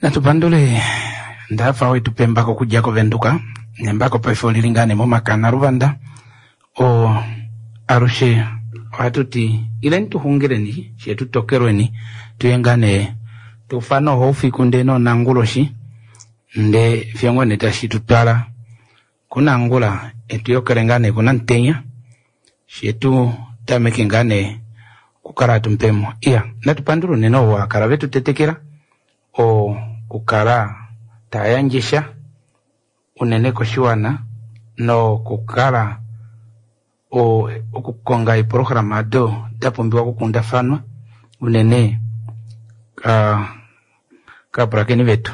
Natu pandule Ndaafa wetu pembako okudja koVenduka nembako paife olili ngaa nee momakana Luvanda oo alushe ohatu ti ileni tu xungileni fye tu tokelweni tuye ngaa nee tuufane ohoufiku ndee noonanguloshi ndee fiyo ngoo nee tashi tu twala kunangula etu yokele ngaa nee kunamutenya fye tu tameke ngaa nee okukala hatu mupemo. Iya, natu pandule unene ovo va kala vetu tetekela okukala taa yandje sha unene koshiwana nokukala okukonga eeprograma odo da pumbiwa okukundafanwa unene kaapulakeni vetu.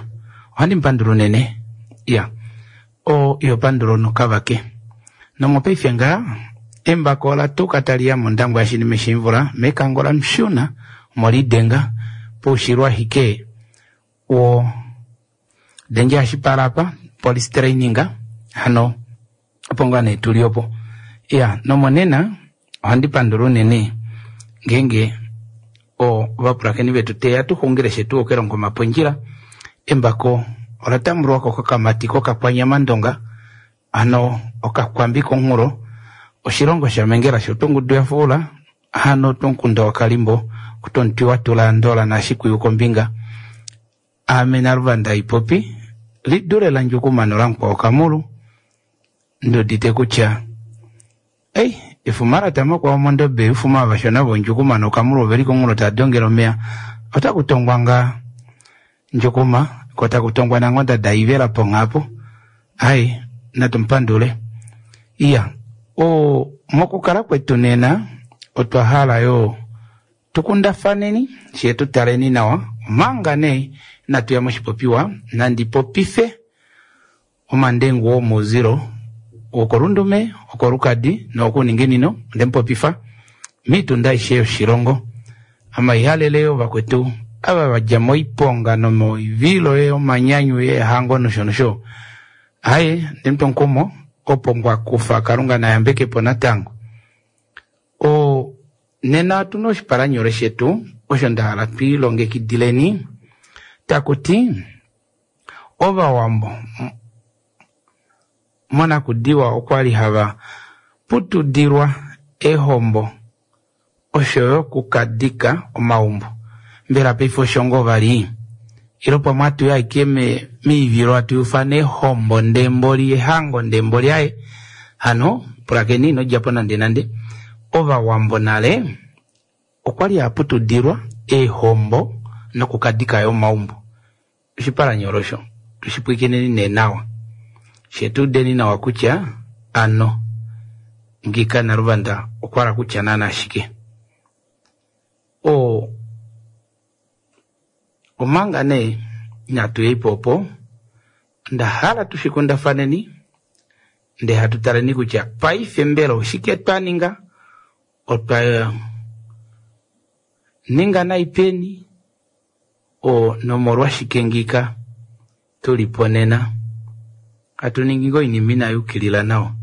Ohandi mupandula unene. Iya, o iho pandula nokavake. Nomopaife ngaa embako ola tuka tali ya mondangwa yashinime shimvula mekango lamushuna omolidenga poushilo ashike wo denge hashipala apa police training hano opo ngaa nee tuli opo. Iya, nomonena ohandi pandula unene ngeenge ovapulakeni vetu teya tu xungile shetu okelongo omapondjila embako ola tambulwako kokamati kokakwanyamandonga hano okakwambi komunghulo oshilongo shamengela shotongudu yafuula hano tomukunda wakalimbo kutomutwi watula andola nashikwiyu kombinga ame naluvanda ipopi lidule landjukuma nolamukwawo kamulu ndudite kutya ei efuma latamakwawo mondobe ufuma vashona vondjukuma nokamulu oveli komunghulo tadongele omeya otaku tongwa ngaa ndjukuma ko taku tongwa nangonda daivela ponghapo ai natumupandule. Iya, mokukala kwetu nena otwa hala yo tukundafaneni fye tutaleni nawa omanga nee inatu ya moshipopiwa nandi popife omandengu womouzilo wokolundume wokolukadi nowokuuninginino ondemupopifa miitunda aishe yoshilongo amaihalele yo vakwetu ava vadja moiponga nomoivilo yomanyanyu yeehango nosho nosho. Aye, ndemutwa omukumo opo ngwakufa Kalunga nayambekepo natango. Nena otuna oshipalanyole shetu osho ndahala twiilongekidileni takuti Ovawambo monakudiwa okwali hava putudilwa eehombo oshoyo okukadika omaumbo. Mbela paife osho ngoo vali? Ilo pamwe atuyi ashike miivilo atu ufana eehombo ndemboli ehango ndemboli aye hano pulakeni ino djapo nande nande. Ovawambo nale okwali haputudilwa eehombo nokukadika omaumbo. Oshipalanyole osho tushipwikineni nee nawa fye tuudeni nawa kutya ano ngika naluvanda okwahala kutya naana shike. Omanga nee inatu yaipo opo onda hala tushikundafaneni ndee hatu taleni kutya paife mbela oshike twa ninga otwa ninga nai peni nomolwashike ngika tulipo nena hatu ningi ngoo oinima inayukilila nawa.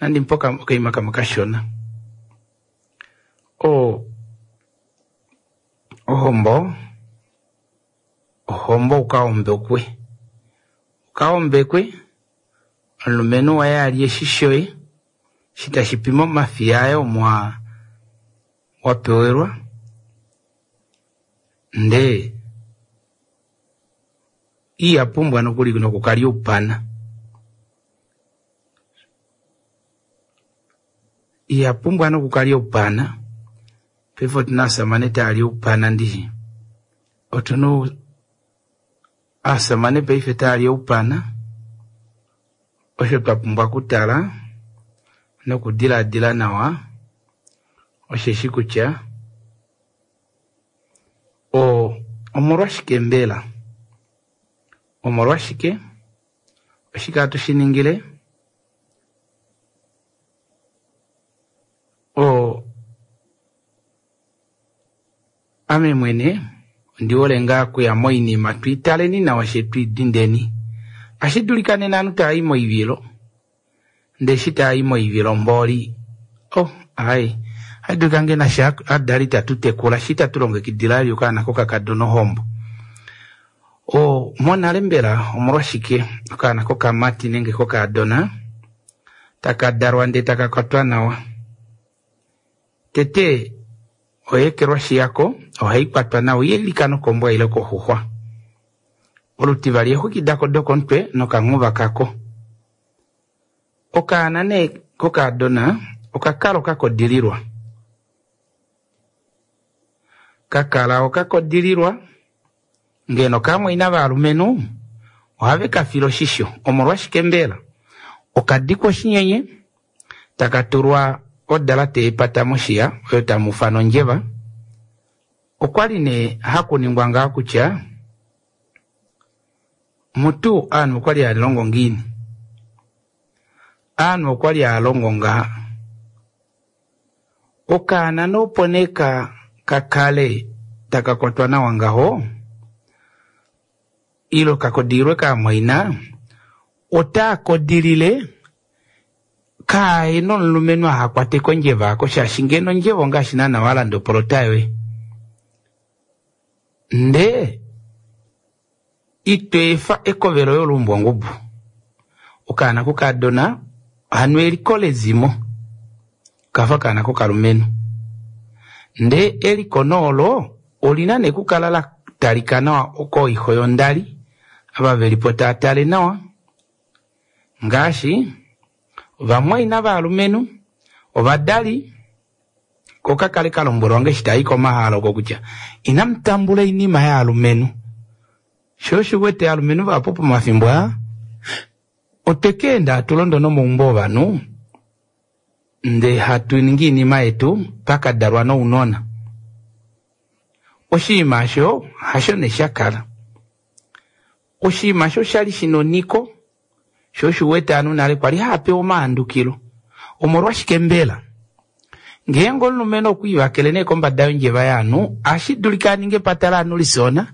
Nandi mpoka okaima kamwe kashona. Ohombo ohombo ukaombekwe ukaombekwe omulumenhu waye alye eshi shoye eshi tashi pi momafiya aye omo wapewelwa ndee iha pumbwa nokuli nokukalya oupana. Iha pumbwa nokukalya oupana. Paife otuna aasamane taali oupana ndishi. Otuna aasamane paife taali oupana osho twa pumbwa okutala nokudilaadila nawa osheshi kutya omolwashike mbela? Omolwashike? Oshike hatu shi ningile? Ame mwene ondi hole ngaa okuya moinima twiitaleni nawa fye twiidindeni. Ohashi dulika nena ovanhu taayi moivilo ndee eshi taayi moivilo mboli aaye ohashi dulika ngee nafye ovadali itatu tekula shee itatu longekidila vali okaana kokakadona ohombo. Monale mbela omolwashike okaana kokamati nenge kokaadona taka dalwa ndee taka kwatwa nawa? Tete oyeekelwashi yako ohai kwatwa nawa ihailika nokombwa ile koxuxwa. Olutivali eexwiki dako dokomutwe nokanghuva kako. Okaana nee kokaadona okakala okakodililwa. Kakala okakodililwa ngeno kamwaina valumenhu ohave kafile oshisho. Omolwashike mbela? Okadikwa oshinyenye taka tulwa odalate yepata moshiya oyo tamu ufana ondjeva. Okwali nee hakuningwa ngaho kutya mutu ovanhu okwali hava longo ngiini? Ovanhu okwali hava longo ngaha Okaana nee opo nee ka kale taka kwatwa nawa ngaho ile ka kodililwe kaamwaina, otaa kodilile kaahena omulumenhu aha kwate kondjeva aako shaashi ngeno ondjeva ongaashi naana walanda opolota yoye ndee ito efa ekove loye oluumbwa ongubu. Okaana kokaadona hano eliko lezimo okafa okaana kokalumenhu. Ndee eliko nee olo olina nee okukala la talika nawa kooixo yondali ava velipo tava tale nawa ngaashi ovamwaina valumenhu, ovadali ko ka kale ka lombwelwa nge eshi taa i komahala oko kutya inamu tambula oinima yaalumenhu. Sho osho u wete aalumenhu vahapu pomafimbo aa otwe ka enda hatu londo nomaumbo ovanhu ndee hatu ningi oinima yetu pakadalwa nounona. Oshinima osho hasho nee sha kala. Oshinima osho oshali shina onhiko Sho osho u wete ovanhu nale kwali hava pewa omahandukilo. Omolwashike mbela? Ngeenge omulumenhu okwa ivakele nee kombada yondjeva yovanhu, ohashi dulika a ninge epata lovanhu lifyoona,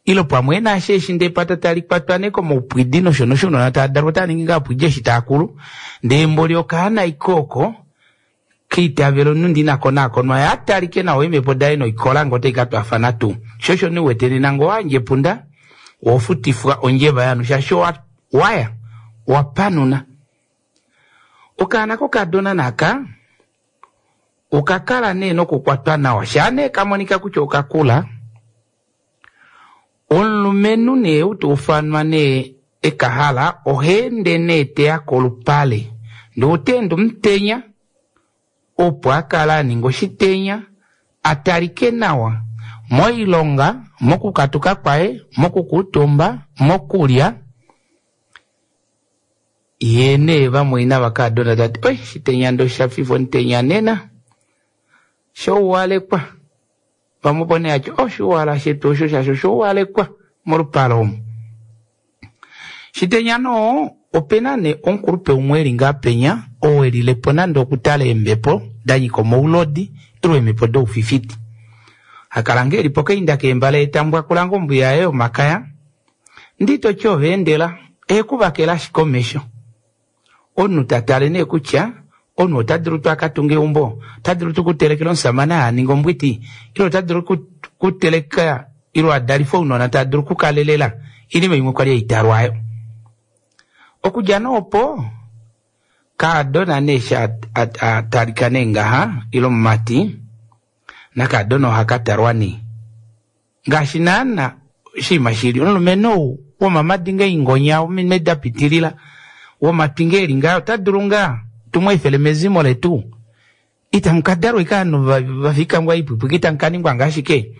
ile pamwe e na eshi eshi ndee epata tali kwatwa nee komaupwidi nosho nosho ounona tava dalwa otava ningi ngaa opwidi eshi tava kulu, ndee mboli okaana ashike oko keitavelo omunhu ndee ina konaakonwa ye a talike nawa eemhepo daye noikola ngee otai ka twaafana tuu. Sho osho nee u wete nena ngee owa yandja epunda, oho futifwa ondjeva yovanhu shaashi owa waya owa panuna. Okaana kokadona naka oka kala nee nokukwatwa nawa shaa nee ka monika kutya oka kula, omulumenhu nee ou ta ufanwa nee eka hala oha ende nee teya kolupale ndee ota ende omutenya opo a kale a ninga oshitenya a talike nawa moilonga, mokukatuka kwaye, mokukuutumba, mokulya. Ye nee vamwaina vakaadona ta ti, Oi, shitenya ndee osha fifa omutenya nena, shouwalekwa. Vamwe opo nee hati, oshuwala shetu osho shaashi oshouwalekwa molupale omu. Shitenya noo, opena nee omukulupe umwe eli ngaa penya, oo elile po nande okutala eembepo da nyika omaulodi ile eemhepo doufifiti. Ha kala ngoo eli pokainda keembale ye ta mbwakula ngoo ombuya yaye yomakaya, ndee ito ti ova endela, ehe ku vakela ashike omesho. Omunhu ta tale nee kutya omunhu ota dulu tuu a ka tunge eumbo, ota dulu tuu okutelekela omushamane a ninge ombwiti, ile ota dulu okuteleka ile a dalife ounona tava dulu okukalelela. Oinima imwe kwa li hai talwa ayo. Okudja nee opo, kaadona nee eshi a talika nee ngaha ile omumati, nakaadona oha ka talwa nee. Ngaashi naana oshinima shi li, omulumenhu ou womamadi ngaa ingonya, wominwe da pitilila, womatwi ngaa eli ngaa, ota dulu ngaa tu mu efele mezimo letu? Itamu ka dalwa ashike ovanhu va fika ngoo haipwipwika, itamu ka ningwa ngaa shike?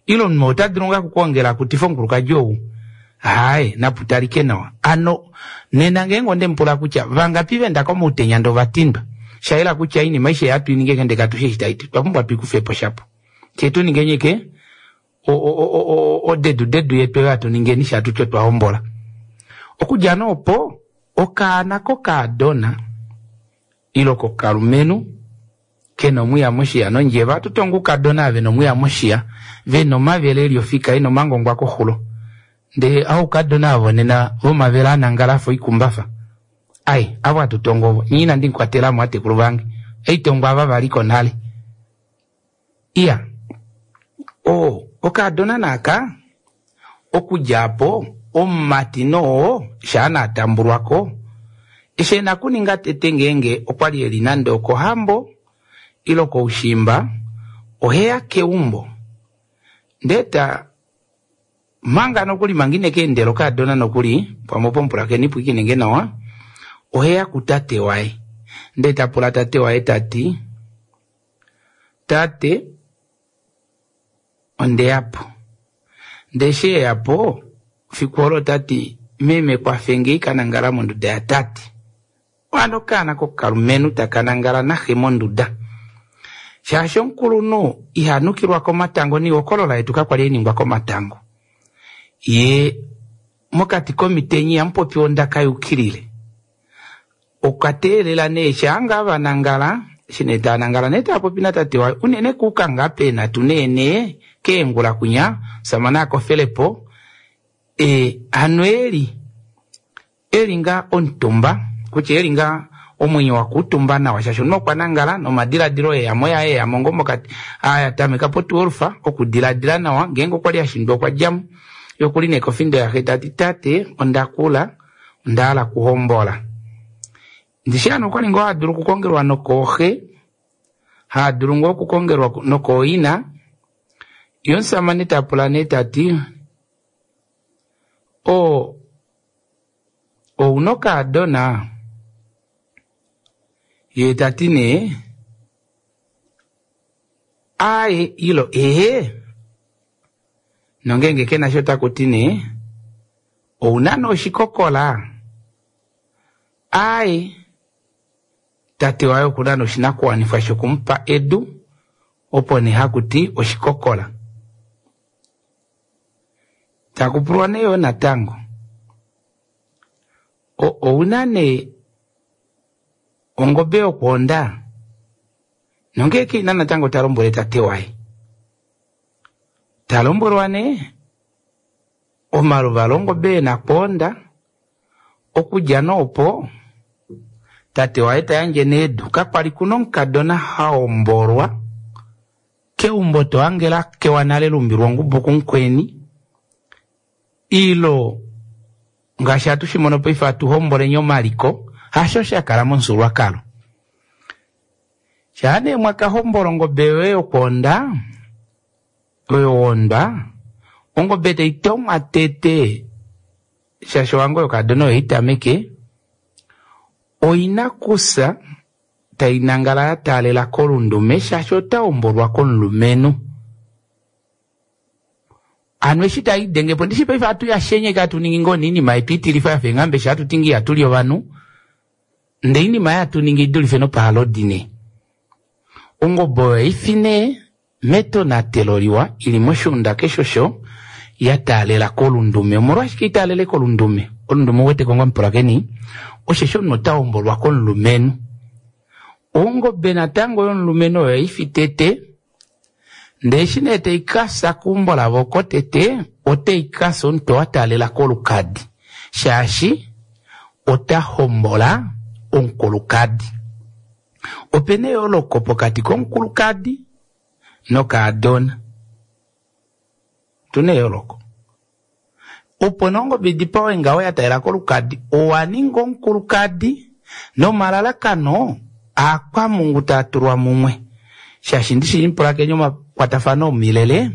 Ile omunhu ota dulu ngaa okukwoongela akutife omukulukadi ou? Aaye, napu talike nawa. Hano nena ngeenge onde mu pula kutya vangapi va enda komautenya ndee ova tindwa, sha yela kutya oinima aishe ei hatu i ningi ndee katu shii eshi tai ti. Otwa pumbwa tu i kufe po shapo. Fye tu ninge nyike odedu dedu yetu oyo hatu ningeni sha tuti otwa hombola. Okudja nee opo okaana kokaadona ile kokalumenhu kena omwiya moshiya nondjeva, ohatu ti ongoukadona ava vena omwiya moshiya, vena omavele eli ofika ena omangongwa koxulo. Ndee oukadona ava vonena vomavele anangala afa oikumbafa, ai avo hatu tongo ovo. Nye inandi mu kwatelamo vatekulu vange, oitongo ava valiko nale. Iya, o, okaadona naaka, okudja apo, Omumati noo shaa na atambulwa ko, eshi e na kuninga tete ngeenge okwa li e li nande okohambo ile koushimba, oheya keumbo ndee ta manga nokuli manga ine ka endela okaadona nokuli, pamwe opo mupulakeni pwiikine nge nawa, oheya kutate waye ndee ta pula tate waye ta ti, Tate, onde ya po. Ndee eshi e ya po, fiku olo ota ti, Meme kwafe nge ka nangala monduda yatate. Hano okaana kokalumenhu taka nangala naxe monduda. Shaashi omukulunhu iha nukilwa komatango noihokolola yetu kakwali hai ningwa komatango. Ye mokati komitenya ihamu popiwa ondaka yukilile. Okwa teelela nee shaa ngaa va nangala, eshi nee taa nangala nee taa popi natate waye, unene kuuka ngaa peenhatu neenee keengula kwinya, omusamane a kofele po, e, hano e li, e li ngaa omutumba, kutya e li ngaa omwenyo wa kuutumba nawa shaashi omunhu okwa nangala nomadiladilo e ya mo yaye e ya mo ngoo mokati, a tameka potuwelufa okudiladila nawa, ngeenge okwa li a shindwa okwa dja mo. Ye okuli nee kofindo yaxe ta ti, Tate, onda kula, onda hala okuhombola. Ndishi hano okwali ngoo hadulu okukongelwa nokooxe, haadulu ngoo okukongelwa nokooina, ye omusamane ta pula nee ta ti, O, ouna okaadona? Ye ta ti nee, Aaye, ilo ehee. Nongeenge ke na sha otaku ti nee, Ou na nee oshikokola? Aaye, tate waye oku na nee oshinakuwanifwa shoku mu pa edu, opo nee haku ti oshikokola. Taku pulwa nee yoo natango, Ou na nee ongobe yokwoonda? Nongee ke i na natango ta lombwele tate waye. Ta lombwelwa nee omaluvalo ongobe e na kwoonda, okudja nee opo tate waye ta yandje nee edu. Kakwali ku na omukadona ha hombolwa keumbo to hange la kewa nale la umbilwa ongubu kumukweni ilo ngaashi hatu shi mono paife hatu homboleni omaliko, hasho sha kala momufyuululwakalo. Shaa nee mwa ka hombola ongobe yoye yokwoonda, oyo woondwa, ongobe tai tomwa tete shaashi ohango yokaadona oyo itameke, oina kufya tai nangala ya taalela kolundume shaashi ota hombolwa komulumenhu. Hano eshi tai denge po, ndishi paife hatu yashenyeke hatu ningi ngoo oinima yetu itilifa yafa eenghambe eshi hatu ti ngee ihatu li ovanhu, ndee oinima ei hatu ningi idulife nopahalodi nee. Ongobe oyo haifi nee metonatelo liwa i li moshiunda keshe osho ya taalela kolundume. Omolwashike i taalele kolundume? Olundume ou wete ko ngoo omupulakeni? Osheshi omunhu ota hombolwa komulumenhu. Ongobe natango yomulumenhu oyo haifi tete, ndee eshi nee tai ka fya keumbo lavo oko tete, otai ka fya omutwe wa taalela kolukadi, shaashi ota hombola omukulukadi. Ope na eyooloko pokati komukulukadi nokaadona. Otu na eyooloko. Opo nee ongobe i dipawe ngaho ya talela kolukadi, owa ninga omukulukadi nomalalakano aakwamungu taa tulwa mumwe. Shaashi ndishi mupulakeni omakwatafano omilele,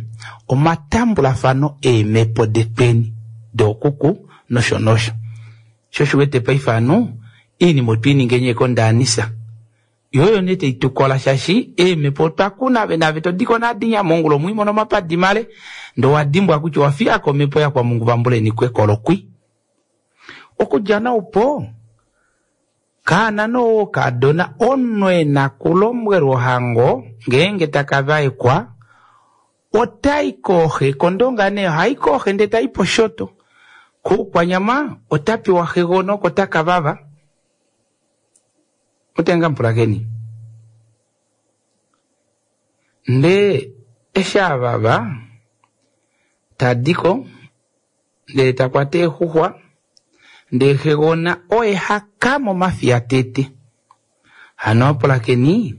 omatambulafano eemhepo detweni, dookuku nosho nosho. Sho osho u wete paife ovanhu oinima otwe i ninga eenyeka ondaanisa. Yo oyo nee tai tu kola shaashi eemhepo otwa kuna ave naave to diko naadinya mongula omwi mono omapadi male ndee owa dimbwa kutya owa fiya ko omhepo yakwamungu vambuleni kwekolokwi. Okudja noupo kaana noo wokaadona omunhu e na kulombwelwa ohango ngeenge taka vaekwa otai kooxe kOndonga nee ohai kooxe ndee tai poshoto. Koukwanyama ota pewa xegona oko taka vava. Otenga mupulakeni. Ndee eshi a vava, ta di ko, ndele ta kwata eexuxwa, ndee xegona oye ha ka momafiya tete. Hano apulakeni,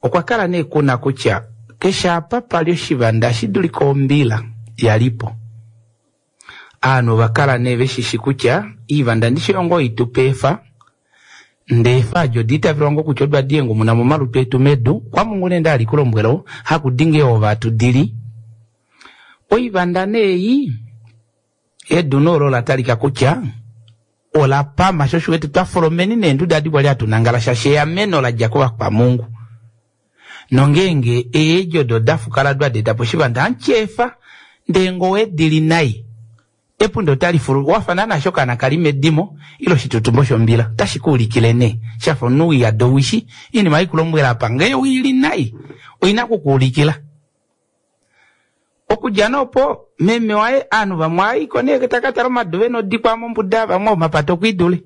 okwa kala nee ku na kutya keshe apa pa li oshivanda ohashi dulika ombila ya li po. Aanhu ova kala nee veshishi kutya iivanda ndishi oyo ngoo itupa eefa, ndee eefa adi oda itavelwa ngoo kutya odo hadi hengumuna momalutu etu medu, kwamungu nee nda li kulombwela oo, haku di ngee ova hatu dili. Oivanda nee ei, edu nee olo ola talika kutya ola pama sho osho wete twa folomeni neenduda adi kwali hatu nangala shaashi eameno la dja kovakwamungu. Nongeenge eedjo odo da fukala odo hadi eta po oshivanda ohamu efa, ndee ngee owedili nai epunda otali fulu wafa naana okaana kali medimo ile oshitutumbo shombila otashi ku ulikile nee shafa omunhu wiyada owishi oinima haikulombwela apa ngee oili nai oina okukuulikila. Okudja nee opo meme waye ovanhu vamwe ohaiko nee taka tala omadu vena odikwa mombuda vamwe omapata okwiidule.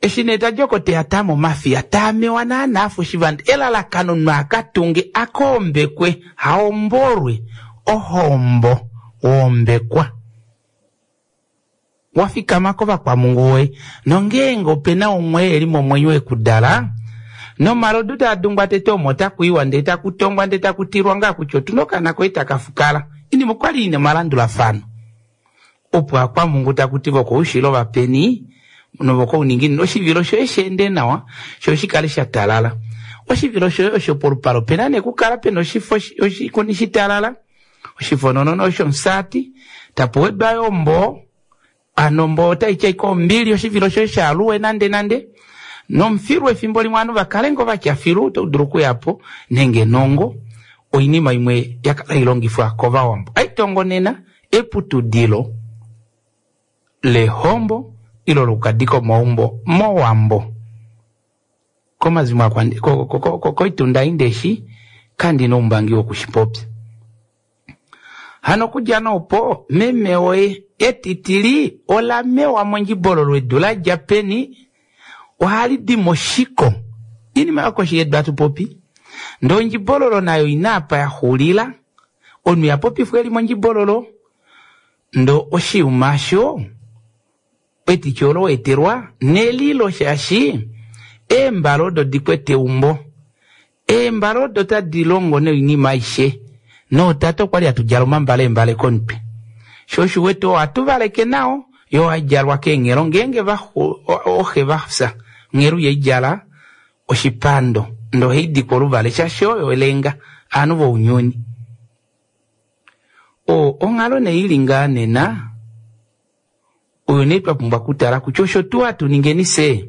Eshi nee tadi oko teya tama omafiya taamewa naana afa oshivanda elalakano omunhu akatunge akoombekwe haombolwe ohombo wombekwa wafikama kovakwamungu woye nongeenge opena umwe eli momwenyo ekudala nomalodu taa dungwa tete omo takuiwa ndee takutongwa ndee takutilwa ngaa kutya otuna okaana koye takafukala inima okwali ina omalandulafano opo akwamungu takuti vokoushilo vapeni novokouninginino oshivilo shoye sheende nawa sho shikale sha talala. Oshivilo shoye osho polupale opena nee kukala pena oshifo oshikuni shitalala oshifononono oshomusati tapu wedwa yo omboo hano omboo otaiti ashike ombili oshivilo shoye shaaluwe nande nande nomufilu efimbo limwe ovanhu vakale ngoo vatya filu oto dulu okuyapo nenge nongo oinima imwe yakala hailongifwa kovawambo. Aitongo nena eputudilo lehombo ilo lokukadika omaumbo mowambo komazimo koitunda indeshi kandina oumbangi wokushipopya. Hano okudja nee opo meme woye etitili ola mewa mondjibololo edu ladja peni ohali di moshiko oinima yokoshi yedu hatu popi ndee ondjibololo nayo ina apa yaxulila omunhu ihapopifwa eli mondjibololo ndee oshiyuma osho etiti olo weetelwa nelilo shaashi eembale odo dikwete eumbo eembale odo tadi longo noinima aishe nootate okwali hatu djala omambale eembale komutwe sho osho uwete ohatu valeke nao yoo haidjalwa keenghelo ngeenge ooxe vafya onghelo ihaidjala oshipando ndee ohaidikwa oluvale shaashi oyo elenga ovanhu vounyuni. Onghalo nee ili ngaa nena oyo nee twa pumbwa okutala kutya osho tuu hatu ningeni fyee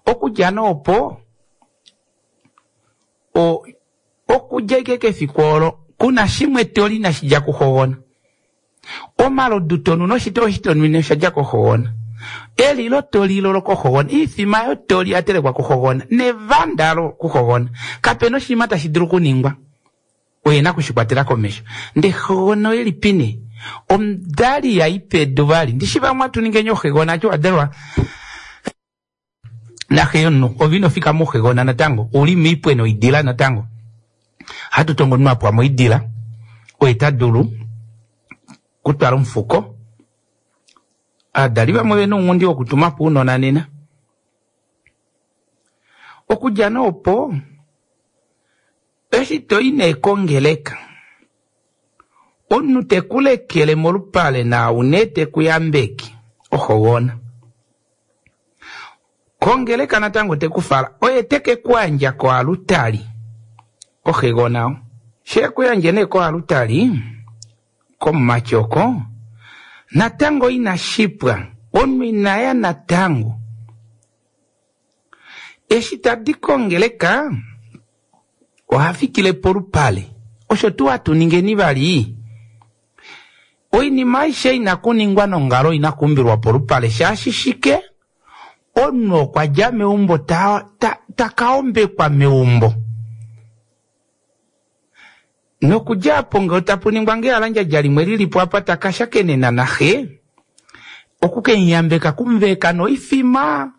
okudja nee opo okudja ashike kefiku olo kuna shimwe toli inashi dja kuxogona. Omalodu tonu noshitoo eshi tonwine osha dja koxogona. Elilo tolilo lokoxogona, oifima yo toli oya telekwa kuxogona nevanda lo kuxogona. Kapena oshinima tashi dulu okuningwa oye na okushikwatela komesho. Ndee xogona oyelipi nee? Omudali ihai pedu vali ndishi vamwe hatu ningeni oxegona ati wadalwa naxe yomunhu ove ino fika mouxegona natango ouli moipwe noidila natango. Ohatu tongo omunhu apwa moidila oye tadulu kutwala omufuko. Aadali vamwe vena ounghundi wokutumapo ounona nena. Okudja nee opo eshi toi nee kongeleka omunhu tekulekele molupale naau nee tekuyambeke oxogona. Kongeleka natango tekufala oye teke kuyandja koalutali oxegona shekuyandje nee koalutali komumati oko natango inashipwa omunhu inaya natango. Eshi tadi kongeleka ohafikile polupale osho tuu hatu ningeni vali oinima aishe ina kuningwa nongalo ina kuumbilwa polupale shaashi shike omunhu okwa dja meumbo takaombekwa meumbo nokudja apo ngee tapu ningwa ngee ehalandjadja limwe lilipo apa takashakenena naxe okukemuyambeka okumuveka noifima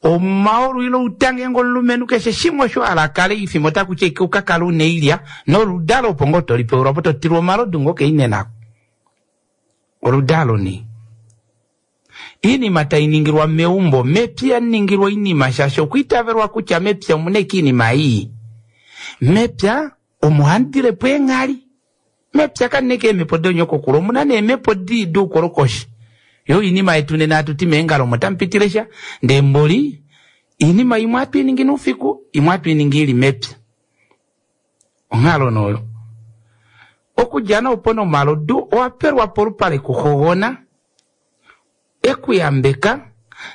omaulu ile outa ngeenge omulumenhu keshe shimwe osho hala akale oifima otakuti ashike ukakale una oilya noludalo opo ngoo tolipewelwa po totilwa omalodu ngoo keinenako. Oludalo nee oinima tainingilwa meumbo mepya ihamuningilwa oinima shaashi okwiitavelwa kutya mepya omuna ashike oinima ii. Mepya omo hamudilepo eenghali. Mepya kamu na ashike eemhepo doonyokokulu, omu na neemhepo dii doukolokoshi. Yo oinima yetu nena hatu ti meengalo omo tamu pitile sha, ndee mboli oinima imwe ohatu i ningi noufiku, imwe ohatu i ningi i li mepya. Onghalo nee oyo. Okudja nee opo nomalodu owa pelwa polupale kuxogona. E ku yambeka,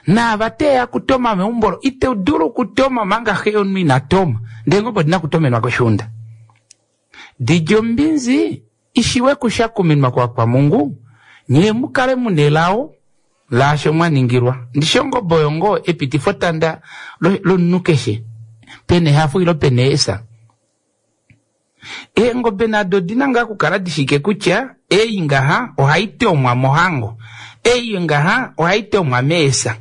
naava te ya kutoma meumbo lo, ito dulu okutoma omanga xe yomunhu ina toma, ndee ngoo odi na okutomenwa koshiunda. Di lye ombinzi i shiwe kushakuminwa kOvakwamungu, nyee mu kale mu nelao laasho mwa ningilwa. Ndishi ongobe oyo ngoo epitifotanda lomunhu keshe, pena ehafo ile pena eesa. Eengobe nado odi na ngaa okukala di shike kutya ei ngaha ohai tomwa mohango, ei ngaha ohai tomwa meesa.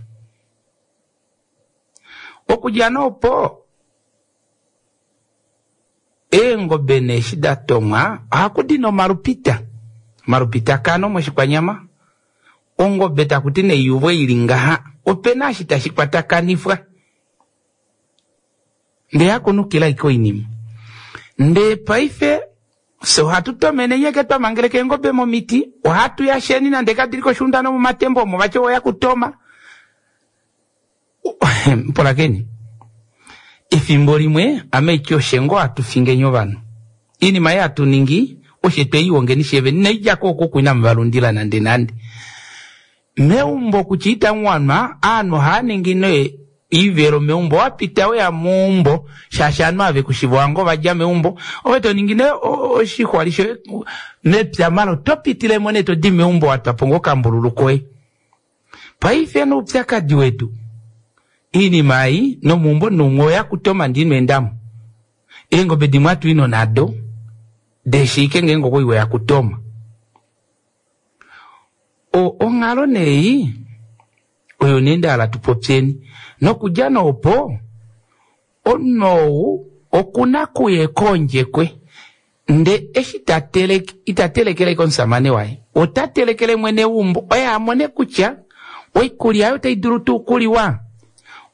Okudja nee opo, eengobe nee eshi da tomwa ohaku di nee omalupita, omalupitakano mOshikwanyama. Ongobe taku ti nei yuvwe i li ngaha, ope na eshi tashi kwatakanifwa. Ndee hakunukila ashike oinima. Ndee paife fye ohatu tomene nyeke twa mangeleka eengobe momiti, ohatu yasheni nande kadi li koshiunda nomomatemba omo vati oya kutoma. Pulakeni, efimbo limwe ame iti oshe ngoo hatu fingeni ovanhu. Iinima ei hatu ningi oshe twe i hongeni fye vene, inai dja ko oku inamu va lundila nande nande. Meumbo kutya itamu wanwa, aanhu ohava ningi nee oivelo meumbo. Owa pita weya meumbo shaashi aanhu ava vekushiva owange ova dja meumbo. Ove to ningi nee oshixwali shoye mepya mala oto pitile mo nee to di meumbo wa twa po ngoo okambululu koye. Paife nee oupyakadi wetu oinima ei nomeumbo noumwe oya kutoma ndee ino enda mo. Eengobe dimwe hatu i nonado deshiike ngeenge okwali weya kutoma. O, onghalo nee ei oyo nee nda hala tu popyeni. Nokudja nee opo, omunhu ou oku na kuya ekoondjekwe, nde eshi ta teleke, ita telekele ashike omusamane waye, ota telekele mwene weumbo oye a mone kutya oikulya oyo otai dulu tuu okuliwa,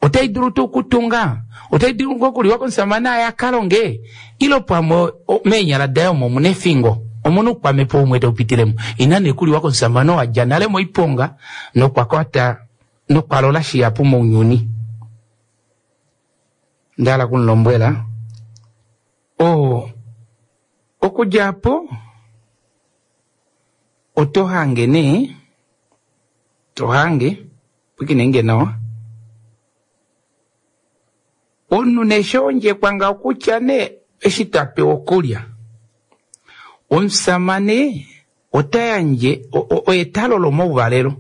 otai dulu tuu okutunga, otai dulu ngoo okuliwa komusamane aye a ka longe, ile pamwe meenyala daye omo omu na efingo, omu na oukwamhepo umwe tau pitile mo. Ina nee okuliwa komusamane oo a dja nale moiponga nokwa kwata nokwa lola shihapu mounyuni. Onda hala oku mu lombwela, oo, okudja opo oto hange nee, to hange, pwiikine nge nawa. Omunhu nee eshi ondjekwa ngaho kutya nee eshi ta pewa okulya, omusamane ota yandje oye ta lolo omauvalelo.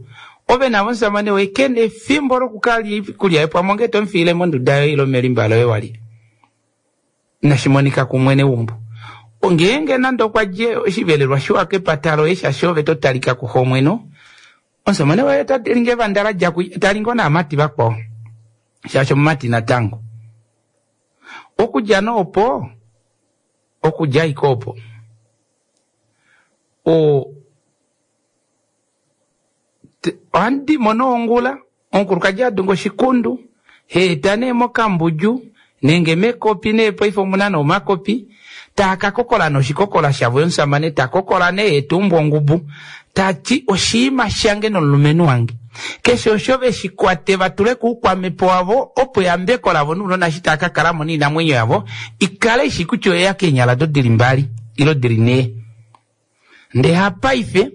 Ove navo omusamane woye ke na efimbo lokukalya oikulya yoye pamwe onge to mu fiile monduda yoye ile melimba loye wa lya. Inashi monika kumwene weumbo. Ngeenge nande okwa dje oshivelelwa shiwa kepata loye shaashi ove to talika kuxomweno, Omusamane waye ota lingi evanda la dja kuye, ta lingi onaamati vakwao, shaashi omumati natango. Okudja nee opo, okudja ashike opo, o, ohandi mono ongula, omukulukadi a dunga oshikundu, ha eta nee mokambudju nenge mekopi nee paife omuna nee omakopi, taa ka kokola nee oshikokola shavo ye omusamane ta kokola nee ye ta umbu ongubu ta ti oshiima shange nomulumenhu wange keshe osho ve shi kwate va tule kuukwamhepo wavo opo eyambeko lavo nounona eshi taa ka kala mo noinamwenyo yavo i kale i shi kutya oyeya keenyala do dili mbali ilo dili nhee. Ndee hapaife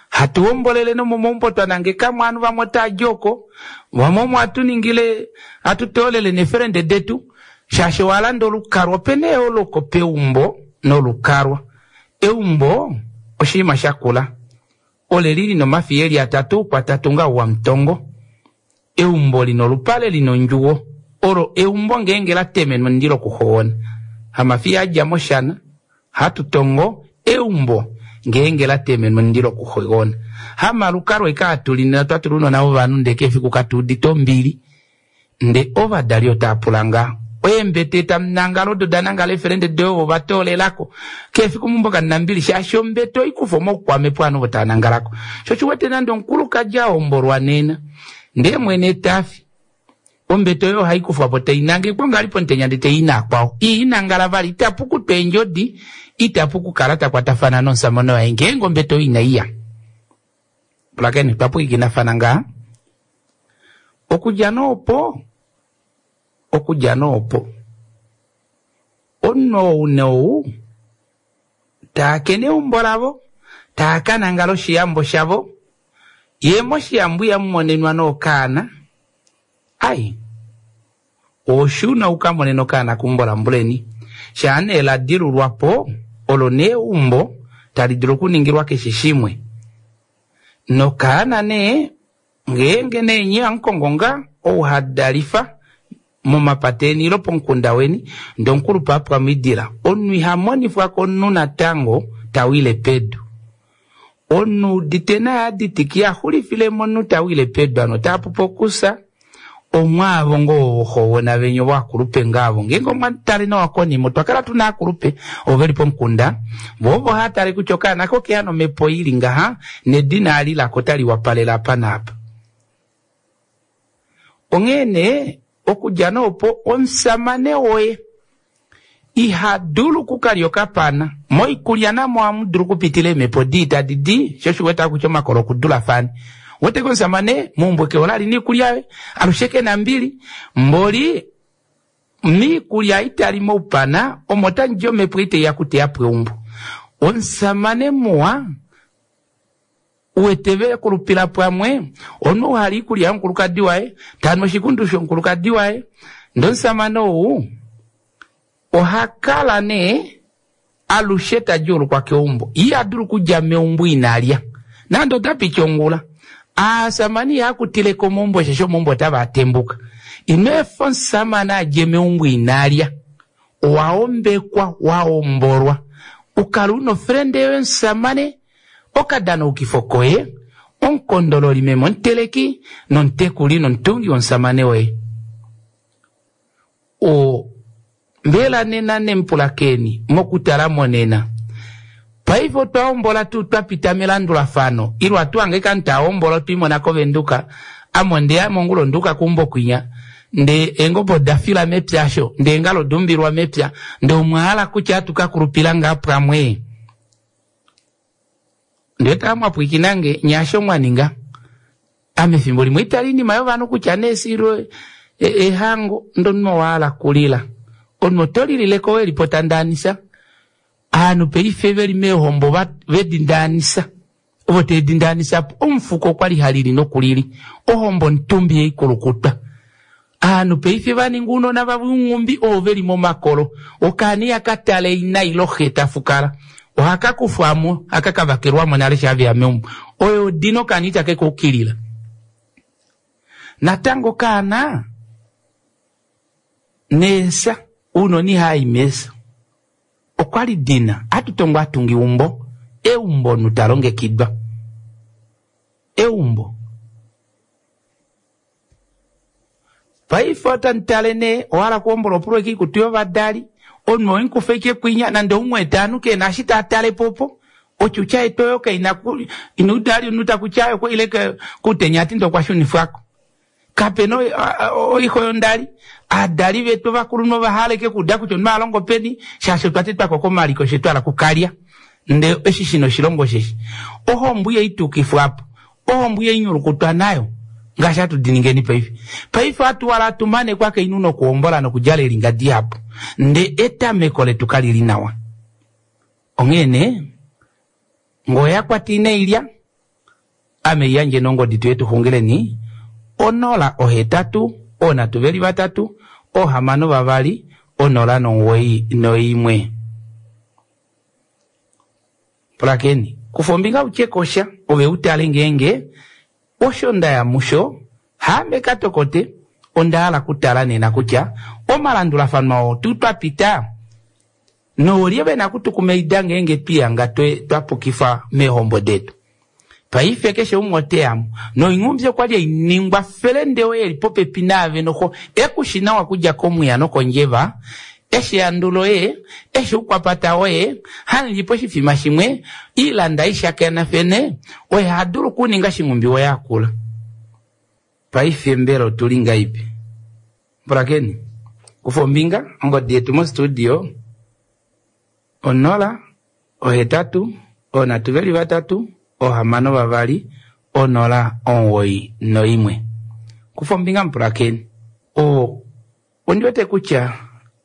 hatu hombolele nomomaumbo twa nangeka mo ovanhu vamwe otaa di oko, vamwe omo hatu ningile hatu toolele neefelende detu shaashi owa landa olukalwa. Ope na eyooloko peumbo nolukalwa. Eumbo oshinima sha kula, ole li lina omafiya eli atatu kwatatu ngaho wamutongo. Eumbo lina olupale lina ondjuwo, olo eumbo ngeenge la temenwa omundilo okuhowona. Hamafiya a dja moshana, hatu tongo eumbo ngeenge la temenwa omundilo okuhowona. Hamalukalwa eke hatu li nena twa tula ounona vovanhu ndee keshe efiku katu udite ombili. Nde ovadali otaa pula ngaa. Eembete tamu nangala odo da nangala eefelende doye ovo va toolelako. Keshe efiku meumbo kamu na ombili shaashi ombete oikufa omaukwamhepo ovanhu ovo tava nangalako. Sho osho u wete nande omukulukadi a hombolwa nena ndee mwene ta fi. Ombete oyo ohai kufwa po tai nangekwa ngali pomutenya ndee tai i naakwao. Ii nangala vali itapu kutwa eendjodi, itapu kukala ta kwatafana nomusamane waye ngeenge ombete oyo inai ya. Pulakeni, twa pwiikinafana ngaa. Okudja nee opo, okudja nee opo, omunhu ou nee ou taa kene eumbo lavo, taa ka nangala oshiyambo shavo, ye moshiyambo ihamu monenwa nee okaana, Ai, oshuna u ka monene okaana keumbo lambuleni. Shaa nee la dilulwa po, olo nee eumbo tali dulu okuningilwa keshe shimwe. Nokaana nee, ngeenge nee nye amu kongo ngaa ou ha dalifa momapata eni ile pomukunda weni, ndee omukulupe a pwa moidila, omunhu iha monifwa komunhu natango ta wile pedu. Omunhu udite naye a ditika iha xulifile momunhu ta wile pedu ano ota pupu okufya. Omwaavo ngoo voxoona venya ovo akulupe ngaa avo ngeenge omwa tale nawa konima otwa kala tuna aakulupe ovo veli pomukunda vo ovo hava tale kutya okaana ko okeya nomhepo ili ngaha nedina ali lako otali wapalele apa naapa. Onghee nee okudja nee opo omusamane woye iha dulu okukalya okapana. Moikulya namo ohamu dulu okupitila eemhepo dii tadi di, sho osho u wete kutya omakola okudulafane. Wete ke omusamane meumbo ke hole ali niikulya yoye, alushe ke na mbili. Mboli miikulya ei tali moupana omo tamu di omhepo ei tai ya okuteya po eumbo. Omusamane muwa U wete ve kulupila pwamwe, omunhu ou ha li iikulya yomukulukadi waye, ta nu oshikundu shomukulukadi waye, ndee omusamane ou oha kala nee alushe ta djuulukwa keumbo. Ye iha dulu okudja meumbo ina lya, nande ota piti ongula. Aasamane ihaya kutile ko omaumbo osheshi omaumbo otava a tembuka. Ino efa omusamane a dje meumbo ina lya. Owa ombekwa, wa hombolwa, u kale u na ofrende yoye omusamane, Okadanaukifo koye, omukondololi meme omuteleki nomutekuli nomutungi womusamane woye. O, mbela nena nemupulakeni mokutala monena. Paife otwa hombola tuu twa pita melandulafano, ile atu hange eke ovanhu tava hombola otwe i mona kOvenduka, ame ondeya mongula onda uka keumbo kwinya, ndee eengobe oda fila mepya asho, ndee eengala oda umbilwa mepya, ndee omwa hala kutya atu ka kulupila ngaa pwamwe? Ndee tala mwa pwiikina nge, nye asho mwa ninga. Ame efimbo limwe itali inima yovanhu kutya nee silo ehango ndee omunhu owa hala kulila. Omunhu oto lilile ko weli po ta ndaanisa. Ovanhu paife veli meehombo vedi ndaanisa. Ovo teve di ndaanisa po. Omufuko okwali ha lili nokulili. Ohombo omutumbi yei kulukutwa. Aanhu paife va ninga ounona vavo ounghumbi ovo ve li momakolo. Okaana ihaka tale ina ile xe ta fukala. Ohaka kufwa mo, haka ka vakelwa mo nale shaa ve ya meumbo. Oyo odina okaana itake ka ukilila. Natango okaana neesa, ounona ihava i meesa. Okwa li dina, ohatu tongo atunga eumbo, eumbo omunhu ta longekidwa. Eumbo. Paife otamu tale nee, owa hala okuhombola opulwe koikutu yovadali, omunhu owe mu kufa ashike kwinya, nande ou mu wete ovanhu ke na eshi taa tale po opo, otyutya yetu oyo kai na ku, ina uda vali omunhu ta kutya okwa ile koutenya a ti ndee okwa shunifwa ko. Kape na oixo yondali, aadali vetu ovakulunhu ova hala ashike okuuda kutya omunhu oha longo peni, shaashi otwa tetwa ko komaliko she twa hala okukalya. Ndee eshi shi na oshilonga osheshi, ohombo ihai tukifwa po, Ohombo ihai nyulukutwa nayo ngaashi hatu di ningeni paife. Paife ohatu wala hatu mane kwakainhu nokuhombola nokudjala eelinga dihapu, ndee etameko letu kali li nawa. Onghee nee, ngee oya kwata inai lya, ame yandjeni ongodi tuye tu xungileni, 0 8 3 2 6 2 0 91. Pulakeni, kufa ombinga u tye ko sha, ove u tale ngeenge osho nda ya musho haame ka tokote. Onda hala okutala nena kutya omalandulafano oo tuu twa pita noolye ve na okutukumaida ngeenge twi hanga twa pukifwa meehombo detu. Paife keshe umwe ote ya mo. Noinghumbi okwa li hai ningwa felende oye e li popepi naave noho e ku shi nawa okudja komwiya nokondjeva, eshi ehandu loye, eshi oukwapata woye, hamu li poshifima shimwe, iilanda hai shakenafene, oye ha dulu okuninga shinghumbi woye a kula. Paife mbela otu li ngaipi? Pulakeni, kufa ombinga ongodi yetu mostudio 0 8 3 6 2 0 91. Kufa ombinga mupulakeni. O ondi wete kutya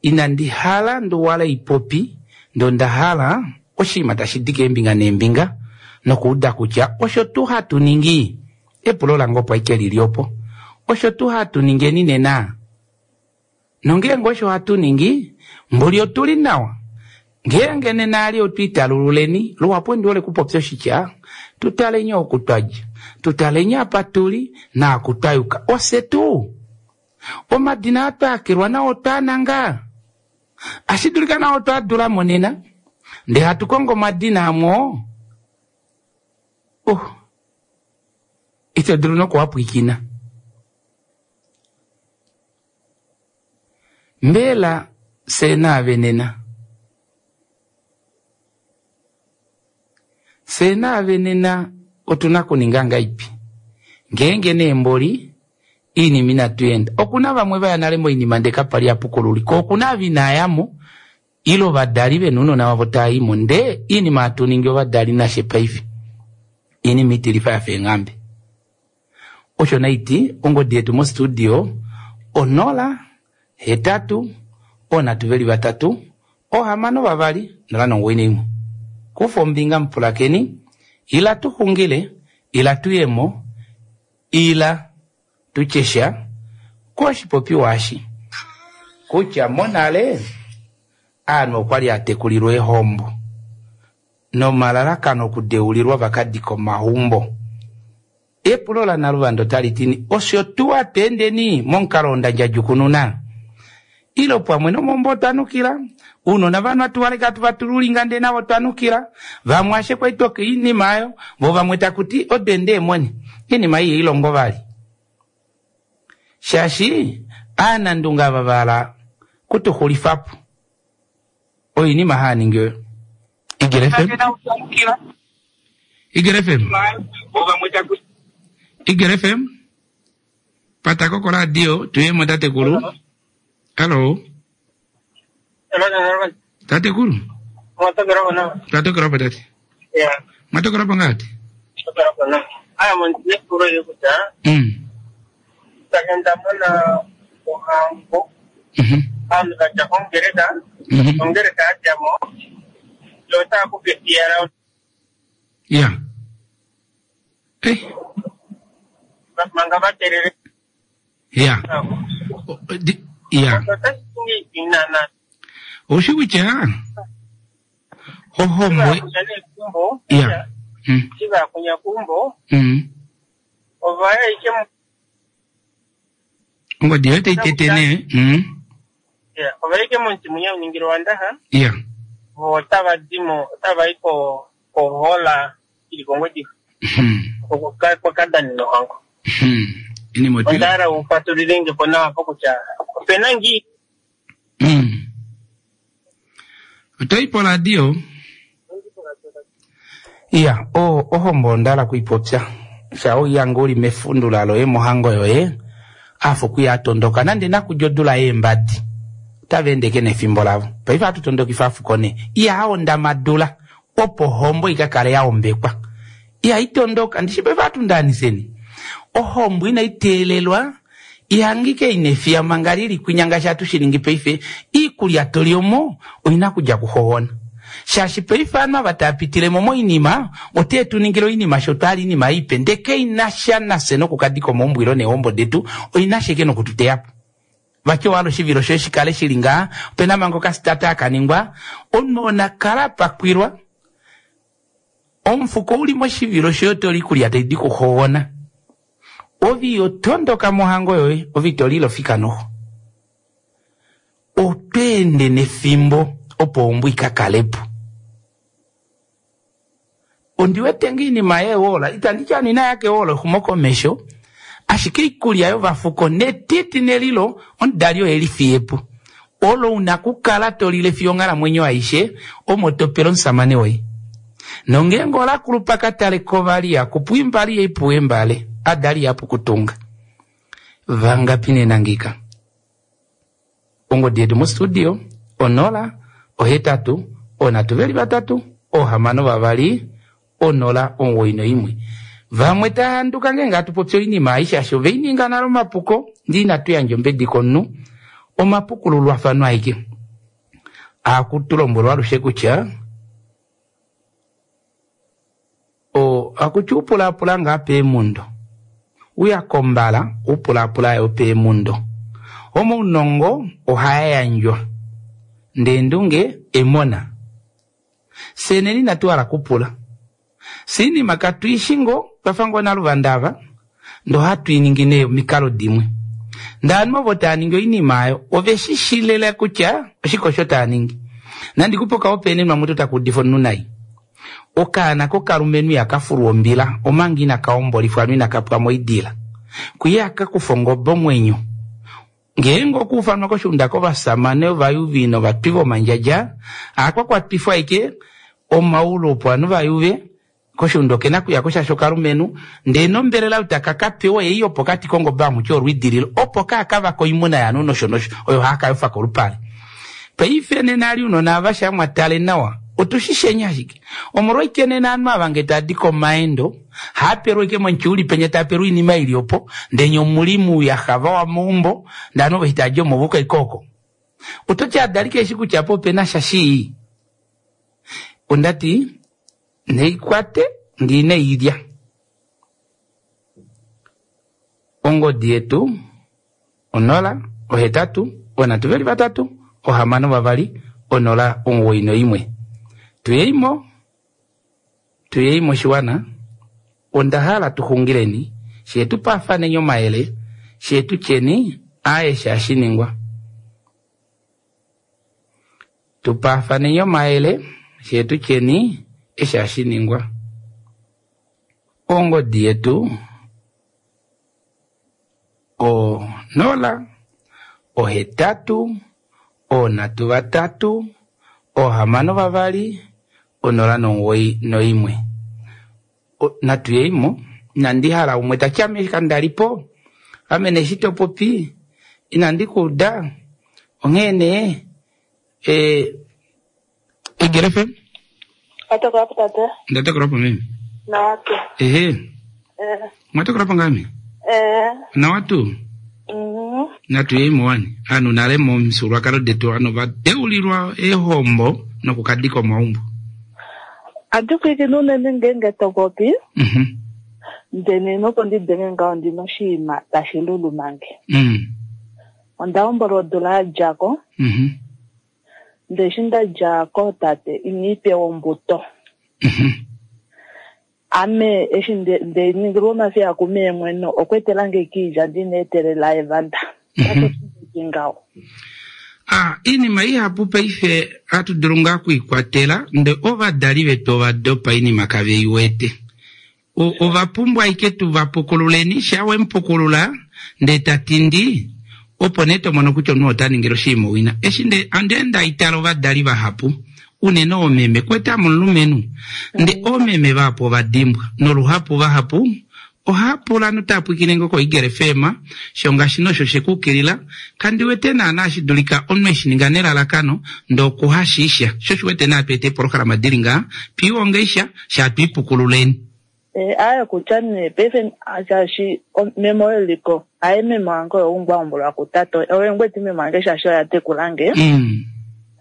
inandi hala nduwala ipopi ndee onda hala oshinima tashi di keembinga neembinga nokuuda kutya osho tuu hatu ningi epulo lange opo ashike lili opo osho tuu hatu ningeni nena nongeenge osho hatu ningi mboli otuli nawa ngeenge nena ali otwiitalululeni luhapu ondi hole kupopya oshitya tutaleni oku twadja tutaleni apa tuli naaku twayuka ofye tuu omadina aa twaakilwa nao otwaana ashi dulika nao otwaadula mo nena ndee hatu kongo omadina amwe oo oh, ito dulu nokuwapwiikina mbela fye naave nena fye naave nena otuna kuninga ngaipi ngeenge neemboli iinima inatu enda okuna vamwe vaya nale moinima ndee kapali apukululi ko okuna ava inayamo ile ovadali vena ounona vavo taaimo ndee iinima hatu ningi ovadali nashe paife iinima itilifa yafa eenghambe osho naiti ongodi yetu mostudio 0 8 3 6 2 0 91. Kufa ombinga mupulakeni ila tuxungile ila tuyemo ila tutyesha koshipopiwa eshi kutya monale aanhu okwali atekulilwa eehombo nomalalakano okudeulilwa vakadika omaumbo. Epulo lanaluvanda otali tini osho tuu atweendeni momukalo oo ndandjadjukununa ile pamwe nomaumbo otwanukila ounona vanhu atuvaleka atu vatululinga ndee navo twanukila vamwe ashe kwali oinima ayo vo vamwe takuti odende eemoni iinima ei ilongo vali shaashi aanandunga ava vahala kutuxulifapo oinima haaningi oyo Igele FM Igele FM Igele FM patako koradio tuyemo tatekulu hallo tatekulu twatokelapo tate mwatokelapo ngati aantu vatya kongeleka ongeleka yadjamo yo otaya kupitiyala ya eh manga vatelele ya ya oushi kutya ohombo ya shivakunya kumbo ovaya ike ongodi yoye taitetene ovaike momuti munya uningile wandaha ya vo otava dimo otava i kohola ili kongwediva kwakadanina ohango onda hala ufatulilenge po nawa po kutya opena ngii otoyi poradio iya ohombo onda hala kuipopya sha oiyanga uli mefundula loye mohango yoye afa okuya atondoka nande nakudja odula yeembadi otava endeke nefimbo lavo paife ohatu tondokifa afuko nee ihaonda madula opo ohombo ikakale yaombekwa ihaitondoka ndishi paife ohatu ndaaniseni ohombo inai teelelwa ihangike ina efiya manga lili kwinya ngaashi hatu shiningi paife iikulya toli omo oina kudja kuxoona shaashi paife ovanhu ava tava pitilemo moinima otee tuningile oinima sho twali iinima ipe ndee kainasha nafye nokukadika omaumbo ile neehombo detu oinasha ike nokututeyapo vati owahala oshivilo shoye shikale shili ngaa opena manga okasitata akaningwa omunhu onakala apakwilwa omufuko uli moshivilo shoye otoli ikulya taidi kuxoona ove iyotondoka mohango yoye ove itolile ofika noxo otweende nefimbo opo ombo ikakalepo ondiwete nga iinima yeewola itanditi anu inaya keewola exumokomesho ashike iikulya yovafuko netiti nelilo omudali oye lifiyepo olo una kukala tolile fiyo onghalamwenyo aishe omo topele omusamane woye nongeenge olakulupa kataleko vali akupu imbali yeipuwa embale adali yapu kutunga vangapi nena ngika Ongodi yetu mostudio 0 8 3 6 2 0 91. Vamwe tava handuka ngeenge hatu popi oinima ei shaashi ove i ninga nale omapuko, ndee inatu yandja ombedi komunhu. Omapukululwafano aeke. Ohaku tu lombwelwa alushe kutya ohaku ti upulaapula ngaa peemundo. Uya kombala, upulaapula yo peemundo. Omaunongo ohaa yandjwa, ndee endunge emona. Fye nena inatu hala kupula. Fye oinima katu i shi ngoo, twa fa ngoo naluvanda ava, ndee ohatu i ningi nee omikalo dimwe. Ndee ovanhu ovo tava ningi oinima oyo ove shi shi lela kutya oshike osho tava ningi. Nandi kupe okahopaenenwa mutu taka udifa omunhu nai. Okaana kokalumenhu ihaka fulwa ombila omanga inaka hombolifwa ano inaka pwa moidila. Kwiya ihaka kufa ongobe omwenyo. Ngeenge okwa ufanwa koshiunda kovasamane ovayuvi novatwi vomandjadja, ohaka kwatwifwa ashike omaulu opo ovanhu va yuve. Koshiunda oke na kuya ko shaashi okalumenhu, ndee nombelela oyo taka ka pewa oyei yopokati kongobe hamu ti olwiidililo, opo kaaka vake oimuna yovanhu nosho nosho oyo haa ka yofa kolupale. Paife nena ali ounona ava sha mwa tale nawa, otu shi shenya ashike. Omolwaike nena ovanhu ava nge tava di komaendo, haa pelwa ashike momutyuuli penya tava pelwa oinima ili opo, ndee nye omuli muuyaxa vawa meumbo, ndee ovanhu ovo eshi tava di omo ova uka ashike oko. Oto ti adali keshi kutya apa opena sha shii. Onda ti, Neikwate ndee inai lya. Ongodi yetu 0 8 3 3 6 2 0 91. Tuyeimo, tuyeimo oshiwana, onda hala tu xungileni, fyee tu paafaneni omayele, fyee tu tyeni aaye eshi hashi ningwa. Tu paafaneni omayele, fyee tu tyeni eshi hashi ningwa. Ongodi yetu 0 8 3 3 6 2 0 91. Natu yeimo. Inandi hala umwe ta ti ame kanda li po, ame nee eshi to popi inandi ku uda, onghee nee Egele FM. Watokola po tate. Nda tokola po meme. Nawa tuu. Ehe. Mwa tokola po ngame? Eh. Nawa tuu. Natu yeimo wani. Ovanhu nale momifyuululwakalo detu ovanhu ova deulilwa eehombo nokukadika omaumbo. Ohandi pwilikine unene ngeenge to popi, ndele nopo ndi denge ngaho ndi na oshinima tashi luluma nge. Onda hombolwa odula ya dja ko, ndele eshi nda dja kootate ina i pewa ombuto. Ame eshi nde ningilwa omafiya kumeemweno okwa etela nge kiilya ndi na etelela evanda. Otashi ti ngaho. A Iinima ihapu paife ohatu dulu ngaa okuikwatela ndee ovadali vetu ova dopa oinima kave i wete. Ova pumbwa ashike tu va pukululeni, shaa we mu pukulula ndee ta tindi, opo nee to mono kutya omunhu ota ningile oshinima owina. Eshi nde ande nda itala ovadali vahapu, unene oomeme, kwete ame omulumenhu, nde oomeme vahapu ova dimbwa, noluhapu vahapu ohaa pula notaa pwiikine ngoo koEagle FM, sho ngaashi nosho she ku ukilila, kandi wete naana hashi dulika omunhu eshi ninga nelalakano ndee okuhashiisha, sho osho wete nee hatu eta eepolohalama dili ngaha, twiihonge sha, sha twiipukululeni. Eh, aye kutya nee paife shaashi meme oye liko aye meme wange oye ungwa hombolwa kutate oye ngweti meme wange shaashi oye a tekula nge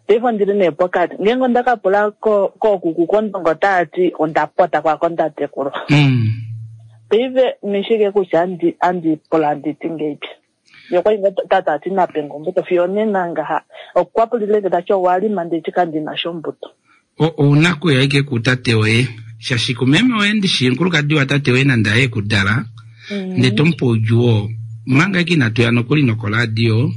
paife ondili nee pokati ngeenge onda ka pula kookuku kondongo otava ti onda pota kwako nda tekulwa paife mishike kutya andi pula ndi ti ngeipi ye okwali ngoo tata ati nape nge ombuto fiyo onena ngaha okwa pulile nge tati owa lima ndeti kandina sha ombuto. Ouna kuya ike kutate woye shaashi kumeme woye ndishi omukulukadi watate woye nande aye ekudala ndee tomupe oudjuu oo manga ike inatu ya nokuli nokoradio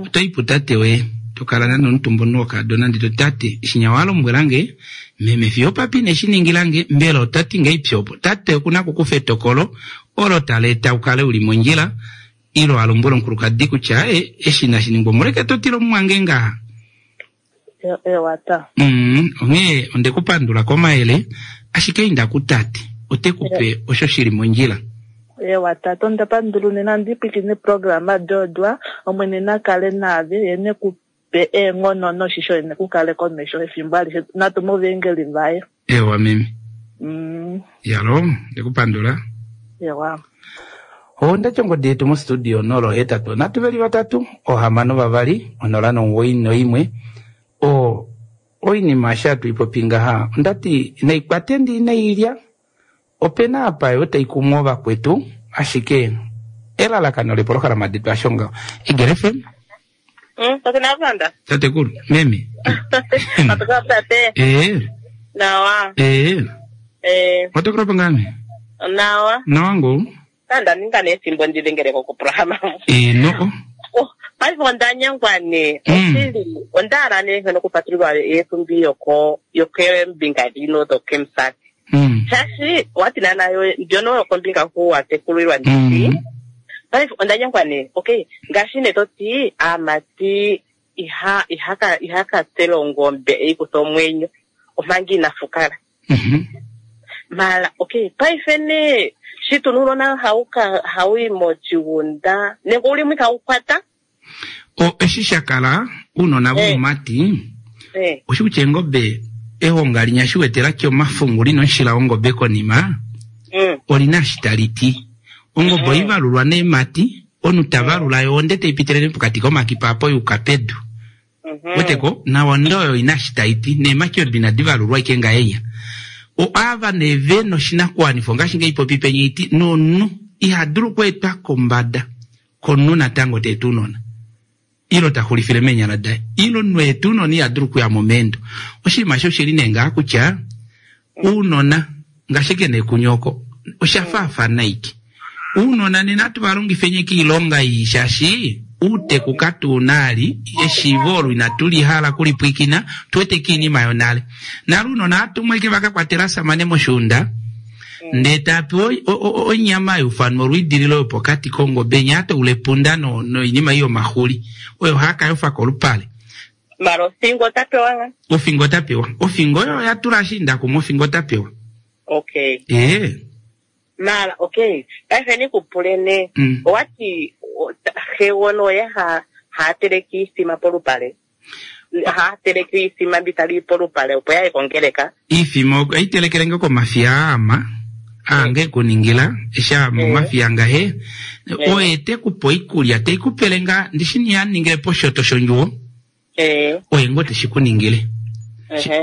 otoyi putate woye tokala nande omutumba omunhu wokadona ndee toti tate shinya walombwelange meme fiyo opapa ineshi ningilange mbela otati ngahelipi opo tate okuna okukufa etokolo olo tali eta ukale uli mondjila ilo a lombwele omukulukadi kutya aaye eshi inashi ningwa omolweke to tila omumwange ngaha. Ewa ta. Mm, onghee onde ku pandula komayele, ashike inda kutate, ote ku pe osho shi li mondjila. Ewa tate onda pandula unene andi pwilikine programa dodwa omwene na kale naave ye ne ku pe eenghono noshisho ye ne ku kale komesho efimbo alishe natume ovaengeli vaye. Ewa meme. Mm. Yalo, ndikupandula. Ewa. Onda tya ongodi yetu mostudio 083 3 6 2 0 91 o oinima eshi hatu i popi ngaha onda ti naikwate ndi inailya opena apa yo tai kumu ovakwetu ashike elalakano lepolohalama detu asho ngaho Egele FM Tate Navanda. Tatekulu, meme. Matoka tate. Eh. Nawa. Eh. Eh. Watokora pangame? Nawa. Nawa ngo. Kanda ninga nefimbo ndilengele ko kuprograma. Eh, no. Oh, paife onda nyengwa nee. Oshili, onda hala nee ngeno kupatululwa eetumbi yoko yokeembinga dino dokemusati. Shaashi owati naana yo ndyono yokombinga hu wa tekulilwa ndishi. Paife onda nyengwa nee. Okay, ngaashi nee to ti aamati iha ihaka ihaka tsela ongombe e i kuthe omwenyo omanga ina fukala. Mala okay, paife nee shi tuna uunona hau ka hau yi moshigunda nenge ouli mo ihau kwata. O, eshi sha kala, uunona voumati, Eh. oshi kutya eengobe, ehonga linya shi wete la tya omafungu lina omushila wongobe konima, Mm. olina eshi tali ti. Ongobe oi valulwa neemati, omunhu ta valula yo onde tai pitilile pokati komakipa apo yuka pedu. Weteko, nawa onde oyo ina eshi tai ti, neemati odo inadi valulwa ashike ngahenya. O ava nee ve na oshinakuwanifwa ongaashi ngei popi penya iti, nomunhu iha dulu okweetwa kombada komunhu natango te tu unona. Ilo ta xulifile meenyala daye. Ilo omunhu e tu unona iha dulu okuya mo meendo. Oshinima eshi oshili nee ngaha kutya, uunona, ngaashi eke nee kunye oko, osha faafana ike. Uunona nena atu va longifeni eke oilonga ii shaashi uuteku katu una ali, eshiivo olo inatu li hala kuli pwiikina, tu wete eke oinima yonale. Nale uunona ohatu eke va ka kwatela asamane moshuunda, ndee taa pewa onyama yufanwa olwiidililo yopokati kongobe nya toula epunda noinima ei yomaxuli oyo haa ka yofa kolupale. Mara ofingo ota pewa nga? Ofingo ota pewa. Ofingo oyo oya tula ashiinda kumwe ofingo ota pewa. Okay. Ee. Mara okay, paife ni ku pule nee. Owati xegona oye ha ha teleke iithima polupale? Ha teleke iithima mbi tali polupale opo ya ye kongeleka? Iithima oyi telekele nge komafiya aama, aange kuningila, eshi aama omafiya ngahe, oye te ku pe oikulya, te i ku pele nga, ndishi ni a ningile poshoto shondjuwo, oye ngo te shi ku ningile.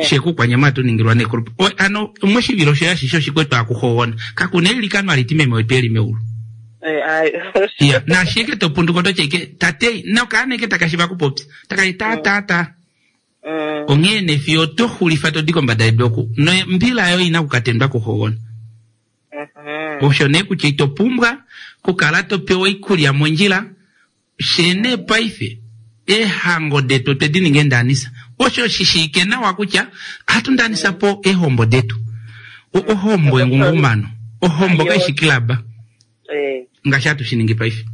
She ku kwanyama atu ningilwa nekulupa. Ano, moshivilo shoye ashishe oshikwetu akuhogona. Kakuna eilikano ali ti meme wetu eli meulu. Ya, naashi eke to punduka oto tya ike, tate, nokaana eke taka shiva kupopya. Taka ti ta ta ta. Onghee nee fiyo oto xulifa to di kombada yedu oku, nombila yoye ina kukatendwa kuhogona. Osho nee kutya ito pumbwa kukala to pewa oikulya mondjila, Fye nee paife eehango detu otwe di ninga eendaanisa. Osho shi shiike nawa kutya ohatu ndaanisa po eehombo detu. Ohombo engungumano. Ohombo kai shi kilaba. Eh. Ngaashi hatu shi ningi paife.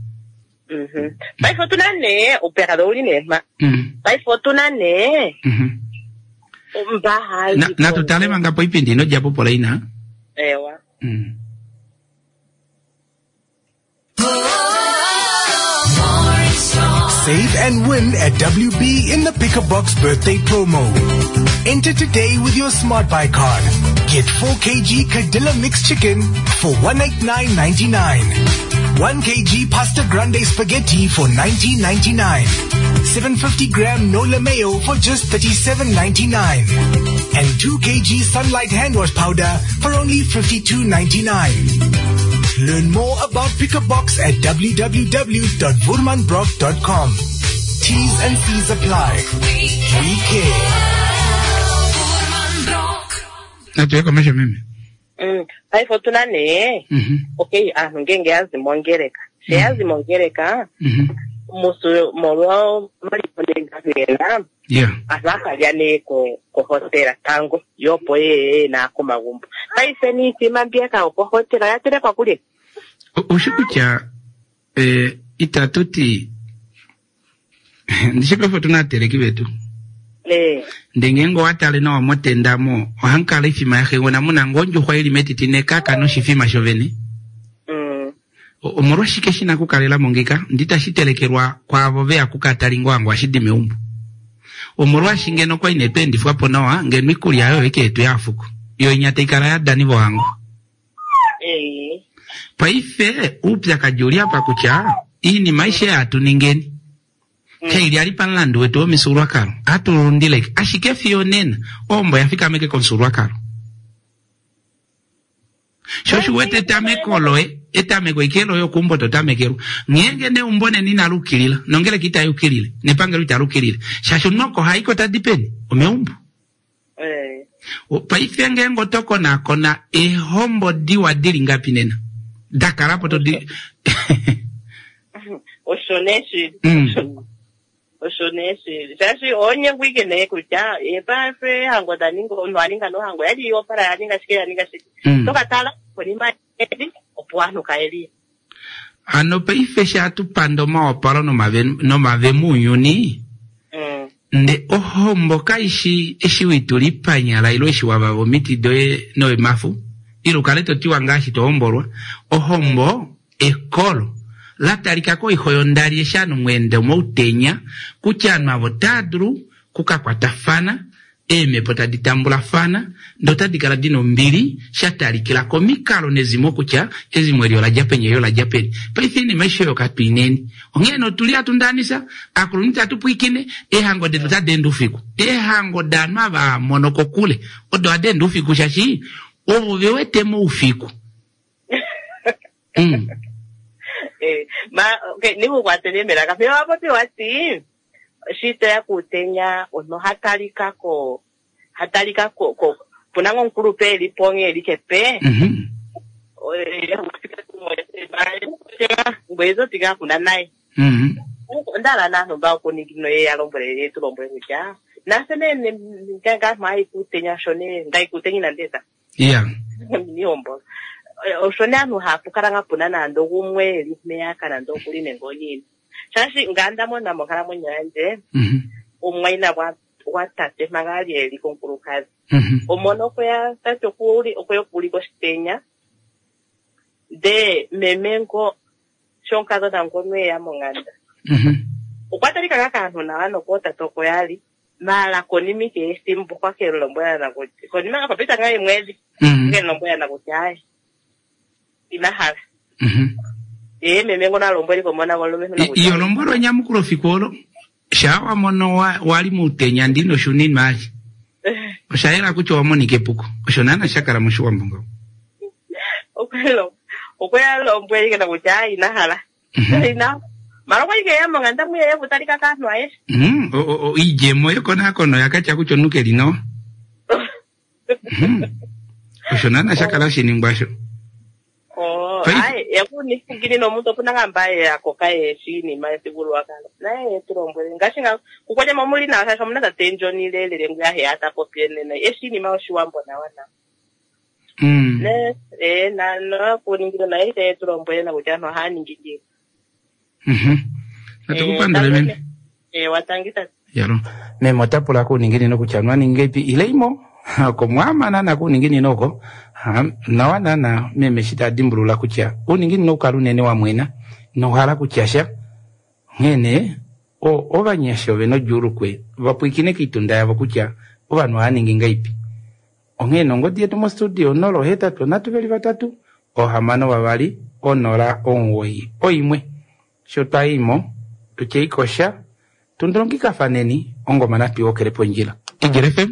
Mhm. Paife otu na nee oupyakadhi ouli nee mpa. Paife otu na nee mba hayi Natu tale manga poipindi ino dja po polaina. Ewa. Save and win at WB in the Pick a Box birthday promo. Enter today with your Smart Buy card. Get 4 kg Cadilla mixed chicken for 189.99. 1 kg pasta grande spaghetti for 19.99. 750 gram Nola mayo for just 37.99. And 2 kg Sunlight hand wash powder for only 52.99. Learn more about Pick a Box at www.voermanbrock.com. T's and C's apply. We care. Natu ye komesho meme. Paife otu na nee, okay, aantu ngeenge ya zi mongeleka, she ya zi mongeleka, musu molwa omaliko nee nga gena, aantu ohaya lya nee ko kohotela tango, yo opo ye ye naa komagumbo. Paife niithima mbiyaka yokohotela oya telekwa kulye? Oushi kutya eh, itatu ti ndishi paife otuna aateleki vetu Eh. ndee ngeenge owa tale nawa motenda mo ohamu kala oifima yaxegona muna ngoo ondjuxwa ili metiti nekaka noshifima shovene. Omolwashike shi na okukalela mo ngika ndi tashi telekelwa kwaavo ve ya kukatali ngohango ohashi di meumbo? Omolwaashi ngeno kwa ine tu endifwa po nawa ngeno ikulya oyo ike yetu yaafuko yo inya tai kala yadani vohango. Paife uupyakadi uli apa kutya iinima aishe hatu ningeni kaili ali pamulandu wetu womifyuululwakalo ohatu lundileke ashike fiyo onena ohombo oya fikameke komufyuululwakalo. Sho shi wete etameko loye, etameko ike loye okuumbo to tamekelwa. Ngeenge neumbo nena inali ukilila, nongeleka itai ukilile, nepangelo itali ukilile. Shaashi omunhu oko ha i ko tadi peni? Omeumbo. Paife ngeenge oto konakona eehombo diwa dili ngapi nena? Da kala po to di... Osho nee shili. Osho nee shili. Shaashi oho ike nee kutya ye paife eehango da ninga omunhu a ninga nohango yali opala ya ninga shike ya ninga shike. Mm. To ka tala konima yedi opo ovanhu kaye li. Hano paife sha hatu panda omawapalo nomave nomave mounyuni mm. nde ohombo kaishi eshi witula ipanyala ilo eshi wavava omiti doye noemafu ile ukale to tiwa ngaashi to hombolwa ohombo Ekolo, la talika koixo yondali eshi ovanhu mweenda omoutenya, kutya ovanhu ava otava dulu ku ka kwatafana, eemhepo tadi tambulafana, ndee otadi kala di na ombili, sha talikila komikalo nezimo kutya ezimo eli ola dja peni eli ola dja peni. Paife oinima aishe oyo katu i neni. Onghee nee otu li hatu ndaanisa, aakulunhu itatu pwiikine, eehango detu otadi ende oufiku. Eehango daanhu ava haa mono kokule odo hadi ende oufiku shaashi ovo ve wete moufiku. Mm. Eh, ma okay, nikukwatele melaka fiyo wa popi wati shi toya kuutenya omunhu ha talika ko ha talika ko ko puna ngo omukulupe eli po onghee eli kepe Mhm. ngweye zotika kuna naye Mhm. onda hala naanhu mba okuningino ye ya lombwele ye tu lombwele kutya nafye nee ngangaa mwa kuutenya sho nee ngai kuutenya inandi eta Yeah. Mihombo. Osho nee aantu hapu kala nga puna nande ogumwe eli mpeyaka nande okuli nenge oniini. Shaashi nga nda mona monkalamwenyo yandje, Mhm. omumwayina gwa gwatate manga a li e li komukulukadhi. Mhm. Omona okwe ya tate okuli okwe ya okuulika oshitenya. Ndee meme ngo sho omukadhona ngono e ya monganda. Mhm. Okwa talika ngaa kaantu nawa nokootate oko ya li. Maala konima ike yethimbo okwa ke lombwela na kutya konima nga pita ngaa eemwedhi Mm. ke lombwela na kutya aye ina hala Mhm. ye meme ngono a lombwele komona gomulumentu na kutya Iyo lombwelwa enyamukulo fiku olo shaa wa mono wa- wa li muutenya ndi noshuninwa ashi osha yela kutya owa monika epuko osho naana sha kala moshiwambo ngaho okwe ya lombwele ike na kutya aye ina hala Mhm. ina mara okwa li ke monganda muye kutalika kaanhu ayehe Mhm, o- o- o- iidjemo yekonakono oya katya kutya omunhu ke li nawa Mhm. osho naana sha kala shiningwa sho Oh, Paife- aye yakuningini nomuntu opuna ngaa mba ya koka yeshi iinima yethigululwakalo naye yetu lombwele ngaashi nga kukwanyama omuli nawa shaashi omuna tate ndjoni lelele nguya heya ta popi enene eshi iinima yoshiwambo nawa nawa Mm. ne eh na nakuningile naye yetu lombwele na kutya aantu ohaya ningi ngiini Mhm. Natu ku pandule meme. Eh, watangi tate Yalo. Meme ota pula kuuninginino kutya nwa ninge ipi ile imo oko mwama naana kuuninginino oko Ha, nawa naana meme eshi ta dimbulula kutya uuninginino oukala unene wa mwena inohala kutya sha onghee nee ovanyasha ove na odjuulukwe va pwiikine koitunda yavo kutya ovanhu ohava ningi ngaipi onghee nee ongodi yetu mostudio 083 3 6 2 0 91 sho twa imo tutye ikosha tundulongikafaneni ongoma natu iwokele pondjila Igele FM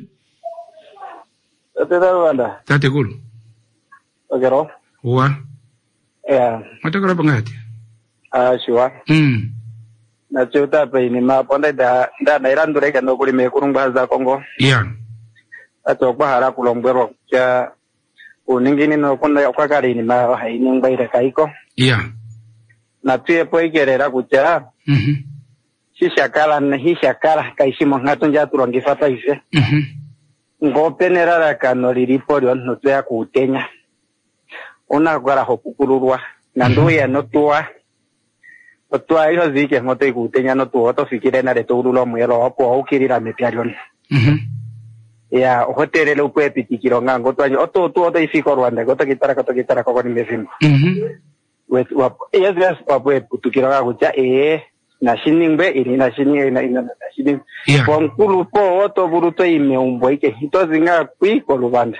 Tate Rwanda. Tatekulu. Okero. Wa. Ya. Matokola po ngati. Ah, shiwa. Natse ota pa inima apo nda nda nailandula ike nokuli meekulu ngwa za Kongo. Ya. Tate okwa hala okulombwelwa kutya uuninginino okuna okwa kala iinima yawo hayi ningwa ile kayiko. Ya. Natuye po ike lela kutya shi sha kala hi sha kala kaishi monghatu ndji hatu longifa paife. Ngee opena elalakano lilipo lyomuntu toya kuutenya ouna okukala ho pukululwa nande uye notuwa otuwa iho zi ike mpo toyi kuutenya notuwa oto fikile nale to ulula omuyelo opo wa ukilila mepya lyomuntu. Ya oho teelele upewe epitikilo ngaa ngee otuwa ndji otuwa otoyi fiki koRwanda ngee otoki talako toki talako konima yefimbo. Yes, yes, wapo eputukilo kakutya ee nashi ningwe ili nashi ningwe nashi ningwe. Pomukulupo oto vulu toyi meumbo ike ito zi ngaa kwi koluvanda.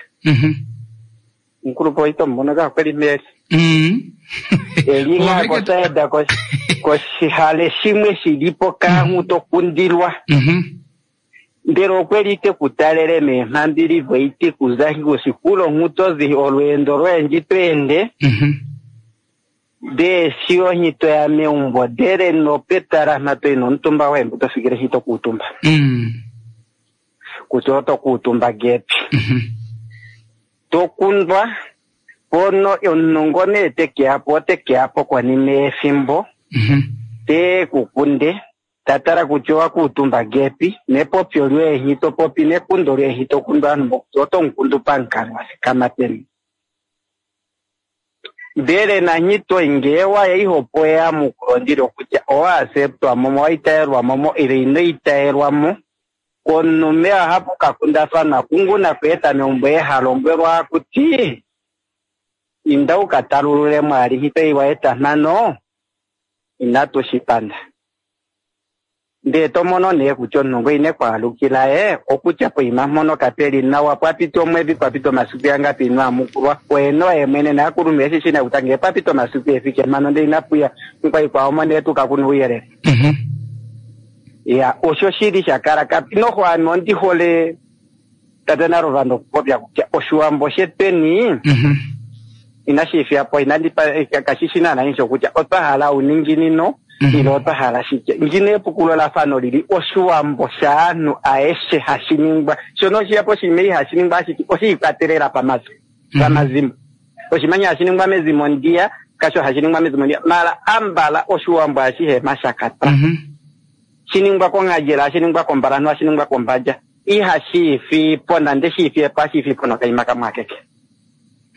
Omukulupo ito mumono kaa kweli meli. Eli ngaa kosaida koshihale shimwe shili po kaanhu to kundilwa. Ndele okwe li te ku talele meemhambili voiti kuza kosikulo nhutozi olweendo lwoye to ende. Ndee shi onhito ya meumbo ndele nopetala mha toyi nomutumba woye mbu to fikile shi to kuutumba. Kutya oto kuutumba gepi. To kundwa pono omunhu ngo nee te ke ya po ote ke ya po konima yefimbo. Te ku kunde. Ta tala kutya owa kuutumba gepi nepopyo lyoye nhi to popi nekundo lyoye nhi to kundu aanhu mboka oto mukundu pamukalo wa thikama peni. Ndele nanhi toyi ngee waya ihopo eyamukulo ndilo kutya owa acceptwa mo, owa itayelwa mo ile ino itayelwa mo. Komunume ohapu ka kundafana kungu nakweeta meumbo eha lombwelwa kuti inda u ka talulule mwali nhi toyi wa eta mhano inatu shi panda. Ndee to mono nee kutya omunhu ngo ine kwaalukila ye okutya poima mpono kapeli nawa pwapita omwedhi pwapita omasiku yangapi ino amukulwa oye noye mwene naakulunhu eshi shi na kutya ngee pwapita omasiku efike mhano ndee inapuya nkwaikwao mo nee tuka kuna ouyelele. Ya osho shili sha kala kapi noho ame ondi hole tate Naluvandu okupopya kutya oshiwambo shetweni inashi fiya po inandi kashi shi naana insho kutya otwa hala ouninginino ile otwa hala shike. Ngino epukululafano lili oshiwambo shaanhu aeshe hashi ningwa shono oshiya po oshinima ihashi ningwa ashike oshiikwatelela pamazimo. Oshimanya hashi ningwa mezimo ndiya kasho hashi ningwa mezimo ndiya mala ambala oshiwambo ashihe mashakata. Shiningwa kong'adjela hashi ningwa kombalanhu hashi ningwa kombadja ihashi ifi po nande shi ifi epo hashi ifi po nokaima kamwe akeke.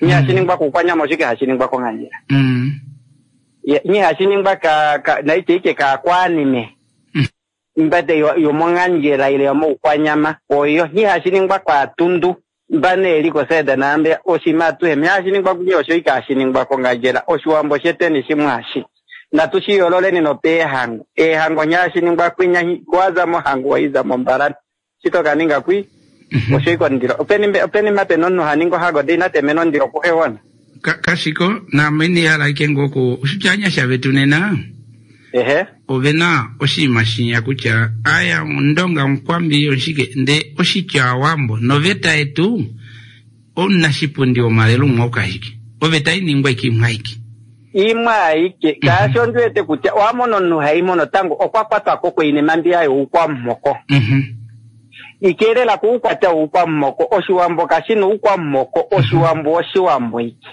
Nyi hashi ningwa kukwanyama oshike hashi ningwa kong'adjela. Nyi hashi ningwa naite ike kaakwanime. Mbate yomong'andjela ile yomoukwanyama oyo nyi hashi ningwa kwaatundu mbane eli kosaida naambe oshima atuhe nyi hashi ningwa kunye osho ike hashi ningwa kong'andjela oshiwambo shetweni shimwe hashi. Natu shi yoololeni nopeehango. Eehango nyi hashi ningwa kwinya waza mohango waiza mombalani. Shito kaninga kwi osho iko ndilo. Openi mape nomunhu ha ninga ohango ndee ina temena omundilo kuhewona. Kashiko naame ine hala ike ngoo oku oshitya anyasha vetu nena. Ehe. Ovena oshinima shinya kutya aya ondonga omukwambi oshike ndee oshitya awambo noveta yetu omunashipundi womalelo umwe okashike oveta iningwa ike imwe aike. Imwe aike kaashi ondi wete kutya owamona omunhu haimono tango okwa kwatwa ko koinima mbiya youkwamuhoko. Ikeelela kuukwatya woukwamuhoko oshiwambo kashina oukwamuhoko oshiwambo oshiwambo ike.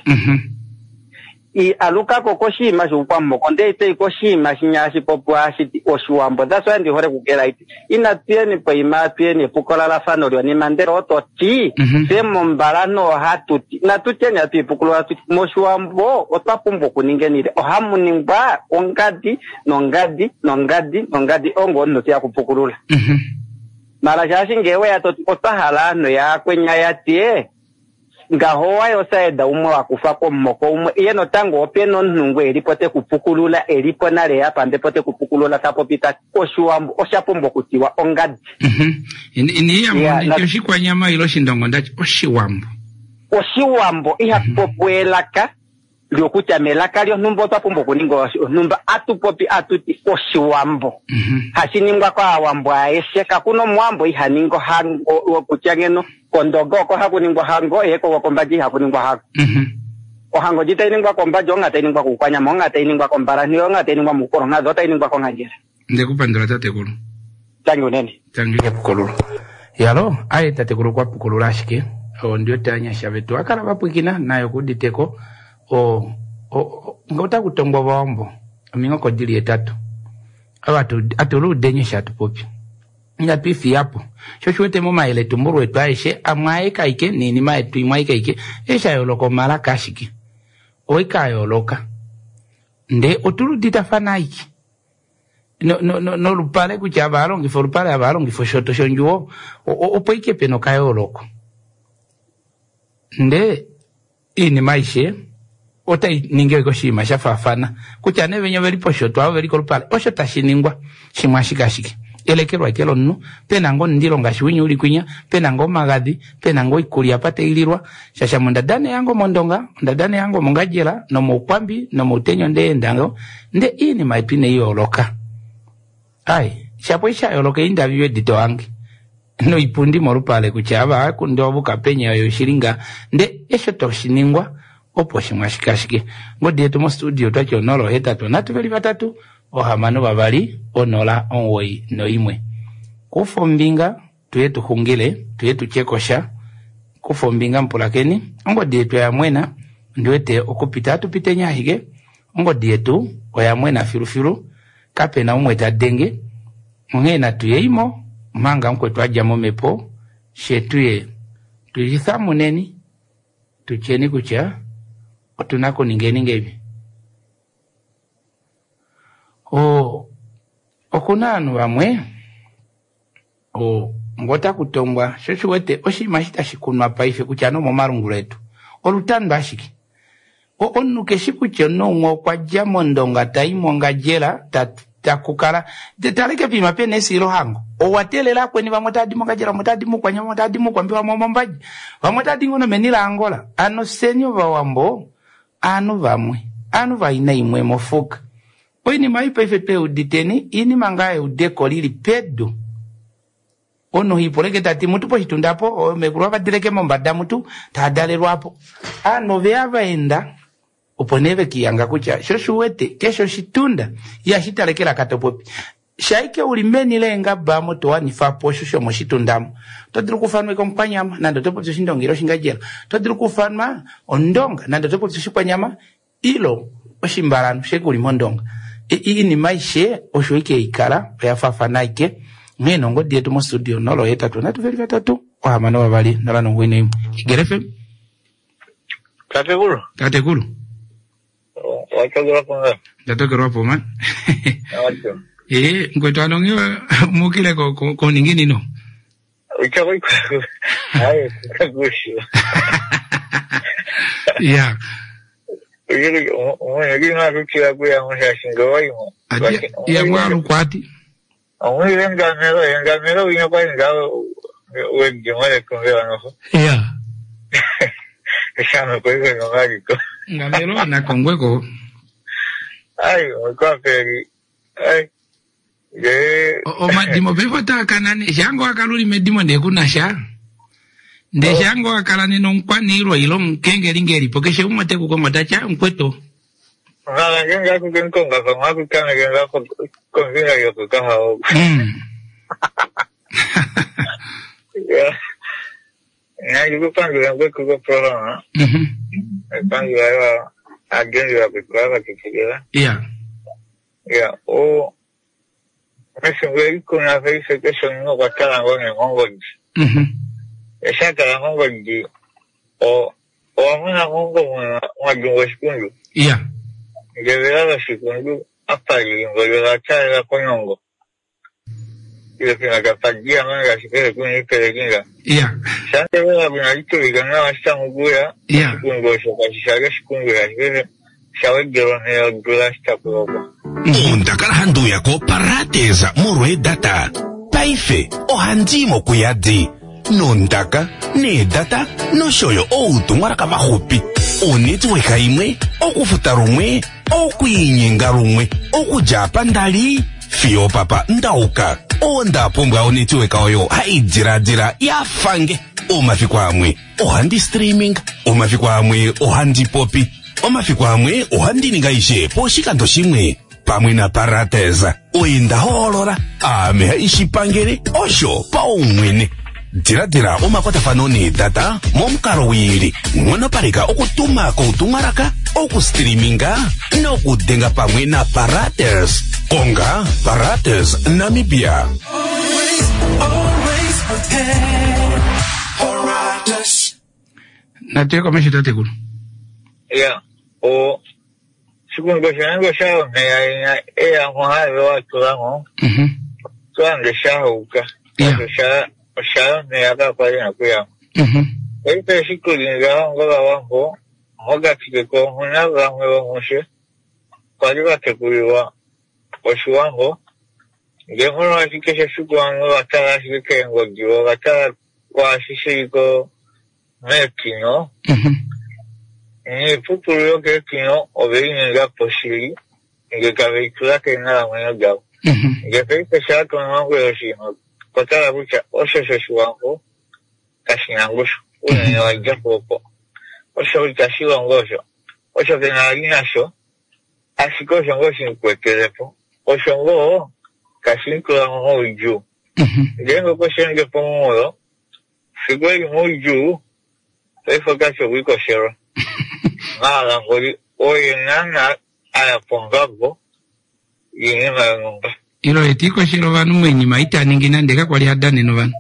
Alukako koshinima shoukwamuhoko ndee itoyi koshinima shinya hashi popiwa hashiti oshiwambo. That's why ndi hole kukela iti inatu yeni poima atuyeni epukolalafano lyonima ndele oto ti fye mombalanhu ohatu ti natu tyeni hatu ipukulula tuti moshiwambo otwa pumbwa okuningenile ohamu ningwa ongadi nongadi nongadi nongadi ongo omunhu teya kupukulula. Mala shaashi ngee weya toti otwa hala aanhu yaakwenya yatye ngaho wayo osaida umwe wakufa komuhoko umwe ye notango opena omunhu ngo elipo te kupukulula elipo nale yapambepo te kupukulula ta popi tati oshiwambo osha pumbwa okutiwa ongadi. Ini oshikwanyama ile oshindongo ndati oshiwambo. Oshiwambo ihaku popiwa elaka lyokutya melaka lyonhumba otwa pumbwa okuninga onhumba atu popi atuti oshiwambo. Hashi ningwa kaawambo aeshe kakuna omuwambo iha ningi ohango kutya ngeno kondonga oko haku ningwa ohango ye kombadja ihaku ningwa ohango. Ohango ndji tayi ningwa kombadja onga tayi ningwa kuukwanyama onga tayi ningwa kombalanhu onga tayi ningwa muukolonghadhi otayi ningwa kong'andjela. Ndekupandula tatekulu. Tangi unene. Tangi epukulula. Yalo aye tatekulu kwa pukulula ashike ondi wete anyasha vetu akala vapwikina nayo kuditeko ota kutongwa ovawambo ominghoko dili etatu ava atuluudenye shatupopi inatu ifiyapo sho shiwete momayele tumbulo etu aeshe amwe aekaike niinima yetu imwe aikaike esha yooloka omalaka ashike oika yooloka ndee otuluditafana aike nolupale kutya ava alongifa olupale ava alongifa oshoto shondjuwo opo ike pena okayooloko ndee iinima aishe Otai ningi ashike oshinima sha faafana. Kutya nee venya oveli poshotwa, oveli kolupale, osho tashi ningwa. Shimwe ashike ashike. Elekelwa eke lomunhu, pe na ngoo omundilo ngaashi winya uli kwinya, pe na ngoo omagadhi, pe na ngoo oikulya apa tai lilwa. Shaashi ame onda dana ehango mOndonga, onda dana ehango mOngadjela, nomOukwambi, nomOutenya onda enda ngoo, nde iinima yetu inai yooloka. Ai, shapo eshi sha yooloka eendavi edi tohange noipundi molupale kutya ava hakundwa ovuka penya oyo shili nga nde esho toshi ningwa opo shimwe ashike ashike. Ngodi yetu mostudio otwati 0 8 3 veli 3 6 2 0 9 1. Kufa ombinga tuye tu xungile, tuye tu tye kosha. Kufa ombinga mupulakeni, ongodi yetu oya mwena, ondi wete okupita atupiteni ashike, ongodi yetu oya mwena filufilu, kape na umwe ta denge, onghee natu yeimo omanga mukwetu a dja momhepo, fye tuye tu lithamuneni, tu tyeni kutya otu na kuningeni ngeipi. O, oku na ovanhu vamwe o, ngoo otaku tongwa, sho shi wete oshinima eshi tashi kunwa paife kutya nomomalungula etu olutando ashike. O, omunhu keshi kutya omunhu umwe okwa dja mOndonga ta i mOngadjela, ta, taku kala, taleke poima pena esiilohango. Owa teelela akweni vamwe otava di mOngadjela, vamwe otava di mOukwanyama, vamwe otava di mOukwambi, vamwe omOmbadja, vamwe otava di ngoo nomeni laAngola. Hano fyeni Ovawambo aanhu vamwe, aanhu vaina imwe mofuka. Oinima ei paife tweuditeni, oinima ngaa yeudeko lili pedu. Omunhu hiipuleke ta ti mutu poshitunda apo, meekulu ava dileke mombada mutu, taa dalelwa apo. Aanhu oveya va enda, opo nee ve kiihanga kutya sho shi wete, keshe oshitunda ihashi tale kelaka to popi. Shaike u li meni leengaba omo to wanifa po osho shomoshitunda omo. Oto dulu okuufanwa eke omukwanyama nande oto popi oshindonga ile oshingadjela. Oto dulu okuufanwa ondonga nande oto popi oshikwanyama ilo oshimbalanhu shaike u li mondonga. Iinima aishe osho ike hai kala oya faafana aike. Onghee nee ongodi yetu mostudio 083 3 6 2 0 91. Igele FM. Tatekulu. Tatekulu. Watokelwa po nga. Ndatokelwa po man. Acho. Eh, ngwetu anonge mukile ko ko ko ninginino. Uchako Hayi, kakusho. Ya. Uyili umwe ngakukila kuya ngusha waimo. Ati ya mwalu kwati. Omwe ngamelo, ngamelo unya kwa ngawo wegimale kumbe noho. Ya. Shano kwa hiyo ngakiko. Ngamelo na kongweko. Ai, kwa peri. Ai. Ye. Omadimo pepo takanane shango akaluli medimo ndekuna sha. Nde shango akala neno omukwaniilwa ile omukengeli ngelipo keshe umwe te ku kongo ta tya mukwetu. Ngala ngenga kukenkonga kwa kukana ngenga kombinga yokukaha oku. Ya. Ngikupangira ngwekuko programa. Pangira ya agenzi ya kukwava kichigela. Ya. Ya, o Mese kuna feise kesho nino kwa kala ngone ngongo. Esa kala ngongo o o amuna ngongo mwa jungo shikundu. Ya. Ngevela shikundu apali ngolyo la chala konyongo. Ile kina kapagia manga shikele kuni pele kinga. Ya. Sante wala kuna kitu vikana wasta nguya. Ya. Shikundu shoka shishaga shikundu ya shikele. Shawegelo ne gula sta kuloba. Onda kala handi uya ko Parates molwa eedata. Paife ohandi mokuyadi nondaka needata noshoyo outumwalaka vaxupi. Onetwork imwe, okufuta lumwe, okwiinyenga lumwe, okudja apa ndali fiyo papa ndauka. Onda pumbwa onetwork oyo hai diladila ya fange. Omafiku amwe ohandi streaming, omafiku amwe ohandi popi, omafiku amwe ohandi ninga ishe poshikando shimwe. Pamwe na Parates oye nda hoolola aame haishipangele osho paumwene. Diladila omakwatafano needata momukalo wiili. Nghonopaleka okutuma koutumwalaka, okustreaminga nokudenga pamwe na Parates. Konga Parates Namibia. Always, always prepared. Parates. Natuye komesho tatekulu. Ya, o shikundu shange sha meya eya ngo wa tulango. Twange sha huka. Ya. Sha sha meya ka kwa ya kuya. Eite shikundi nga ngo la wango. Mokati ketu omuna vamwe vomufye kwali va tekulilwa Oshiwambo, ndee molwaashi keshe efiku ovanhu ova tala ashike keengodi vo ova tala kwaashi shili ko meekino, niipupulu yokeekino ove i ninga po shili ndee tave i tula keenghalamwenyo davo. Ndee paife shaa to lombwele oshinima okwa tala kutya osho shOshiwambo kashi na ngushu, unene wa dja po opo. Osho itashi longo osho. Osho ke na vali nasho, ashike osho ngoo shi mu kwetele po. Osho ngoo tashi mu tula mo moudjuu. Ngeenge okwe shi ende pomunghulo, fiku e li moudjuu, paife ota ti okwa ikoshelwa. Maala ngoli oye naanaa a ya pombabo yoinima yonhumba. Ile oye ta ikoshele ovanhu moinima ita ningi nande kakwali ha danene ovanhu.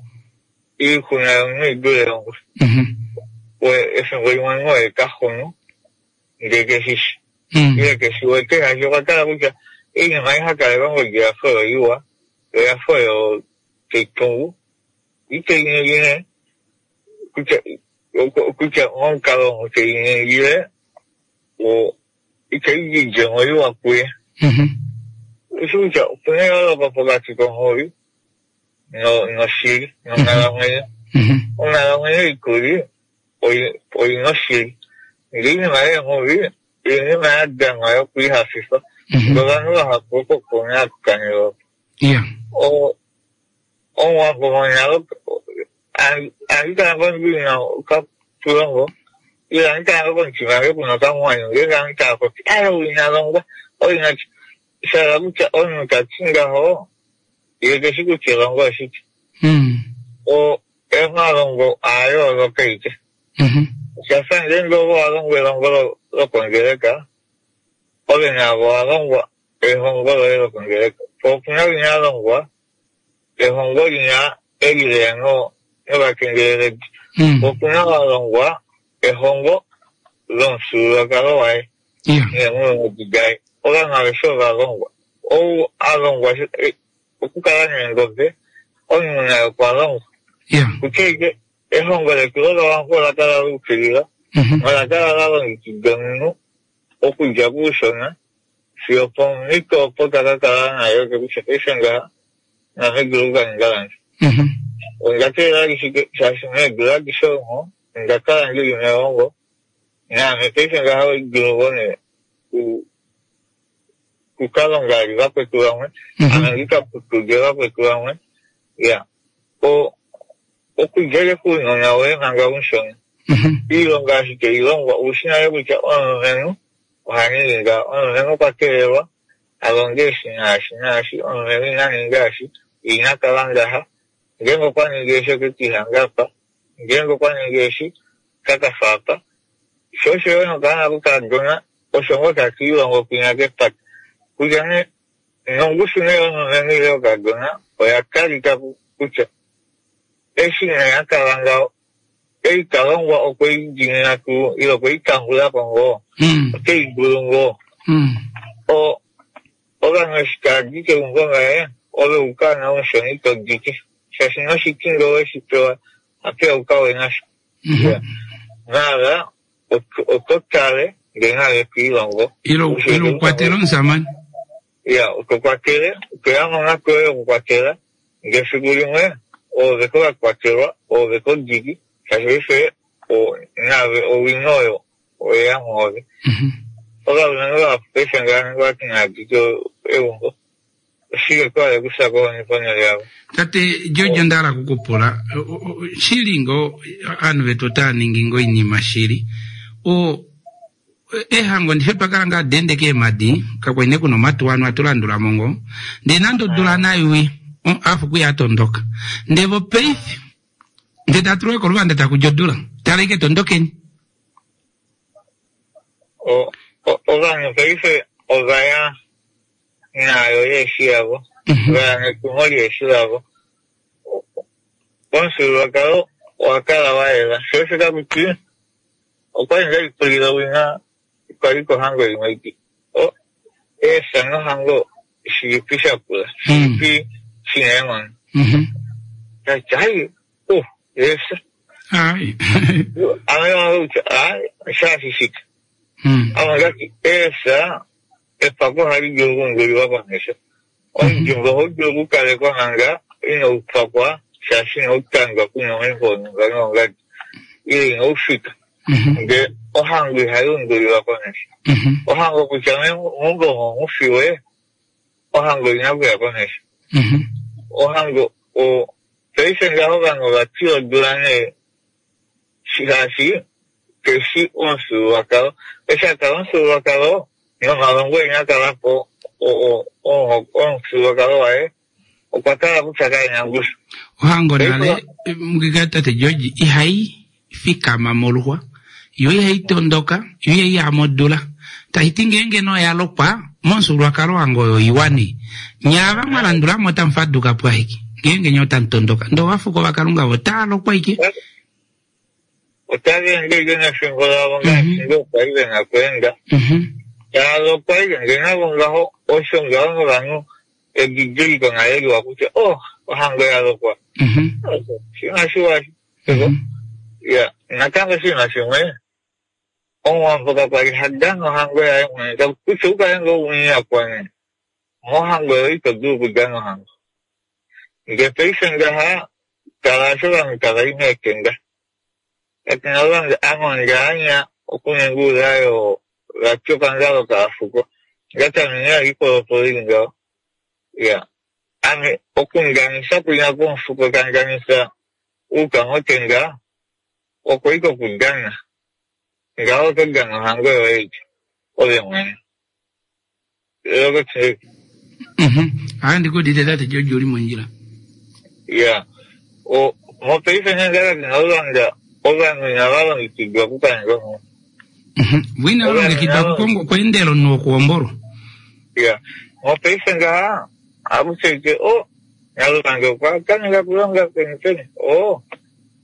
Iixuna yomunhu i dule yongwe. Efimbo limwe omunhu oye ta xunu ndele ke shi shi. Ile ke shi wete shaashi okwa tala kutya oinima ei ha kaleke ongodi oya fa oyo iwa, yo oya fa oyo tai tungu. Itei ningi nee kutya kutya momukalo omu tei ningile itai di oidjemo iwa kuye. Osho kutya opu na eyooloko pokati konghuwi noshili nonghalamwenyo. Onghalamwenyo ikuli oi na oshili, ndele oinima yeenghuvi oinima ya danwa yokwiihafifa. Ndele ovanhu vahapu oko ku na okukanila oko. Omuwambo monale ohandi kala ngoo ndi na okatulongo ile ohandi kala ngoo komutima wange ku na okamwanyu ngeenge ohandi kala popi aye ou ina longwa ou ina sha hala kutya omunhu ta ti ngaho ye keshi kutya elongo oshike. O omalongo aa yooloka aike. Osha fa ngeenge ove owa longwa elongo lokongeleka, ove naave owa longwa ehongo loye lokongeleka. Po opu na winya a longwa ehongo linya eli leya novakengeleledi. Po opu na wa longwa ehongo lomufyuululwakalo waye neenghulunghedi daye. Ovanhu aveshe ova longwa. Ou a longwa okukala neengobe, omunhu naye okwa longwa. Kutya ashike ehongo letu lOvawambo ola kala la ukilila nola kala la longekida omunhu okudja kuushona fiyo opomhito opo ta ka kala nayo ke kutya paife ngaha naame dulu oku ka ninga lange. Onda teelela ashike shaashi meedula adishe omo onda kala ndi li melongo naame paife ngaha oi dulu ngoo nee ku ka longa vali vakwetu vamwe ame ndi ka putude vakwetu vamwe. Ya, o okudja kounona woye manga umushona. Iilonga ashike ilongwa oushi nale kutya omulumenhu oha ningi ngaha, omulumenhu okwa kelelwa a longe eshi naashi naashi, omulumenhu ina ninga eshi, ye ina kala ngaha, ngeenge okwa ningi eshi ote ke lihanga apa, ngeenge okwa ningi eshi ota ka fya apa. Sho osho yo nokaana kokakadona osho ngoo taka ilongo kwinya kepata. Kutya nee nongushu nee yomulumenhu ile yokakadona oya talika kutya eshi nee a kala ngaho ei ta longwa okwe i dimina tuu ile okwe i tambula ko ngoo, ote i dulu ngoo. O, ovanhu eshi tava di keumbo ngaye, ove u kaana omushona ito diki, shaashi noshiti ngee owe shi pewa, apeya u ka we nasho. Iya. Maala oto tale ngee nale to ilongo. Ile u kwatele omusamane. Iya, oto kwatele, otoya monghatu yoye yokukwatela, ndele efiku limwe oove ko ka kwatelwa, oove ko diki, shaashi paife naave owino oyo oyeya mwoove. Ovalumenhu vahapu paife ngaha vati inava dika eumbo, oshike twa hala okufya kohoni ponhele yavo? Tate George, onda hala oku ku pula, shili ngoo ovanhu vetu otava ningi ngoo oinima shili? O, Ehango ndihe twa kala ngaa dende keemadi, kakwali nee kuna omatuwa anu atu landula mo ngoo. Ndee nande odula nai afuku ya tondoka. Ndee vo paife, ndee taa tulwa koluvanda taku di odula. Tala ike tondokeni. Ovanhu paife ova ya naayo yeeshi yavo, va ya netumo lyeeshi lavo. Omufyuululwakalo owa kala wa yela. Sho osho taku ti Okwali nde lipulila owina kwali kohango imwe iti, O, eefya nohango shilipi sha kula, shilipi shi na eenghono? Tati, Ai, o, eefya. Ai. Ame wange kutya, ai, shaashi shike? Ame ondati eefya epako ohali dulu okuundulilwa komesho. Omudimba ohau dulu okukalekwa manga inau pakwa shaashi inau tandwa kuna omaimbo onhumba noongadi ile inau fika. Ndele ohango ihai undulilwa komesho. Ohango kutya meumbo omo mu fiwe, ohango ina kuya komesho. Ohango o paife ngaho ovanhu ova tila odula nee shaashi keshi omufyuululwakalo. Eshi a kala omufyuululwakalo nomalongo ina kala po omufyuululwakalo waye okwa kala kutya kae na ongushu. Ohango nale mukika tate George ihai fikama moluxwa, yo ihai tondoka, yo ihai ya modula. Tashi ti ngeenge nee oya lokwa, momufyuululwakalo wange oyo iwa nee. Nye ava mwa landula mo otamu faduka po ashike, ngeenge nye otamu tondoka. Ndee ovafuko vaKalunga vo otaa lokwa ashike. Otava ende ashike nefimbo lavo ngaashi ngoo kwali ve na okweenda. Tava lokwa ashike ndee navo ngaho osho ngaho novanhu edidiliko nale liwa kutya oh ohango ya lokwa. Osho oshinima shiwa eshi. Ya, natango oshinima shimwe, Omuwambo kakwali ha dana ohango yaye mwene, kutya u kale ngoo umunyakwa nee, mohango yoye ito dulu okudana ohango. Ndele paife ngaha, tala eshi ovanhu tava i meetenda. Katu na ovanhu, ame onda anya okuninga oulai oo vati okangalo kaafuko. Ngatame nee oipolopolo ili ngaho. Ya, ame okundanisa kwinya kwomufuko ta ndanisa uka motenga, okwa ika okudana. Ngaho oto dana ohango yoye ike, ove mwene. Ohandi ku udite tate George uli mondjila. Ya. O, mopaife nee ngaka tuna ovanhu inava longekidwa okukaninga omunhu. Vo inava longekidwa okweendela omunhu wokuhombolwa. Ya. Mopaife ngaha, ohaku tseyike, o, Nyalulange okwa tameka okulonga peni peni. O,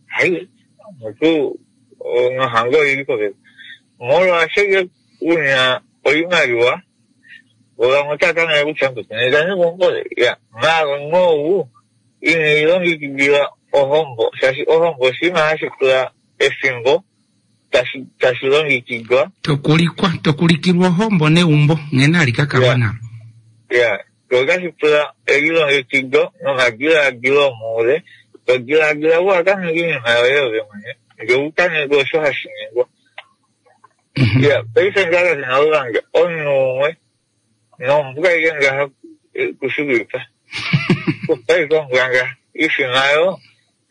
hai, mutu, nohango oili popepi. Molwaasho ye una oimaliwa, vo vamwe otava tameke kutya nena neumbo ya maala omunhu ou ine lilongekidila ohombo, shaashi ohombo oshinima hashi pula efimbo tashi tashi longekidwa. Tokulikwa, tokulikilwa ohombo neumbo nghene hali ka kalwa nalo. Ya, otashi pula elilongekido nomadilaadilo omoule, to dilaadila u ka ninge oinima yoye ove mwene, ndele u ka ninge osho hashi ningwa. Ya, paife ngaha kashi na omunhu umwe nombwa ile ngaha kushikwipa. Kupa ike ombwa ngaha. Ifima yo,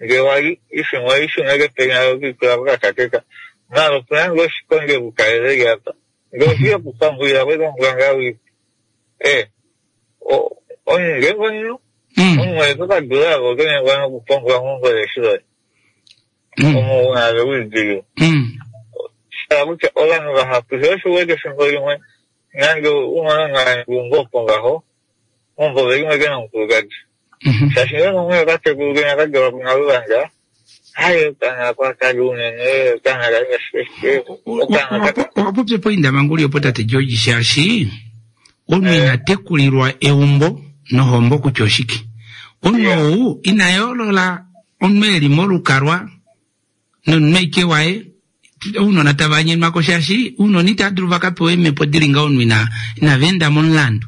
nge wali, ifima oishuna kepenya yo kuikula kokakakeka. Maala opuna ngoo oshikonge kukalele li apa. Nge oshiye kupambulila ko ike ombwa ngaha uipe. Eh, omunhu ngeenge omunhu, omunhu oye kokadula avo oto nyengwa nokupambula meumbo leshi loye. Omo una ave uidilile. Sha kutya ovanhu vahapu sho osho uwete efimbo limwe nande umwe ngumbo opo ngaho umbo velimwe ke nomukulukadi. Shaashi ngenge umwe okatekulu kenya ka dalwa kunaluvanga, hai okana kwakali unene, okana kalinga shike shike, okana ka Owa popya poindamanguli opo tate George shaashi omunhu ina tekulilwa eumbo nohombo kutya oshike. Omunhu ou ina yoolola omunhu e li molukalwa nomunhu aike waye ounona tava nyenwa ko shaashi ounona itava dulu va ka pewe eemhepo di li ngaho omunhu ina inava enda momulandu.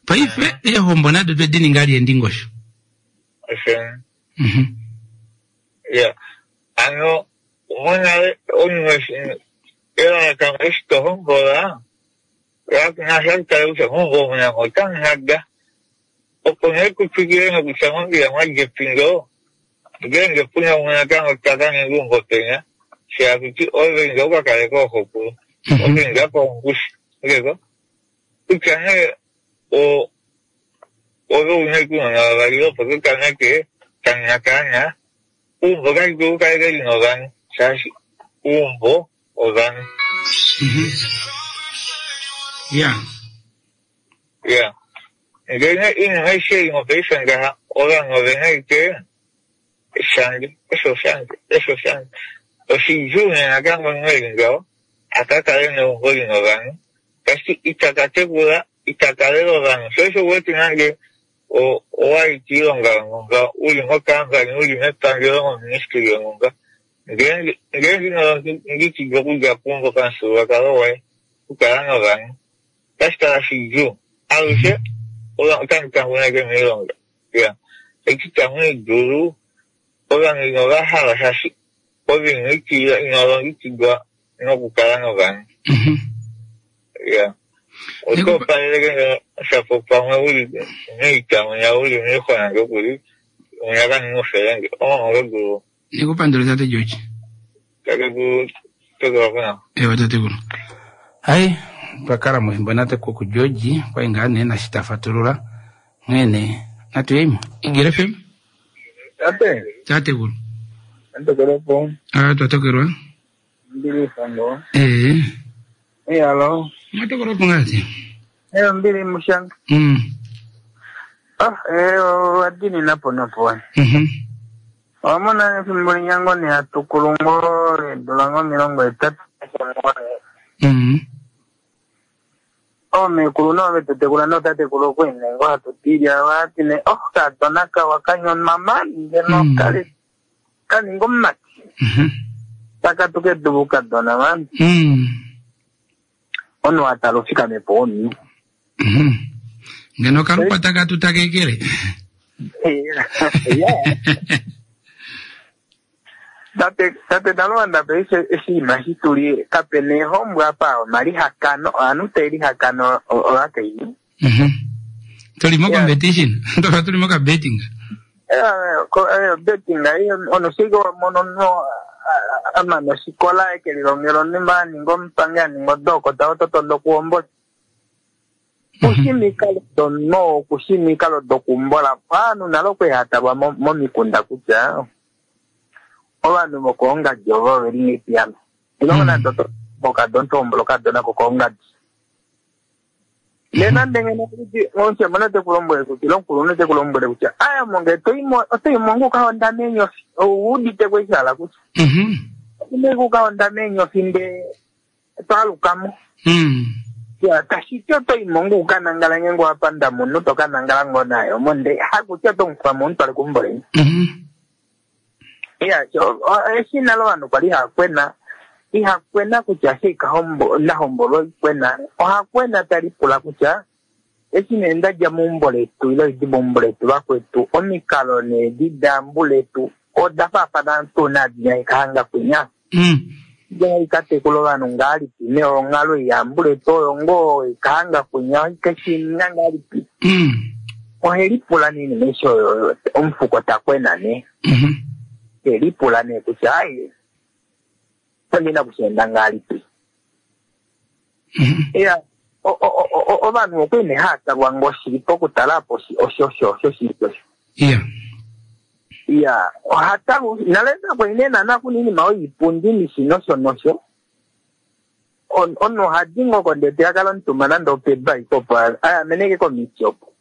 Paife eehombo nado twe di ninga lieendingosho. Ya, ano monale omunhu eshi elalakano eshi to hombola nasha kutale kutya meumbo omu namo otamu hada opo nee ku twikile nokutya mombiya mwa dja epindo ngeenge puna umwe natango ta ka ninga eumbo penya shaashi kuti ove inda u ka kale kooxokulu ove inda koongushi ngeko kutya nee o ove una ashike ounona vavali opo to tameke kanina kaana uumbo kali dulu kale ke li novanhu shaashi uumbo ovanhu. Ya. Ya. Ndele iinima aishe ei mopaife ngaha ovanhu ove na ashike shange, osho shange, osho shange. Oshidjuu nee natango omunhu e li ngaho a ka kale neumbo li na ovanhu, tashi ita ka tekula, ita ka lela ovanhu. Sho osho u wete nande owa li kiilonga yonhumba, u li mokampani, u li mepangelo, moministili yonhumba, ngeenge ino longekidwa okudja keumbo pamufyuululwakalo woye. Okukala novanhu otashi kala shidjuu. Alushe otamu tanguneke moilonga. Ya. Eti tamu i dulu, ovanhu inova hala shaashi ove ino ikilila, ino longekidwa nokukala novanhu. Ya. Oto opaleleke ngeno shapo pamwe u li moita mwinya u li moixwa nande okuli, mwinya ka ninga ofelenge. Oh, oto dulu. Nikupandule tate George. Tatekulu, tokelwa kuna. Ewa tatekulu. Hai, twa kala mofimbo nate kuku George, kwai ngaa nee nashi ta fatulula. Nghee nee, natu yeimo. Igele FM. Tate. Tatekulu. Natokelwa po. Ah, twatokelwa. Mbili sango. Eh. Eh, alo. Mwatokelwa po ngati. Eh, mbili mushanga. Ah, eh, wadini napo napo. Owamona efimbo linyango ne hatukulu ngo leedula ngo 80. Oomekulu nove tu tekula nootatekulu okwene ngo hatu tilya wati ne oh kadona kawa kanyonwa mani ngeno kali kaninga omumati. Taka tuke duvu kadona mani. Ono atala ofikame po omunhu. Ngeno kalukwa taka tutakekele. Tate tate Dalwanda paife oshinima shi tuli kapena ehombwa apa omalihakano ovanhu tave lihakana ovakainhu. Tuli mo competition. Tofa tuli mo ka betting. Betting ono shike wamono omunhu amana oshikola eke lilongela onima aninga omupangi aninga odokota oto tondo okuhombola. Kushi omikalo domunhu okushi omikalo dokuhombola. Ovanhu nale okwali hatalwa momikunda kutya ovanhu vokoongadi ovo oveli ngepiyano. Ilongo nande oto okadona oto hombola okadona kokoongadi. Nena nande ngeno omushamane te ku lombwele kutya ile omukulunhu te ku lombwele kutya aya monge oto i mo uka honda meenyofi. Ou udite ko eshi hala kutya. Oto i uka honda meenyofi ndee to aluka mo. Ya, tashi ti oto i mo uka nangala ngeenge wa panda munhu to ka nangala ngoo naye omo ndee hakutya oto mu kufa mo umutwale keumbo leni. Ya, eshi nale ovanhu kwali haakwena, ihakwena kutya eshi nahombolwa oikwena, ohakwena talipula kutya eshi nee ndadja meumbo letu ile oidi meumbo letu vakwetu, omikalo needi daambu letu oda faafana tuu naadi haikahanga kwinya. Ikatekula ovanhu ngahelipi neonghalo yaambu letu oyo ngoo ikahanga kwinya ikeshininga ngahelipi. Ohelipula nee inima eshi oyo omufuko takwena nee. Helipula nee kutya ai ondina kushienda ngahelipi. Ya, ovanhu okwali nee haatalwa ngoo shili pokutala apo osho osho osho shili osho. Ya, ohatalwa nale nakwali nee naana kuna iinima oyiipundi nishi nosho nosho. Omunhu ohadi ngoo kondete akala omutumba nande opebaika opo ayameneke komiti opo.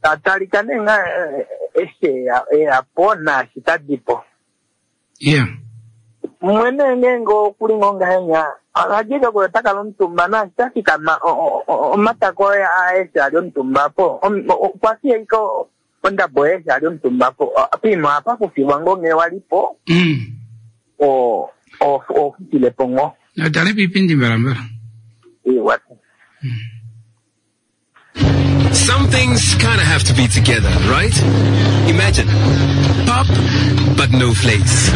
Tatalika nee nga eshi eyapo naashi tadipo. Mwene ngeenge okuli ngoo ngahenya ohadika kuyo otakala omutumba naashi tafikama omatako aeshe ali omutumba po okwa fiya ike ondabo aeshe ali omutumba po poima ohapa kufiwa ngoo ngee walipo ofutilepo ngoo. Natale piipindi mbalambala. Ewa. Some things kind of have to be together, right? Imagine pop, but no flakes.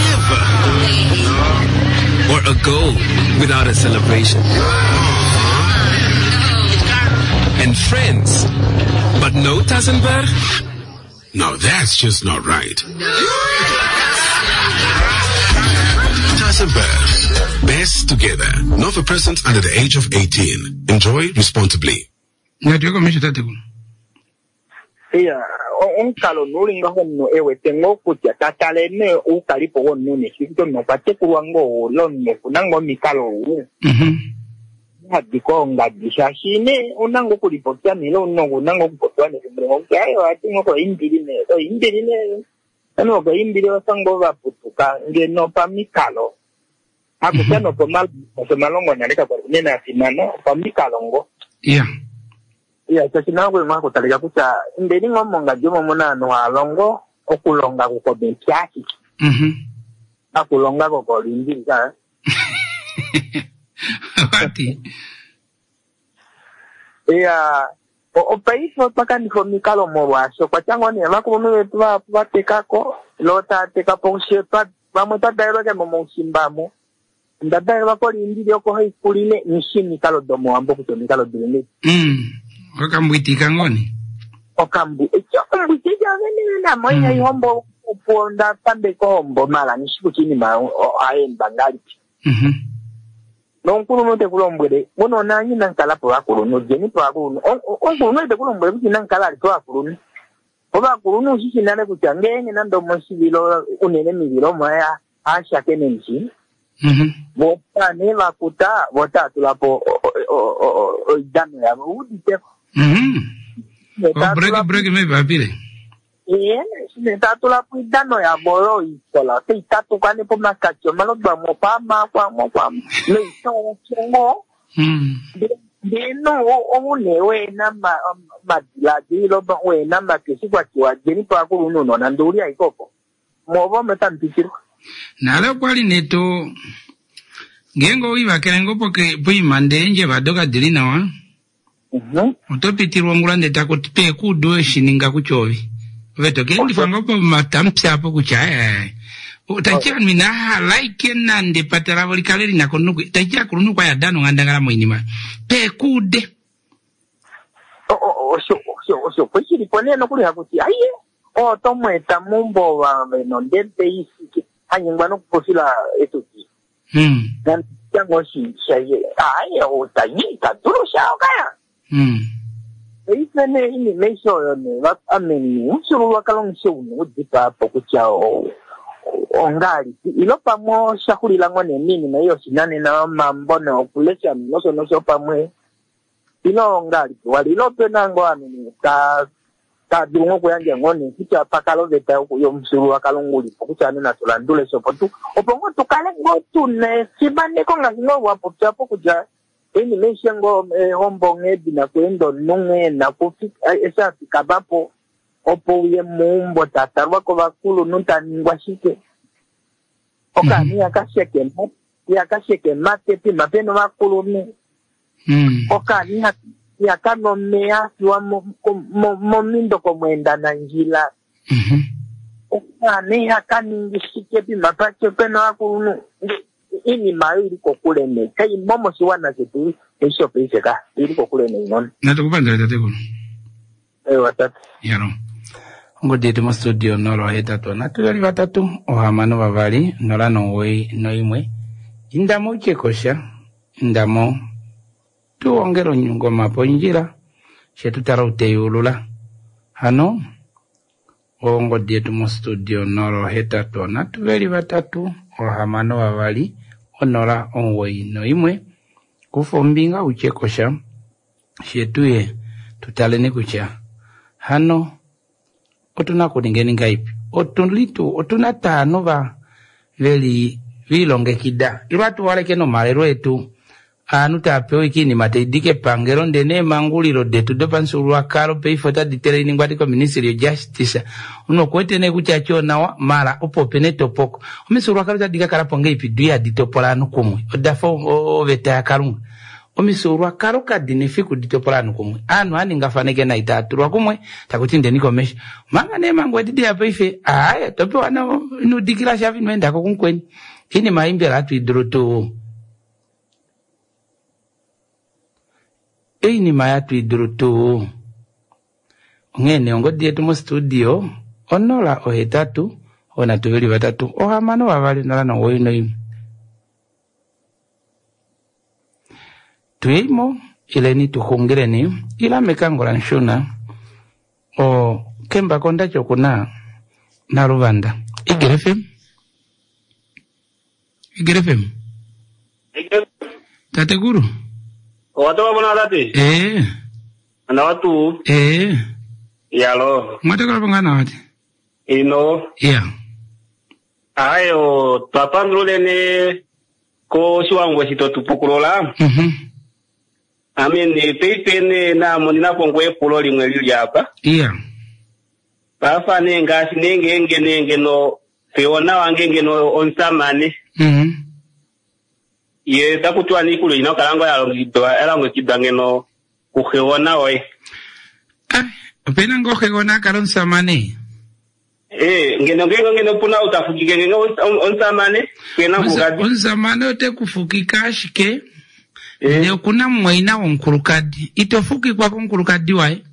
Never. Or a goal without a celebration. And friends, but no Tassenberg? Now that's just not right. Tassenberg. Best together. Not for persons under the age of 18. Enjoy responsibly. Ngati komesho tatekulu. Iya, omukalo nuli ngaho omunhu ewete ngoo kutya tatale nee oukalipo womunhu neshi kutya omunhu okwa tekulwa ngoo ile omunhu okuna ngoo omikalo ou. Hadi koongadi shaashi nee ouna ngoo okulipopya nee ile ouna ngoo okupopiwa nefimbo limwe kutya ai ohati ngoo koimbili nee oimbili nee ovanhu vokoimbili ovafa ngoo vaputuka ngeno pamikalo hakutya nopomalongo nale kakwali unene afimana opamikalo ngoo. Iya, shaashi nawa kwali hakutalika kutya indeni ngoo mongadi omo muna ovanhu haalongo okulonga kukomepya ashike. Hakulonga kokolindili ka. Wati. Iya, opaife otwa kanifa omikalo molwaashi okwa tya ngoo nee ovakulunhu vetu vahapu va teka ko, lo tava teka po she vamwe twa dalelwa ke momaushimba mo. Onda dalelwa kOliindili oko haikulile nishi omikalo domowambo kutya omikalo dili ngei. Okambwitika ngoo ne? Okambwiti vene namo ihai hombo opo onda pambeka ohombo mala nishi kutya iinima ohai endwa ngahelipi. Nomukulunhu te ku lombwele, munona anye inamu kala povakulunhu, djeni povakulunhu. Omukulunhu ite ku lombwele kutya inamu kala ali povakulunhu. Ovakulunhu ushi shi nale kutya ngeenge nande omoshivilo unene mivilo omo haashakene ndishi, vo taa nee vakuta, vo taa tula po oidano yavo, u udite ko. Break, break mevapile. Ee, taa tula po oidano yavo oyo ikola, otai tatuka nee pomakati omalodu amwe okwaama, okwaama, okwaama, noitooshongo. Ndele no, ou nee wena omadiladilo, wena omatwi eshi kwa tiwa djeni po ovakulunhu nonande ou li ashike opo, mwoove omo tamu pitilwa. Nale okwa li nee to, ngeenge owe livakele ngoo poima ndee eendjeva do kadi li nawa, oto pitilwa ongula ndee taku ti pe ku udu we shi ninga kutya ovi. Ove to ka endifa ngoo pomatamupya apo kutya ai, ai, ai. Tashi ti ovanhu inava hala ashike nande epata lavo li kale li na komunhu, tashi ti akulunhu okwa li a dana onghandangala moinima. Pe ku ude. Osho kwe shi li po nee nokuli haku ti, aiye, oo oto mu eta meumbo ove nondede i fike, ha nyengwa nokupofila etuti. Nande ngoo shi shaye, aiye, ou ta nyi, ta dulu sha okaya. Paife nee inima aishe oyo nee, ame nee, omufyuululwakalo ngishe u na okudipaa po kutya ongahelipi, ilo pamwe osha xulila ngoo nee moinima ei yoshinanena yomambo noyokulesha nosho nosho pamwe, ilo ongahelipi wali, ilo ope na ngoo ovanhu nee taa dulu ngoo okuyandja ngoo nee kutya pa kala oveta yomufyuululwakalo nguli po kutya ovanhu natu landule sho opo tu, opo ngoo tu kale ngoo tu na efimaneko ngaashi ngoo wa popya po kutya oinima aishe ngoo ehombo nghee di na okuenda omunhu nghee e na eshi a fikama po opo uye meumbo ta talwa kovakulunhu ta ningwa shike. Okaana ihaka sheke ihaka sheke mate pima pena ovakulunhu. Okaana ihaka nwa omeya a fiwa momindo komweendanandjila. Okaana ihaka ningi shike pima pena ovakulunhu. Iinima oyo ili kokule nee, kai mo moshiwana shetu eshi shopaife ka, ili kokule neenghono. Natukupandula tatekulu. Ewa tate. Yalo. Ongodi yetu mostudio 083 3 6 2 0 91. Indamo utye kosha, indamo tuongele onyungoma pondjila, she tu tala uteyulula. Hano ongodi yetu mostudio 083 3 6 2 091. Kufa ombinga utye kosha, she tuye tutaleni kutya hano otuna kuningeni ngaipi. Otulitu otuna taanu va veli vilongekida ilwa tuwaleke nomalelo etu aanhu tava pewa ashike oinima tai di kepangelo ndele neemangulilo detu dopamufyuululwakalo paife otadi teleningwa di koministry yojustice. Omunhu okuwete nee kutya tyo nawa mala opo opena etopoko. Omifyuululwakalo otadi ka kala po ngeipi du ihadi topola ovanhu kumwe, oda fa oveta yaKalunga. Omifyuululwakalo kadi na efiku di topola ovanhu kumwe. Ovanhu ohava ningafaneke nai tava tulwa kumwe taku ti indeni komesho. Omanga neemhango edi deya paife, aaye, to pewa inudikila sha ino enda ko kumukweni. Oinima ei mbela hatu i dulu tuu? Oinima hatu i dulu tuu? Onghee nee ongodi yetu mostudio 0 8 3 6 2 0 91. Tuyeimo ileni tuxungileni ila mekango lanshuna o kembako ndati okuna naluvanda. Igele FM. Igele FM. Tatekulu. Owatoka pona tate? Nawa tuu. Yalo. Mwatekula po ngaa nawa tate? Ino. Iya. Ayo, twapandululene koshiwango eshi totupukulula. Ame nee paife nee namonena po ngoo epulo limwe lili apa. Iya. Pafa nee ngaashi nee ngeenge nee ngeno feona wange ngeno omusamane. Ye taku tiwa nee iikulya ina okukala ngoo ya longekidwa ya longekidwa ngeno kuxegona woye. Opena ngoo xegona a kala omusamane? Ee, ngeno ngeenge ngeno opuna ou ta fukike ngenge omusamane, kena omukulukadi. Omusamane ote ku fukika ashike ndee okuna mumwaina womukulukadi. Ito fukikwa komukulukadi waye.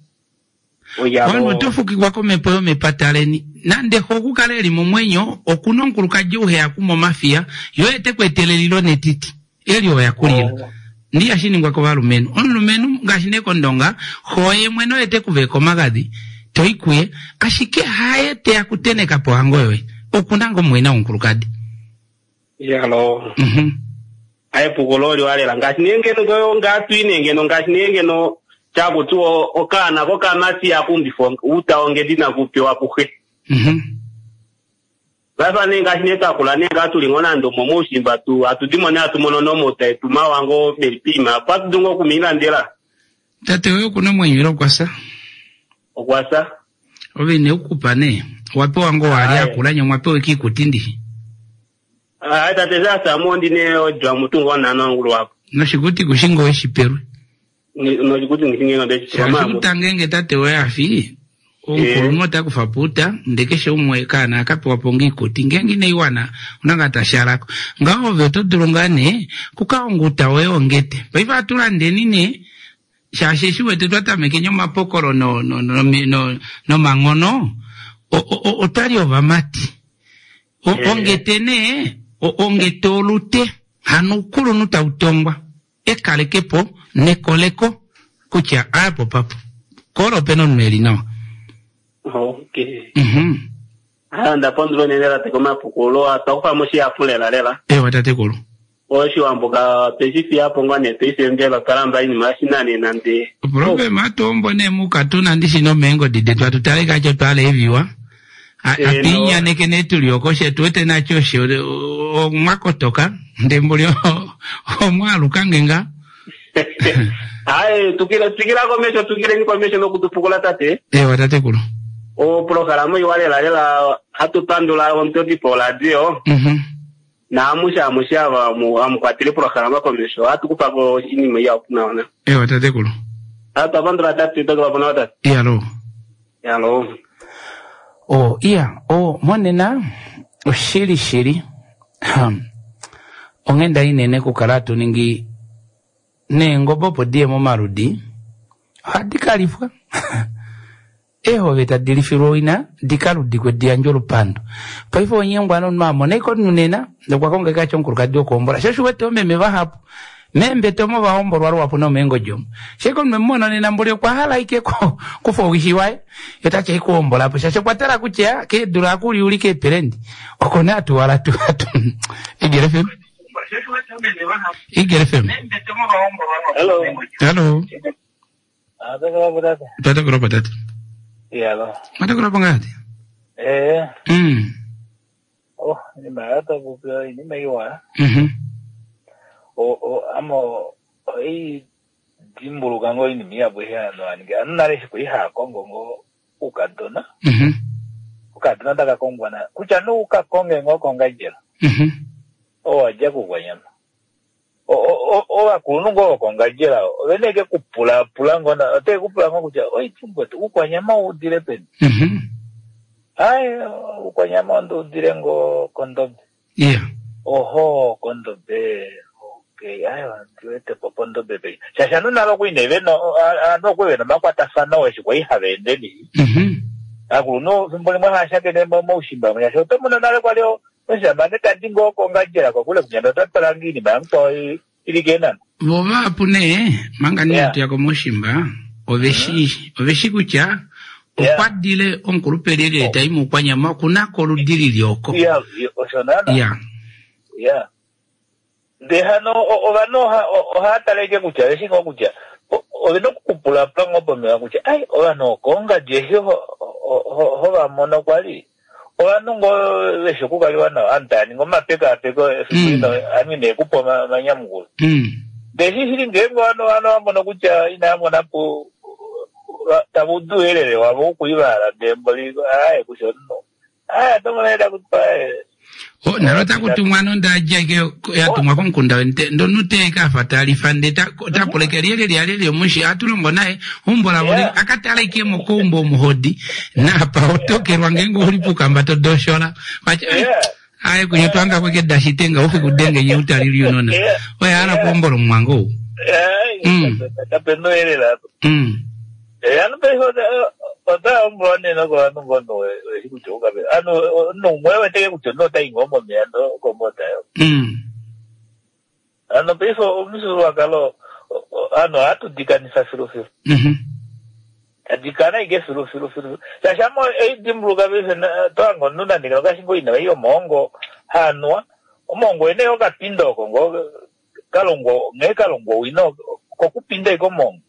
Omunhu oto fukikwa komhepo yomepata leni. Nande xo oku kale e li momwenyo, oku na omukulukadi ou he ya kuma omafiya, ye oye te ku etele elilo netiti. Eli oya kulila. Ndi hashi ningwa kovalumenhu. Omulumenhu, ngaashi nee kOndonga, xo ye mwene oye te ku vaeka omagadhi, to i kuye, ashike haye te ya kuteneka pohango yoye. Oku na ngoo mumwaina womukulukadi. Iyaloo. Epuko lo oliwa lela ngaashi nee ngeno to ngaa twi nee ngeno ngaashi nee ngeno taku tiwa okaana kokamati ihaka umbifwa outa wongedi inaku pewa kuxe. Paife nee ngaashi nee twa kula nee ngaa tuli ngoo nande omo moushimba tu hatu dimo nee hatu mono nee omauta etu mawa ngoo meli poima opo hatu dulu ngoo okumiilandela. Tate woye okuna omwenyo ile okwa fya? Okwa fya. Ove ine u kupa nee, owa pewa ngoo waali akula nye omwa pewa ike iikuti ndishi? Aye tate sha fya mo ndi ne odwa mutu ngoo nano ngulu wapo. Noshikuti kushi ngoo weshi pelwe? Noshikuti ngishi ngee nde shi Shaashi uta ngeenge tate woye a fi, omukulunhu ota kufa po uta, nde keshe umwe kaana aka pewa po ngoo iikuti. Ngeenge inai wana, una ngaa ta shalako. Ngaho ove oto dulu ngaa nee kuka honga uta woye wongete. Paife ohatu landeni nee Shaashi eshi wete twa tamekeni omapokolo no, no, no, no, nomanghono, otwa li ovamati. O, eh. Ongete nee, ongete olute, hano oukulunhu tau tongwa, ekalekepo nekoleko kutya aapo papo. Kola ope na omunhu e li nawa. Okay. Haa, nda pandula unene tate komapukululo, otwa kufa mo shihapu lela lela. Ewa tatekulu. Oshiwambo ka tweshi fiya po ngaa nee paife mbela otwa lamba iinima yoshinanena ndee. Oproblema atuombo nee mukatuna ndishi nomeengodi detu atu tale kacho twala eviwa. Atuinyaneke nee tuli oko she tuwete nacho she omwakotoka ndee mboli omwaaluka nge ngaa. Aye tukila twikila komesho twikileni komesho nokutupukula tate. Ewa tatekulu. Oprograma iwa lela lela hatu pandula omutotipo woradio. Naamushe amushe ava hamu kwatele oprograma komesho ohatu kufa ko oinima ihapu nawa na. Ewa tatekulu. Ah, twa pandula tate twa twa nawa tate. Iyalo. Iyalo. Oh, iya, oh, monena oshili shili. Onghenda inene kukala hatu ningi neengobe opo diye momaludi ohadi ka lifwa. Eehove tadi lifilwa owina di ka ludikwe di yandje olupandu. Paife onyengwa nomunhu a mona ashike omunhu nena ndee okwa konga ashike omukulukadi wokuhombola. Sho osho u wete oomeme vahapu meembete omo va hombolwa luhapu nomeengodi omo. Sheke omunhu emu mona nena mboli okwa hala ashike kufa owishi waye ye ta ti haikuhombola po shaashi okwa tala kutya keedula aku liulika eepelendi oko nee atu wala tu atu Eagle FM Eagle FM Hello. Hello. Atakulwa tata. Tatakulwa tata. Yalo. Matakulwa po ngati? Eh. Oh, inima yatakupewa inima iwa. O o amo oi dimbuluka ngoo inima ihapu eshi ovanhu va ninga. Ovanhu nale eshi kwali hava kongo ngoo oukadona. Okadona taka kongwa na kutya nee u ka konge ngoo kOngandjera. Oo wa dja kOukwanyama. Ovakulunhu ngoo vokOngandjera ove na ashike kupulapula ngoo na otave ku pula ngoo kutya oi mukwetu Uukwanyama ou udile peni? Ai Uukwanyama onde udile ngoo kOndobe. Ohoo kOndobe okay ai ondi wete po pOndobe penya. Shaashi ovanhu nale okwali nee vena ovanhu okwali vena omakwatafano eshi kwali hava ende nee. Ovakulunhu efimbo limwe hava shakene moushimba shaashi oto mono nale kwali Omushamane ta di ngoo kOngandjera kokule kutya ota twala ngoo iinima yamukwao i li kEenhana. Vo vahapu nee, manga nee hatu ya komaushimba, ove shi, ove shi kutya okwa dile omukulupe lyelye ta i mOukwanyama oku na ko oludi li li oko. Ya, osho naana. Ya. Ya. Ndee hano ovanhu ohava tale ashike kutya ove shi ngoo kutya ove na okukupulapula ngoo pomeva kutya ai ovanhu okoongadi eshi ho va mono kwali ovanhu ngoo veshi okukaliwa nao ovanhu tava ningi omapekaapeko efiku lino ovanhu inee kupa omanyamukulo. Ndee shi shili ngeenge ovanhu ova mono kutya inava mona po tava udu ouyelele wavo wokuivaala ndee mboli aaye kusha omunhu aaye oto mono nee taku tiwa aaye. O, nalo taku tumwa nonda dja ike ya tumwa komukunda wente ndonu te ka fa talifa nde ta ta puleke lyelye lyalye omushi atu longo naye umbo lavo yeah. akatala ike mokoumbo omuhodi napa otokelwa ngeenge uli pukamba to doshola wacha yeah. aye kunye twanga kweke dashitenga ufi kudenge nye utalili unona yeah. oye ala kuombola omwango ou kapena oyelela ano paife ota ombola nee nokovanhu ngono weshi kutya ukape ano omunhu umwe weteke kutya omunhu ota i ngoo momeya ndo komota yo. Ano paife omufyuululwakalo ano ohatu dikanifa filufilu. Tadikana ike filu filu filu. Shaashi ame eidimbuluka paife tohanga omunhu nande ngeno ngaashi ngoo ina ei omoongo haanuwa. Omoongo wene okapinda oko ngoo kalongwa nghee kalongwa owina kokupinda ike omoongo.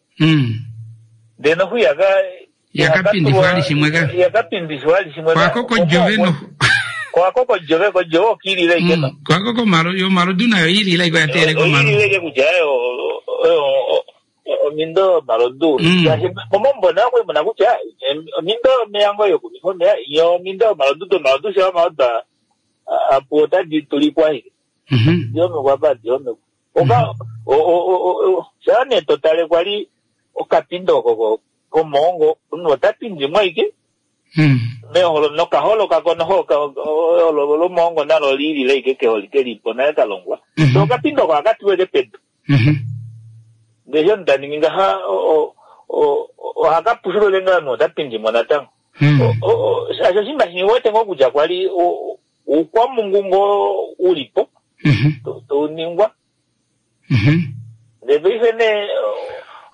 Ndee noxu ihaka Yakapindifwa ali shimwe ka. Yakapindifwa ali shimwe ka. Kwako kojove no. Kwako kojove kojove okilile ike no. Kwako komalo yo malodu nayo ilile iko yateele komalo. Ilile ike kutya oyo oyo omindo yomalodu. Shaashi momombo nayo okwali muna kutya omindo yomeya ngoo yokunwifa omeya yo omindo yomalodu domalodu sha omalodu apu otadi tulikwa ashike. Diomekwa apa diomekwa. Oka shaa nee to tale kwali okapindo oko komoongo omunhu ota pindi mo ashike meholo nokaholo kako noho olo lomoongo nalo liilile ashike keholike lipo nale ka longwa. So okapindo oko ohaka tulwa ashike pedu. Ndele eshi omunhu ta ningi ngaha ohaka pushulwa ashike ngaha omunhu ota pindi mo natango. Shaashi oshinima shimwe wete ngoo kutya kwali oukwamungu ngoo ulipo tau ningwa. Ndele paife nee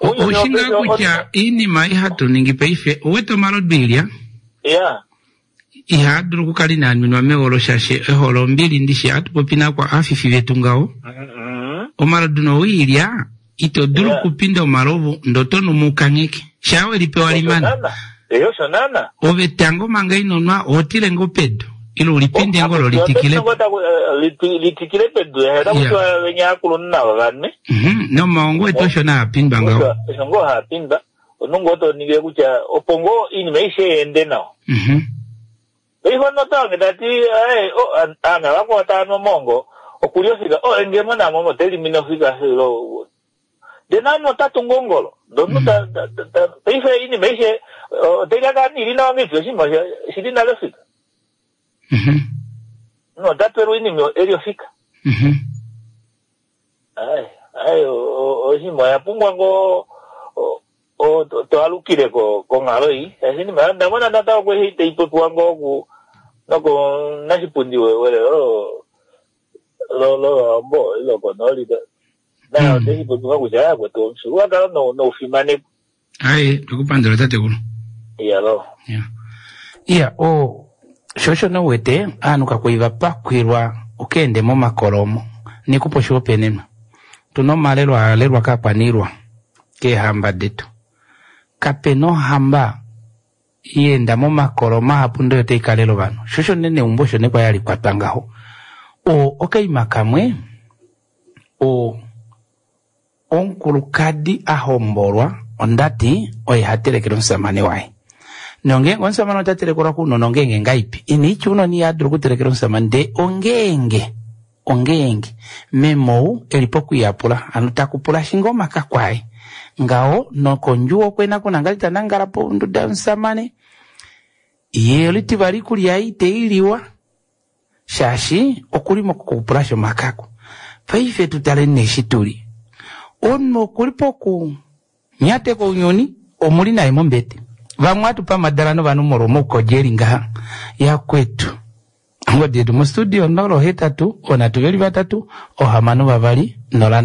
ounyuni Oshi ngaa wopaife kutya iinima ihatu ningi paife owete omalodu ilya ya ihaa dulu okukala inaa nwinwa meholo shaashi eholo ombili ndishi hatu popi nakwa afifi vetu ngaho. Omalodu nowiilya ito dulu okupinda omalovu ndo to nu mukangheke shaa we lipewa limana. Eyo osho naana. Ove tango manga ino nwa oho tile ngoo pedu ile ulipinde ngoo lo litikile litikile pedu taku tiwa venya aakulunhu navo vanwe. Nomaongo etu osho naa pindwa ngaho. Osho ngoo haa pindwa omunhu ngoo to ningile kutya opo ngoo iinima aishe yeende nawa. Paife omunhu ota wange tati aanhu vakwao tava nu omaongo okuli ofika o ngemo namo ote limine ofika ndee naanhu ota tungu ongolo ndee omunhu paife iinima aishe otai ka kala ili nawa ngeipi oshinima oshili nale ofika. Omunhu ota twelwa oinima eli ofika. Ai ai oshinima oya pumbwa ngoo to alukile konghalo ei. Shaashi iinima onda mona natango eshi tai popiwa ngoo ku noko nashipundi welelo lOwambo lokonooli naye oteshi popiwa kutya yakwetu omufyuululwakalo noufimanekwa. Ai tokupandula tatekulu. Iyalo. Iya o shosho nowete aanhu kakwali va pakwilwa okeende momakolo omo nikupa oshihopaenenwa. Tuna omalelo a lelwa kaakwaniilwa keehamba detu. Kapena ohamba yeenda momakolo mahapu ndee otai kalela ovanhu. Shosho nee neumbo osho nee kwali hali kwatwa ngaho. O okaima kamwe o omukulukadi a hombolwa ondati oye ha telekele omusamane waye. Nongeenge omusamane ota telekelwa kounona ongeenge ngaipi? Ina itya ounona iha dulu okutelekela omusamane ndee ongeenge ongeenge memou eli pokuyapula ano takupula shinga omakako aye ngaho nokondjuwo okwena kuna ngali tanangala ponduda yomusamane ye olitivali ikulya ei iteiliwa shaashi okuli mokukupula shomakako. Paife tutale nee eshi tuli omunhu okuli poku nyateka ounyuni omuli naye mombete. Vamwe hatu pamadala novanhu molwa omaukodja eli ngaha yakwetu. Ongodi yetu mostudio 0 8 3 3 6 2 0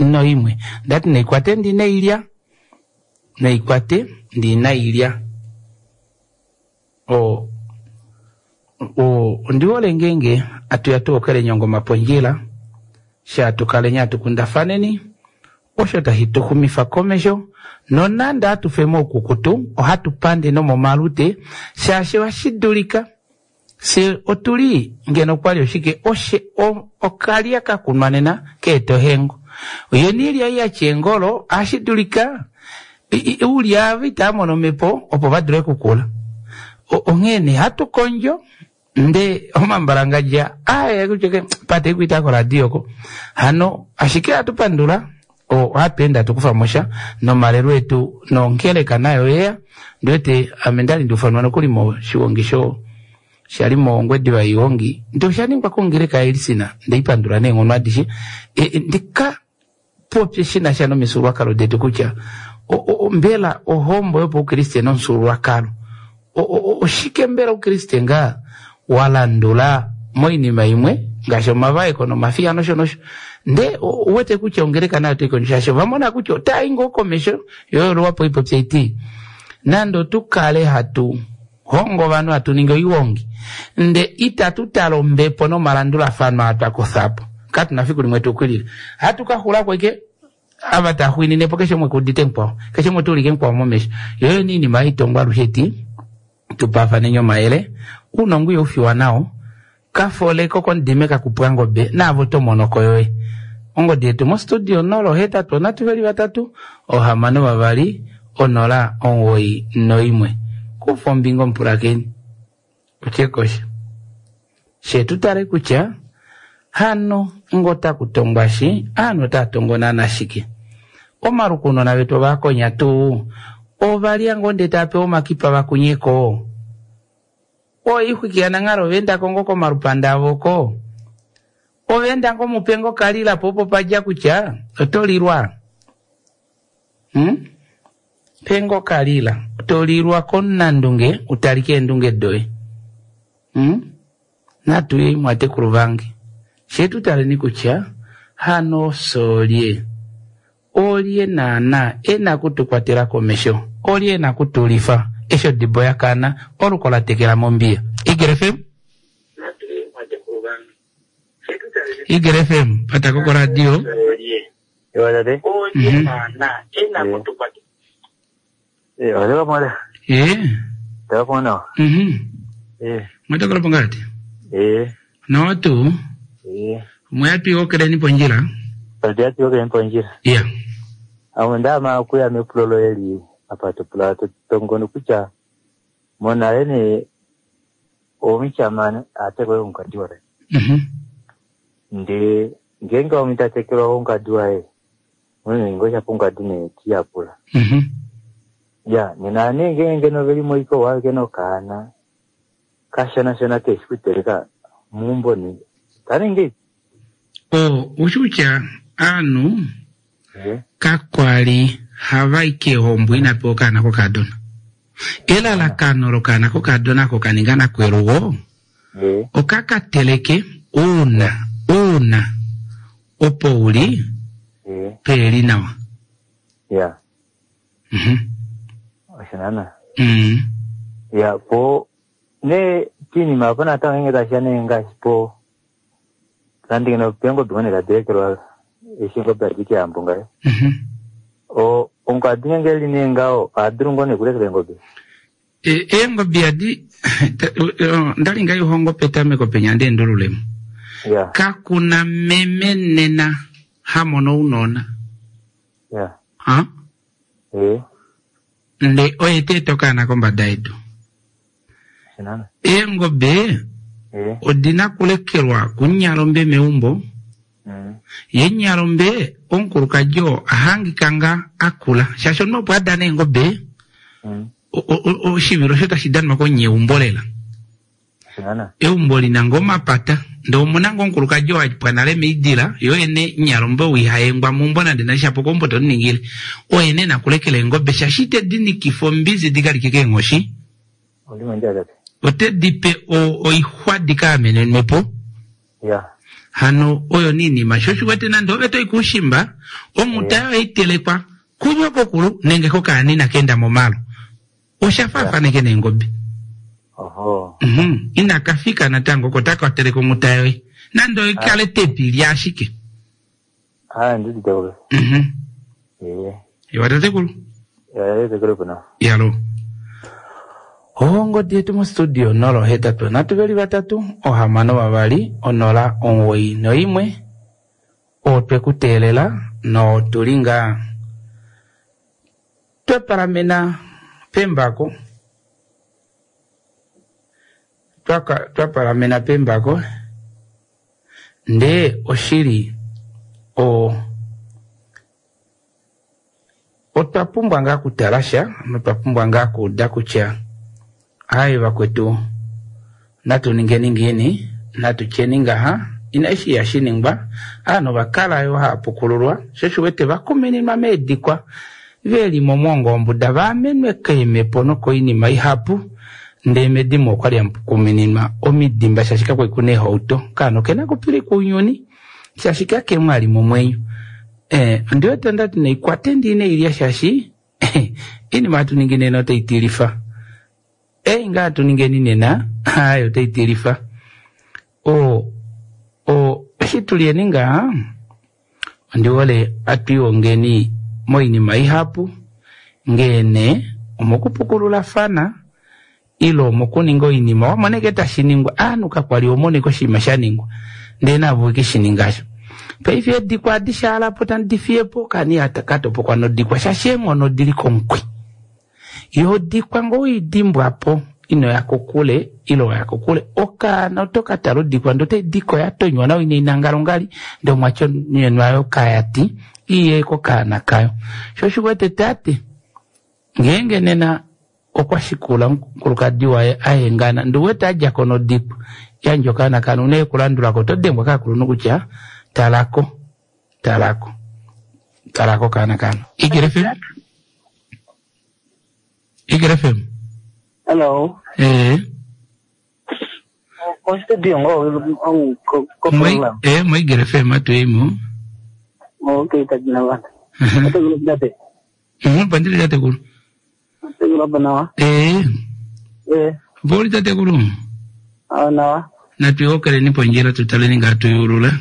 9 1. Ndati naikwate ndi nailya. Naikwate ndi nailya. O o ondihole ngeenge atuya tuokele nyongoma pondjila sha tukaleni atukundafaneni osho tashi tuxumifa komesho nonande atufe moukukutu ohatu pande nomomalute shaashi ohashi dulika se otuli ngeno kwali oshike oshe okalya kakunwa nena keeta ohengo ye niilya yatya engolo ohashi dulika uulya ava itava mono omhepo opo va dule okukula. Onghee nee hatu kondjo Nde omambalangadja aya kutya ke pate kuita koradio ko. Hano ashike hatu pandula ohatu ende hatu kufa mo sha nomalelo etu nongeleka nayo yeya. Ndiwete ame ndali ndiufanwa nokuli moshigongi sho shali mOngwediva iigongi nde osha ningwa kongeleka yaElcin ndeipandula neenghono adishe. E, ndika popye shi na sha nomifyuululwakalo detu kutya mbela ohombo yopaukriste nomufyuululwakalo oshike mbela oukriste ngaa wa landula moinima imwe ngaashi omavaeko nomafiya nosho nosho nde uwete kutya ongeleka nayo otai kondjo shaashi ova mona kutya otai ngoo komesho yo yoluwapo ipopye iti nande otu kale hatu hongo ovanhu hatu ningi oiwongi nde itatu tala ombepo nomalandulafano aa twa kutha po katu na fiku limwe tu kwilile hatu ka xulako ike ava ta xwiinine po keshe umwe kuudite mukwao keshe umwe tuulike mukwao momesho yoyo niinima haitongwa alushe ti tupafaneni omayele uunongo ihau fiwa nao kafoleko komudime kakupwa ngobe naavo to monoko yoye ongodi yetu mostudio 0 8 3 3 6 2 0 91 kufa ombinga omupulakeni utye kosha she tu tale kutya hano ngo taku tongwa shi aanhu otava tongo naana shike omaluko ounona vetu ovaakonya tuu ovalya ngoo ndee tava pewa omakipa vakunyeko oixwiki yananghala ova endako ngoo komalupanda avo ko ova enda ngoo mupe ngoo kalila po opo padja kutya oto lilwa hmm? pe ngoo kalila to lilwa komunandunge utalike eendunge doye hmm? Natu yei mwatekulu vange, fye tu taleni kutya hano ofye olye. Olye naanaa e na ku tu kwatela komesho? Olye e na ku tu lifa eshi odibo ya kana, oluko la tekela mombiya? Eagle FM? Eagle FM, pata ko koradio. Olye naanaa e na ku tu kwatela? Eh, wale pamwe. Eh. Tava pamwe nawa. Mhm. Eh. Mwatokolo pongati. Eh. Nawa tuu. Eh. Mwayati okeleni pondjila. Padiati okeleni pondjila. Yeah. Amo ndama kuya mepulo loye li apa to pula to tongono kutya monale ne omushamane atekwe omukadi waye. Mhm. Nde ngeenge omuntu atekelwa omukadi waye unene ngoo shapo omukadi nee tiyapula. Mhm. Ya, nena nee ngeenge ngeno veli moiko wake nokaana kashona shona keshi kuteleka muumbo ne taningi O, ushi kutya aanhu kakwali hava i keehombo ina pewa okaana kokadona. Elalakano lokaana kokadona oko ka ninga nakwelugo oka ka teleke uuna uuna opo u li peeli nawa. Ya. Mhm. Osho naana. Mm. Ya, po ne piinima apo natango ngenge tashiya nee ngaashi po nande ngeno peengobe ngoo nee tadi lekelwa eshi eengobe hadi kehambo ngaho. Mhm. O omukadi ngenge eli nee ngaho oha dulu ngoo nee kulekela eengobe? E, eengobe adi ndali ngai hongo petameko penya ndi endululemo. Ya. Kakuna meme nena ha mono ounona. Ya. Ha? Eh. Nde oye te eta okaana kombada yedu. Shinana. Eengobe Eh. odina kulekelwa kunyalombe meumbo. Mm. Ye nyalombe omukulukadi oo ahangika nga akula. Shaashi omunhu opo a dana eengobe, Mm. oshivilo osho tashi danwa konyeumbo lela. Eumbo li na ngoo omapata, ndee omu na ngoo omukulukadi oo a pwa nale meidila, ye oye nee nyalombe ou iha yengwa meumbo nande nande shapo keumbo to mu ningile. Oye nee na kulekela eengobe shaashi ite di nikifa ombinzi di ka like keenghoshi. Ote di pe oixwa di ka amenenwe po. Hano oyo nee iinima sho oshiwete nande ove to i kuushimba, onghuta yoye ohai telekwa kunyokokulu nenge kokaanina ka enda momalo. Osha faafaneke neengobe. Oho. Mhm. Inaka fika natango oko taka teleke onghuta yoye. Nande oi kale te li ashike. Ah, ndi tatekulu. Mhm. Eh. Iwa tatekulu. Ya, tatekulu kuna. Yalo. Ongodi yetu mostudio 083 3 6 2 091 otwe ku teelela notu li ngaa twa palamena pembako. twa palamena pembako ndee oshili o otwa pumbwa ngaa kutala sha notwa pumbwa ngaa kuuda kutya aye vakwetu natu ningeni ngiini natu tyeni ngaha inashi ya shiningwa aanhu ovakala yo haapukululwa sho shiwete vakumininwa meedikwa veli momwongo wombuda vaamenwe keemhepo nokoinima ihapu ndee medimo okwali hamukumininwa omidimba shaashi kakwali kuna eehauto kaana okena kupilika ounyuni shaashi kakemwe ali momwenyo eh, ondiwete ondati naikwate ndiine ilya shaashi iinima hatu ningi nena otai tilifa ei ngaa hatu ningeni nena hayo otai tilifa o o eshi tulyeni ngaa ondi hole atwiihongeni moinima ihapu ngeene omokupukululafana ile omokuninga oinima wamoneke tashi ningwa aanhu kakwali omoneke oshinima sha ningwa ndee navo ke shi ningasho paife edikwa adishe alapo tandi fiyepo kani katopokwa nodikwa shaashi eenghono odili komukwi yo dikwa ngoo idimbwapo ino ya kokule ile oya kokule okaana oto ka tala odikwa ndee otai dikwa ya tonywa nawa ina inangalongali ndee omwatyonyenwa kayati iye kokaana kayo sho oshiwete tate ngeenge nena okwa shikula omukulukadi waye ahengana ndi wete adjako nodikwa yandja okaana kanu une kulandulako oto dengwa kaakulunhu kutya talako talako talako kaana kanu Igele FM Igele FM Hello. eh Ko studio ngo ko ko program. eh mo Igele FM atuimo Okay, tagina ba. Ate gulo date. Pandile tate kulu. Ate gulo pa nawa. Eh. Eh. Voli tate kulu. Ah nawa. Natuiokeleni pondjila tutaleni nga tuyulula.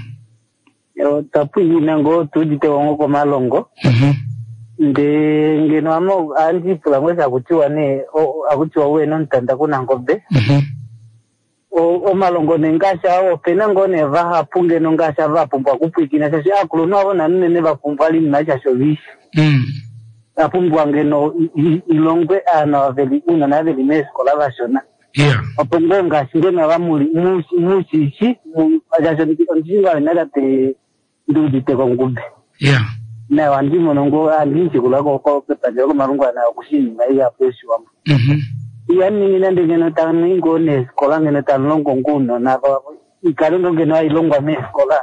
Yo tapu ina ngo tudite wango ko malongo. Nde ngeno amo andi pula ngwesa akutiwa ne akutiwa we nontanda kuna ngombe. Omalongo nengasha opena ngo ne vahapu ngeno ngasha vapumbwa kupwikina shashi akulunhu avo nanunene vapumbwa linima shasho vishi. Apumbwa ngeno ilongwe aana vaveli uunona veli meesikola vashona. Yeah. Opo ngoo ngaashi ngeno vamuli mushishi shasho ondishinga wena tate nduudite kongube. Yeah. Nayo andi mono ngo andi nshikula ko kepandja lokomalungula nayo kushinima ihapu yoshiwambo. Iyaningi nande ngeno tamu ngoo neesikola ngeno tamulongo ngoo uunona ikale ngoo ngeno hailongwa meesikola.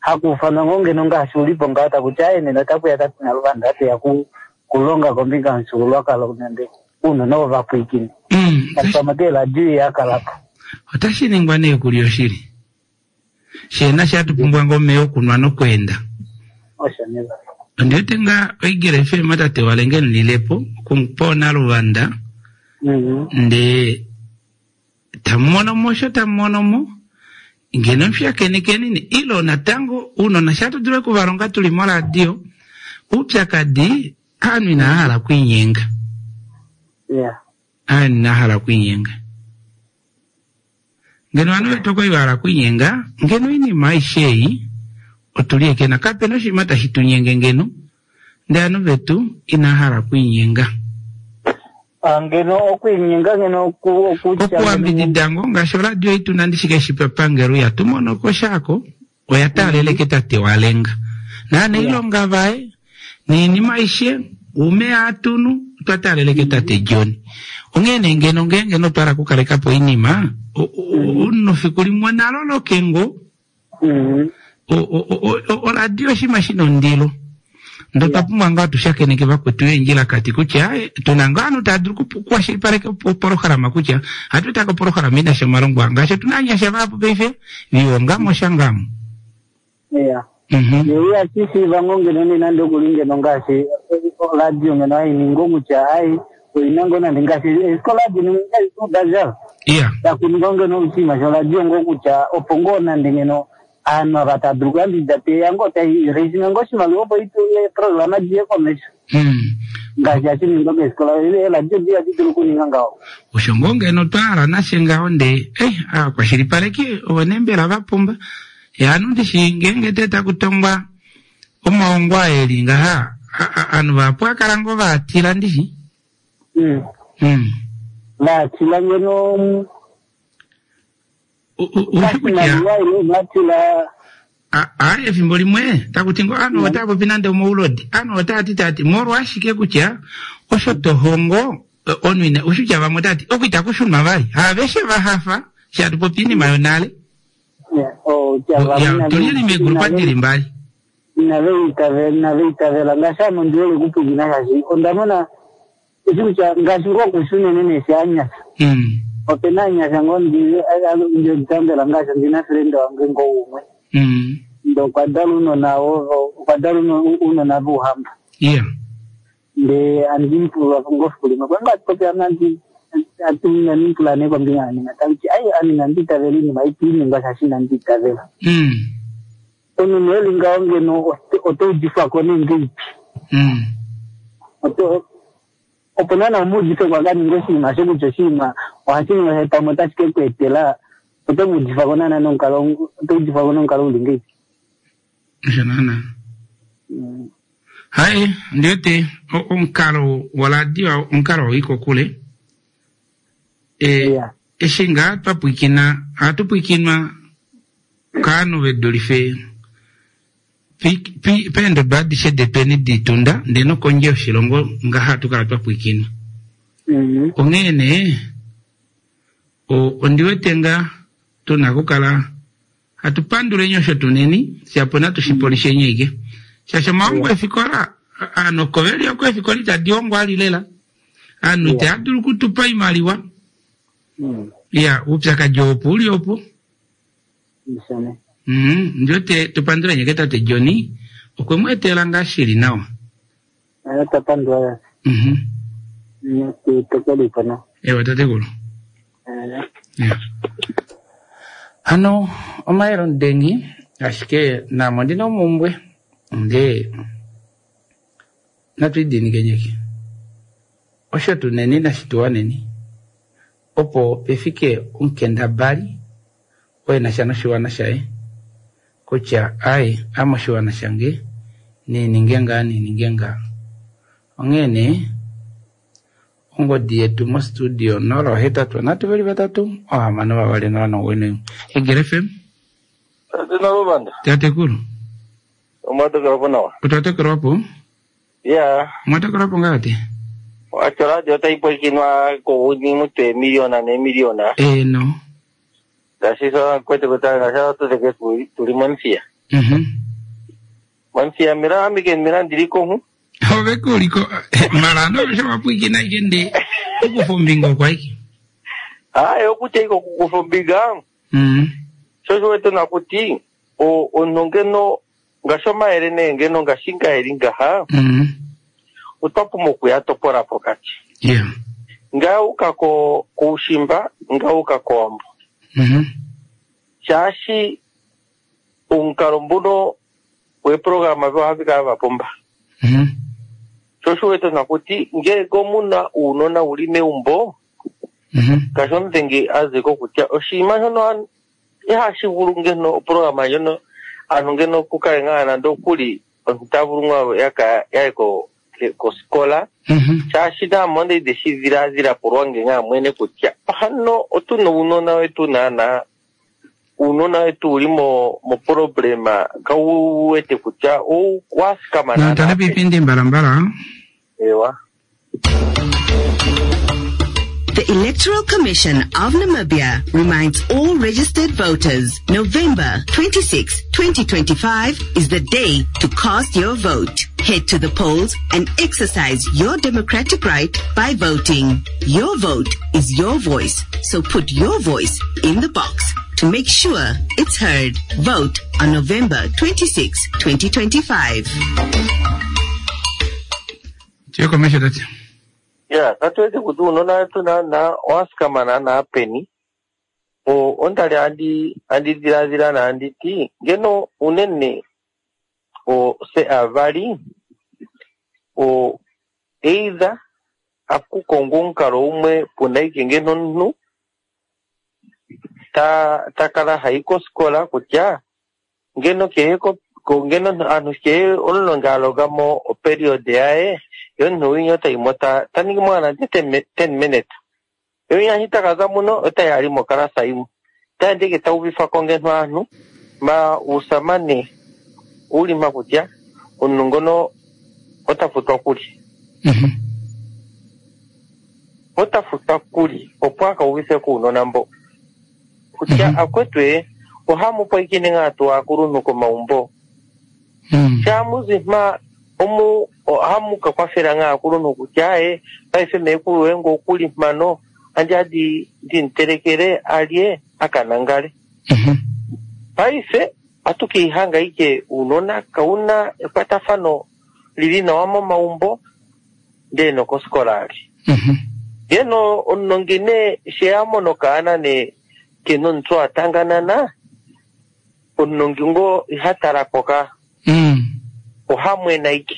Hakuufanwa ngoo ngeno ngaashi ulipo ngaho takuti aye nena otakuya tate Naluvanda ateya kulonga kombinga yomufyuululwakalo nande uunona ovapwiikini. Pamwe keeladio yakalapo. Otashi ningwa nee kuli oshili. Sheena shatupumbwa ngoo omeya okunwa nokweenda. Osho neva. Ondiwete nga oigele FM tate walenge nlilepo okupa Naluvanda. Ndee tamumono mo osho tamumono mo ngeno mushakenekenini ilo natango uunona shatudule okuvalonga tuli moradio uupyakadi aanhu inahala okwiinyenga. Yeah. Aanhu inahala okwiinyenga. Ngeno ovanhu vetu okwali vahala okwiinyenga ngeno oinima aishe ei otuli ekena kapena oshinima tashi tunyenge ngeno ndee ovanhu vetu inahala okwiinyenga. Ngeno okwiinyenga ngeno okuambidida ngo ngaashi oradio ei tuna ndishi keshi papangelo ihatu mono ko shaako oya taaleleke tate walenga naanailonga vaye niinima aishe uumeya atunu otwa taaleleke tate John onghee nee ngeno ngeenge notwahala okukalekapo oinima omunhu fiku limwe onaloloke ngo oradio oshinima shina ondilo ndee otwa pumbwa ngaa tushakeneke vakwetu eendjilakati kutya tuna ngaa ovanhu tava dulu okukwashilipaleka opolohalama kutya ohatu etako opolohalama inasha omalongo ngaashi otuna ovanyasha vahapu paife viwongamo shangamo. Yeah. Yo ihashi ngo ngeno ne nande okuli ngeno ngaashi oradio ngeno hainingi kutya ai oina ngo nande ngaashi eesikola dino daja. Yeah. Takuninga ngeno oshinima shoradio ngo kutya opo ngoo nande ngeno aanhu ava tava dulu okuyambidida teya ngoo tai raising ngoo oshimaliwa opo eeprograma diye komesho. Ngaashi hashi ningwa keefikola eeradio ihadi dulu okuninga ngaho. Osho ngoo ngeno twahala nashe ngaho ndee eh aakwashilipaleki ovo nee mbela vapumba yaanhu ndishi ngeenge tee takutongwa omahongo aa eli ngaha ovanhu vahapu akala ngoo vaatila ndishi. Vaatila ngeno. Ushi kutya a efimbo limwe taku ti ngo ovanhu otava popi nande omaulodi, ovanhu otava ti tava ti molwashike kutya osho to hongo omunhu ina ushi kutya vamwe otava ti oku itaku shunwa vali, haaveshe va hafa eshi hatu popi oinima yonale. Ya, tuli li meegrupa dili mbali. Inave itavela, inave itavela ngaashi ame ondi hole okupwilikina shaashi onda mona eshi kutya ngaashi ngoo okushi unene nee shi anyasha. Ope na anyasha ngoo ndi tambela ngaashi ondi na friend wange ngoo umwe. Ndee okwa dala ounona ovo, okwa dala ounona vouhamba. Ndee andi mu pula ngoo fiku limwe, kwa ngoo hatu popi ame andi atu inandi mu pula nee kombinga yanima, tamu ti ai ame inandi itavela oinima ei tai ningwa shaashi inandi itavela. Omunhu nee eli ngaho ngeno oto udifwa ko nee ngeipi? Oto opo naana u mu udife ko a ka ninge oshinima osho kutya oshinima ohashi ningwa shaashi pamwe otashi ke ku etela, oto mu udifa ko naana nomukalo, oto udifwa ko nomukalo uli ngeipi? Osho naana. Hai, ondi wete omukalo woradio omukalo wa ika kokule. E, eshi ngaa twa pwiikina, ohatu pwiikinwa kaanhu ve dulife peendodo adishe detweni diitunda ndee nokondje yoshilongo ngaha hatu kala twa pwiikinwa. Onghee nee, ondi wete ngaa tuna okukala hatu panduleni osho tuneni, shapo natu shi polisheni aike. Shaashi omahongo efikola, aanhu oko veli oko efikola itadi hongwa ali lela. Aanhu itaya dulu okutupa oimaliwa. Ya, oupyakadi opo uli opo. Ndi wete tu panduleni ke tate Johnny, okwe mu etela ngaa shili nawa. Twa pandula. Tokolipo no. Ewa tatekulu. Hano omayele omudengi ashike naame ondina omumbwe ndee natu idiinikenyeke osho tuneni nashi tu waneni opo pefike omukendabali oo enasha noshiwana shaye kutya ai ame oshiwana shange niininge ngaa niininge ngaa onghee nee Ongodi yetu mo studio 083 3 6 2 0 91. Egele FM. Tate Naluvanda. Tatekulu. Omwa tokelwa po nawa. Otwa tokelwa po? Ya. Omwa tokelwa po ngaa tate? Wacho radio otai pwikinwa kounyuni mutwe eemiliona neemiliona. Eeno. Ngaashi sho kwete kutya ngaashi atu teke tuli momuthiya. Momuthiya mira ame ke mira ndili konhu. Ove kuliko mara no sho wapwikina ike nde okufa ombinga okwa ike. Hayi okutya ike okukufa ombinga. Sho sho wete nakuti omunhu ngeno ngaashi omayele nee ngeno ngaashi nga eli ngaha otwa pumbwa okuya topola pokati. Nga uka koushimba, nga uka kOwambo. Shaashi omukalo mbuno weprograma ohava kala va pumba. Sho osho wete nakuti ngele omuna uunona uli meumbo ngaashi omudhengi a ziko kutya oshinima shono ihashi vulu ngeno oprograma ndjono aantu ngeno kukale ngaa nande okuli omuntu ta vulu ngaa yaka yaye kosikola shaashi naame onda ide shi dhiladhila po lwange ngaa mwene kutya hano otu na uunona wetu naana uunona wetu uli mo problema kau wete kutya owa thikama naana. Natale piipindi mbalambala. Ewa. The Electoral Commission of Namibia reminds all registered voters November 26, 2025 is the day to cast your vote. Head to the polls and exercise your democratic right by voting. Your vote is your voice, so put your voice in the box to make sure it's heard. Vote on November 26, 2025. Tuye komesho tate. Ya, katu wete kuti uunona wetu naana owa thikama naana peni. Onda li andi dhiladhila naandi ti ngeno unene se aavali either aku kongwa omukalo umwe puna ike ngeno omuntu ta kala hayi kosikola kutya ngeno kehe ngeno aantu kehe omulongi a longa mo operiod yaye ye omuntu winya otayi mo ta ningi mo nande 10 minutes. Ye winya shi taka za muno otayi ali mokalasa yimwe. Taendeke ta uvifa ko ngeno aanhu ma uusamane uli mpa kutya omuntu ngono ota futwa kulye. Ota futwa kulye opo a ka uvithe ko uunona mbo. Kutya akwetu ee ohamu pwikine ngaa tuu aakuluntu komaumbo. Shaa mu zi mpa omu ohamu ka kwafela ngaa aakuluntu kutya aye paife meekulu woye ngo okuli mpano andi adi ndi mu telekele alye a ka nangale. Paife ohatu ka ihanga ike uunona kauna ekwatafano lili nawa momaumbo ndee nokoskola ali. Ngeno omunongi nee she a mono okaana nee kena omutwe wa tanganana, omunongi ngo iha tala ko ka. Oha mwena ike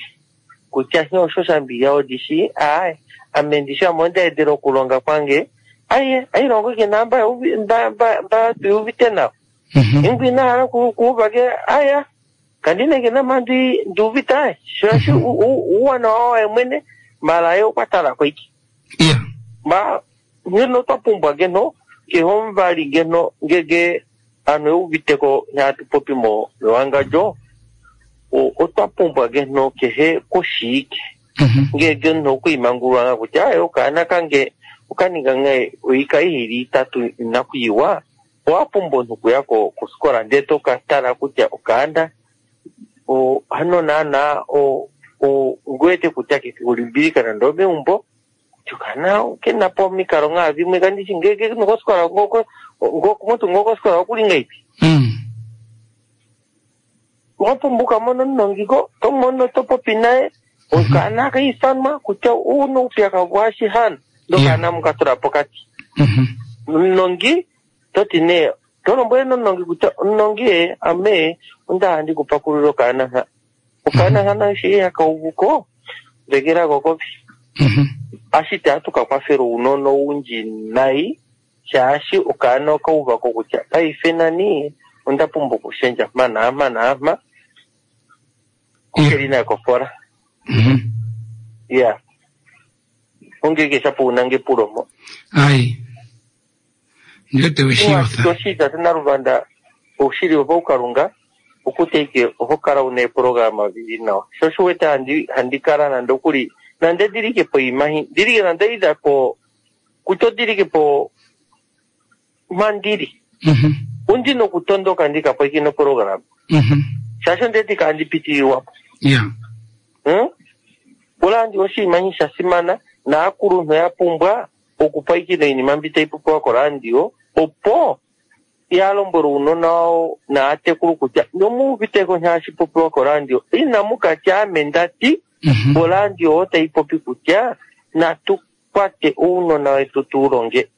kutya nghee osho shambiya odi shii, aaye ame ndishi ame onda edela okulonga kwange, aye ailongo ike naa mba mba mba mba tuuvite nawa. Ingu ina hala kuuva ke aya kandi nenge nama ndi ndiuvite aye shaashi uuwanawa waye mwene mala ye okwa tala ko ike. Ma ngeno twa pumbwa ngeno kehe omuvali ngeno ngege aantu ye uvite ko hatu popi mo mewangandjo otwa pumbwa ngeno kehe koshiike ngege omuntu okwiimangulula nga kutya aye okaana kange okaninga nge oika ihili itatu inakuyiwa owa pumbwa omuntu okuya ko koskola ndele to ka tala kutya okaana o hano naana o o ngu wete kutya kefi kulimbilika nande omeumbo kutya okaana kena po omikalo ngaa dhimwe kandishi ngege nokoskola ngoko mutu ngokoskola okuli ngaipi owa pumbwa ukamona omunongiko to mono to popi naye okaana ka ithanwa kutya uuna uupyakadhi washi hano ndokaana muka tula pokati. Omunongi to ti nee to lombwele nomunongi kutya omunongi e ame onda hala ndiku pakulule okaana nha. Okaana hano eshi haka uvu ko dhegela ko kovi. Ashike ohatu ka kwafela uunona owundji nayi shaashi okaana oka uva ko kutya paife nani onda pumbwa okushendja mpa naampa naampa okeli naye kofola. Ya. Ongeke shapo una ngepulo mo. Ai. Ndiwete weshiyotha. Oshili tate Naluvanda oushili wopaukalunga okutya ike oho kala una eeprograma dhili nawa. Sho osho wete handi handi kala nande okuli nande ndili ike poima ndili ike nande ida po kutya ondili ike po mpa ndili. Ondi nokutondoka ndika pwikine oprograma. Shaashi ondeti kandi pitililwa po. Hmm? Olaandi oshinima sha simana naakuluntu ya pumbwa okupwikina iinima mbi tayi popiwa koradio opo ya lombwele uunona wawo naatekulu kutya nomuuviteko hashi popiwa koradio inamu katya ame ndati oradio otayi popi kutya natu kwate uunona wetu tu longe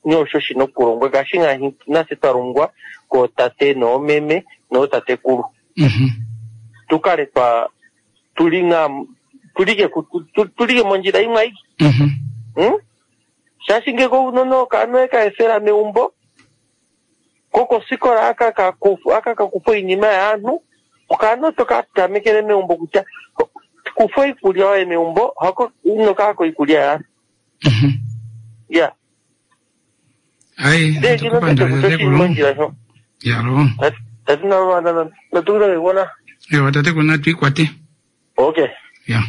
nosho shina okulongwa ngaashi ngaashi nase twa longwa kootate noomeme nootatekulu. Tu kale twa tuli ngaa tulike tulike mondjila yimwe ayike. Hmm? Shaashi ngeke ounona okaana ka efela meumbo ko kosikola aka ka kufa oinima yaanhu okaana oto ka tamekele meumbo kutya kufa oikulya yoye meumbo hako ino kaako iikulya yaanhu. Ya. Ai, Ndee kino tete kutya oshili mondjila sho. Yalo. Tati naluvanda natukuza Ewa tatekulu natu ikwate. Okay. Ya.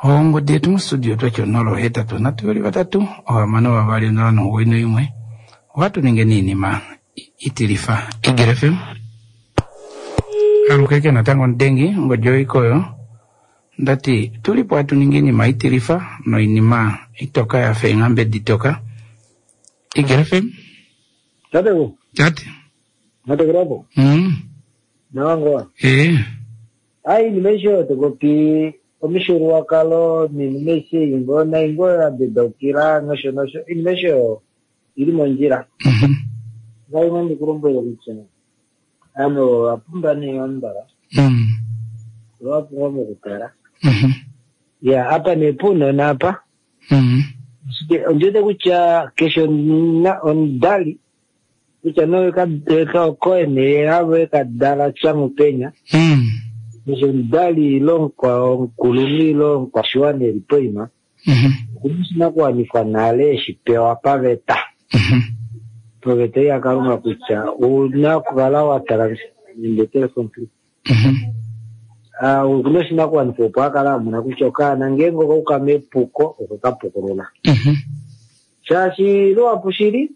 Ongodi yetu mustudio twatya 083 3 6 2 0 9 1 ohatu ninge niinima itilifa. Eagle FM. Alukeke natango omudengi ongodi oikoyo ndati tulipo hatu ningi iinima itilifa noinima itoka yafa eenghambe ditoka. Eagle FM. Tateku. Tate. Natekulapo. Nawa ngoa. Eh. Ai iinima aishe oyo to popi omifyuululwakalo niinima aishe ei ngoo nai ngoo ya bedaukila nosho nosho iinima aishe oyo ili mondjila. Ngai nandi ku lombwele kutya ame owa pumba nee omumbala. Owa pumbwa mokukala. Ya apa nee puunona apa. Ashike ondi wete kutya keshe omudali kutya nee okoye nee avo eka dala Tjamupenya. Keshe omudali ile omukulunhu ile omukwashiwana eli poima okuna oshinakuwanifwa nale eshi pewa paveta. Poveta yaKalunga kutya ouna okukala wa tala nende telefon okuna oshinakuwanifwa opo a kala a mona kutya okaana ngeenge okauka mepuko okwe ka pukulula. Shaashi luhapu shili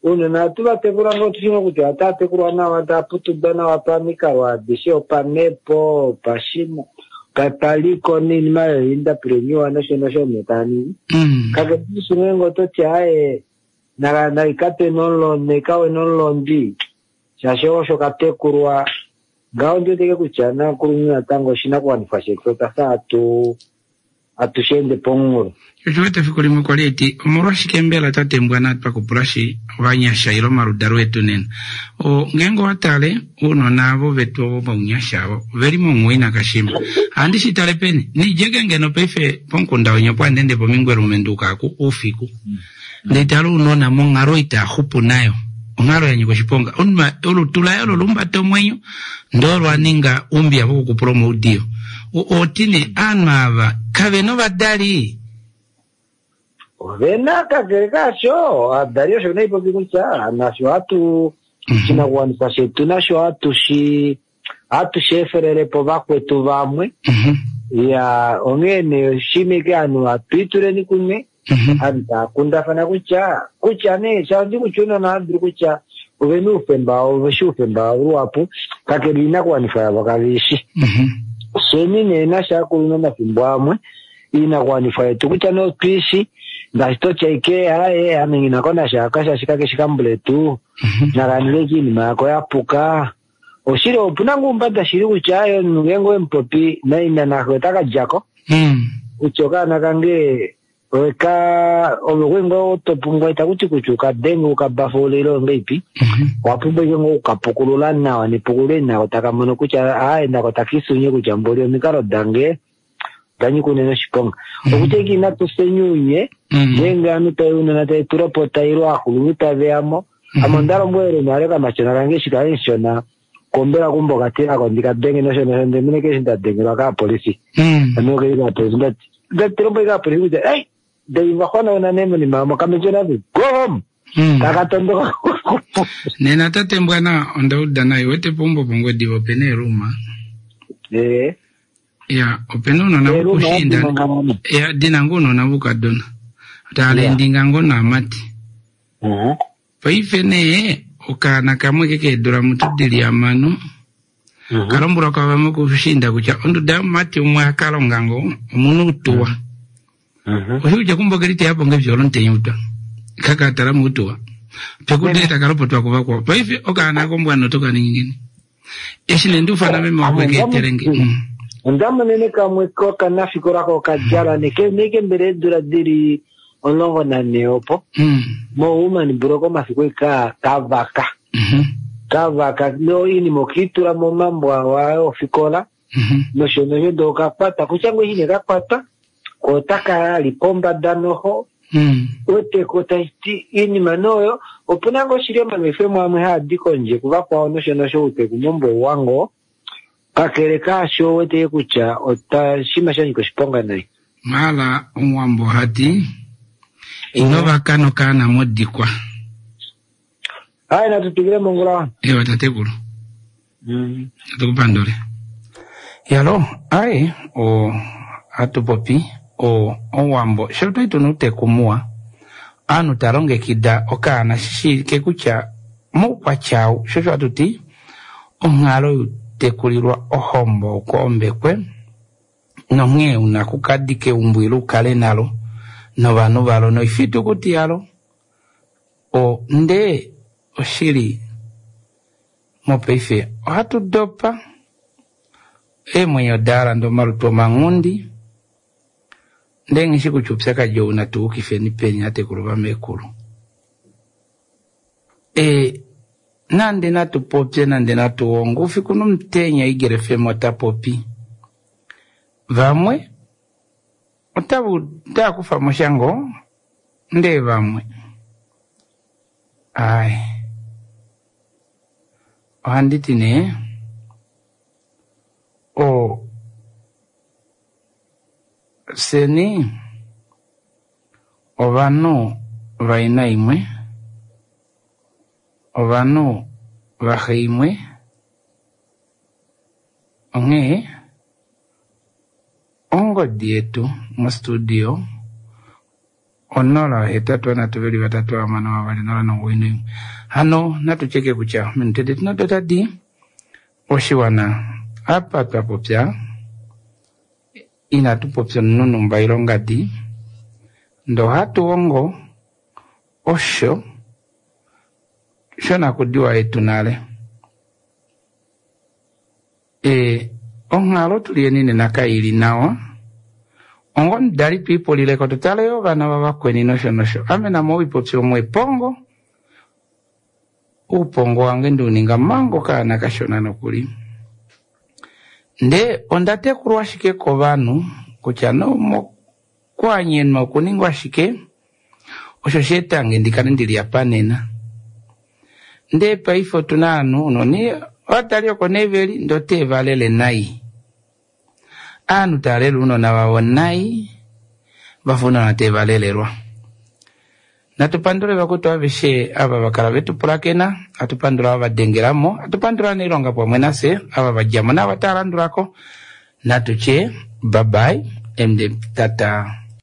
ounona ohatu va tekula ngoo tushi ngoo kutya otava tekulwa nawa, tava putudwa nawa pamikalo adishe, opamhepo, opashina, paliko noinima yoindapulenyiwa nosho nosho omunhu taa ningi. Kakele shimwe ngeenge oto ti aaye naikatwe nomulondi, naikawe nomulondi shaashi osho ka tekulwa ngaho ondi weteke kutya nakulunhu natango oshinakuwanifwa shetu otwa fa hatu hatu shi ende pomunghulo. Osho wete efiku limwe kwa li eti omolwashike mbela tate Mbwana twa kupulashi ovanyasha ile omaludalo etu nena. O, ngeenge owa tale ounona avo vetu ovo vounyasha avo oveli monghuwi nakashima. Ohandi shi tale peni? Nidjeke ngeno paife pomukunda wenye opo handi ende pomingwelume nduuka aku oufiku. Ndee tale ounona monghalo itaa xupu nayo. Onghalo ya nyika oshiponga. Omunhu olutu laye olo lumbata omwenyo ndee olo a ninga oumbiya vokukupula omaudiyo. Oti nee aanhu ava kave na ovadali? Ove na, kakele kaasho, ovadali osho nai popi kutya nafye ohatu oshinakuwanifwa shetu nasho ohatu shi ohatu shi efelele po vakwetu vamwe. Ya, onghee nee oshimike ovanhu hatu ituleni kumwe, ovanhu tava kundafana kutya, kutya nee shaundi kutya ounona ohava dulu kutya ove na oufemba, ove shi oufemba wavo luhapu, kakele oinakuwanifwa yavo kave i shi. Fyeni nee nasho aakulunhu omafimbo amwe, oinakuwanifwa yetu kutya nee otu i shi, ngaashi to ti ashike aaye ame nghi na ko nasha aka shaashi kake shi kambuletu, naka ninge ashike oinima yako ya puka. Oshili opu na ngoo oumbada shili kutya aaye omunhu ngeenge owe mu popi naina naxe ota ka dja ko. Kutya okaana kange oweka ove kwali ngoo to pumbwa itaku ti kutya uka denge uka bafaule ile ongeipi. Owa pumbwa ashike ngoo okuka pukulula nawa nepukululo eli nako taka mono kutya aaye nako taka isunye kutya mboli omikalo dange oda nyika unene oshiponga. Okutya ashike inatu fye uunye ngeenge ovanhu tave ounona tave tu lopota ile ovakulunhu tave ya mo. Ame onda lombwelele nale okamatyona kange eshi kali mushona kombela kumbo okatilako ndi ka denge nosho nosho ndee mene keshi nda dengelwa kaapolifi. Ame okeli kaapolifi ndati ndati lombwele kaapolifi kutya ei ndei va xwanauna nee monima yomo kamatyona ave go home. Taka tondoka. Nena tate Mbwana onda uda nai wete peumbo pOngwediva opena eeluma. Ee. Ya, opena ounona vokushiinda. Ya, dina ngoo ounona voukadona. Tava endinga ngoo naamati. Paife nee okaana kamwe ke keedula mutu dili hamano ka lombwelwa kwavamwe kushiinda kutya onduda yomumati umwe a ka longa ngoo omuna outuwa. Oshi kutya kumbo ke liteya po ngefyo lomutenya utwa. Kaka tala moutuwa. Pekude taka lopotwa kuvakwao. Paife okaana kombwana oto ka ningi ngeni? Eshi nee ndiufana meme wako eke etele nge. Onda monene kamwe kokanafikola ko kadjala neke neke mbele eedula dili 14 opo moWoman Block omafiku ei ka kavaka kavaka noinima okiitula momambo awa ofikola nosho nosho ndee okakwata kutya ngoo eshi nee kakwatwa ko otaka ali pombada noho wete ko tashi iinima noyo opu na ngoo shili omanwefemo amwe haa di kondje kuvakwao nosho nosho outeku mombo ouwa ngoo kakele kaasho wete kutya otashinima sha nyika oshiponga nai. Maala omuwambo ohati ino vaka nokaana modikwa. Hai natu twikile mongula. Ewa tatekulu. Natu kupandule. Yalo, ai o hatu popi o owambo sho twali tuna uuteku muwa aantu ta longekida okaana shi shiivike kutya moukwatya ou sho osho hatu ti onghalo youtekulilwa ohombo okoombekwe nonghee una kukadika eumbo ile ukale nalo novanhu valo noifitukuti yalo o ndee oshili mopaife ohatu dopa eemwenyo da landa omalutu omanghundi ndee nghi shi kutya oupyakadi ou natu yukifeni peni atekulu vamekulu. E, nande natu popye nande natu honge oufiku nomutenya Eagle FM ota popi. Vamwe otava otava kufa mo sha ngoo ndee vamwe ai ohandi ti nee o fyeni ovanhu vaina imwe. ovanhu vaxe imwe onghee ongodi yetu mostudio 0 8 3 2 6 2 0 9 1. Hano natu cheke kutya minute detu nado tadi oshiwana apa twa popya inatu popya omunhu numba ilongadi ndee ohatu hongo osho shonakudiwa yetu nale. E, onghalo tuli yeni nena kaili nawa ongo omudali twiipulileko tutale yo ovana vavakweni nosho nosho. Ame namo oipopya omwe epongo uupongo wange ndiuninga manga okaana kashona nokuli. Ndee onda tekulwa ashike kovanhu kutya nomokwanyenwa okuningwa shike osho sheetange ndikale ndili apa nena. Ndee paife otuna ovanhu noni ovadali oko nee veli ndee oteevalele nai. Aanhu taalele ounona vavo nai vafa ounona teevalelelwa. Natu pandule vakwetu aveshe ava vakala vetupulakena, atu pandula ava vadengelamo, atu pandula nailonga pamwe nafye ava vadjamo naava taalandulako. Natu tye bye bye and tata.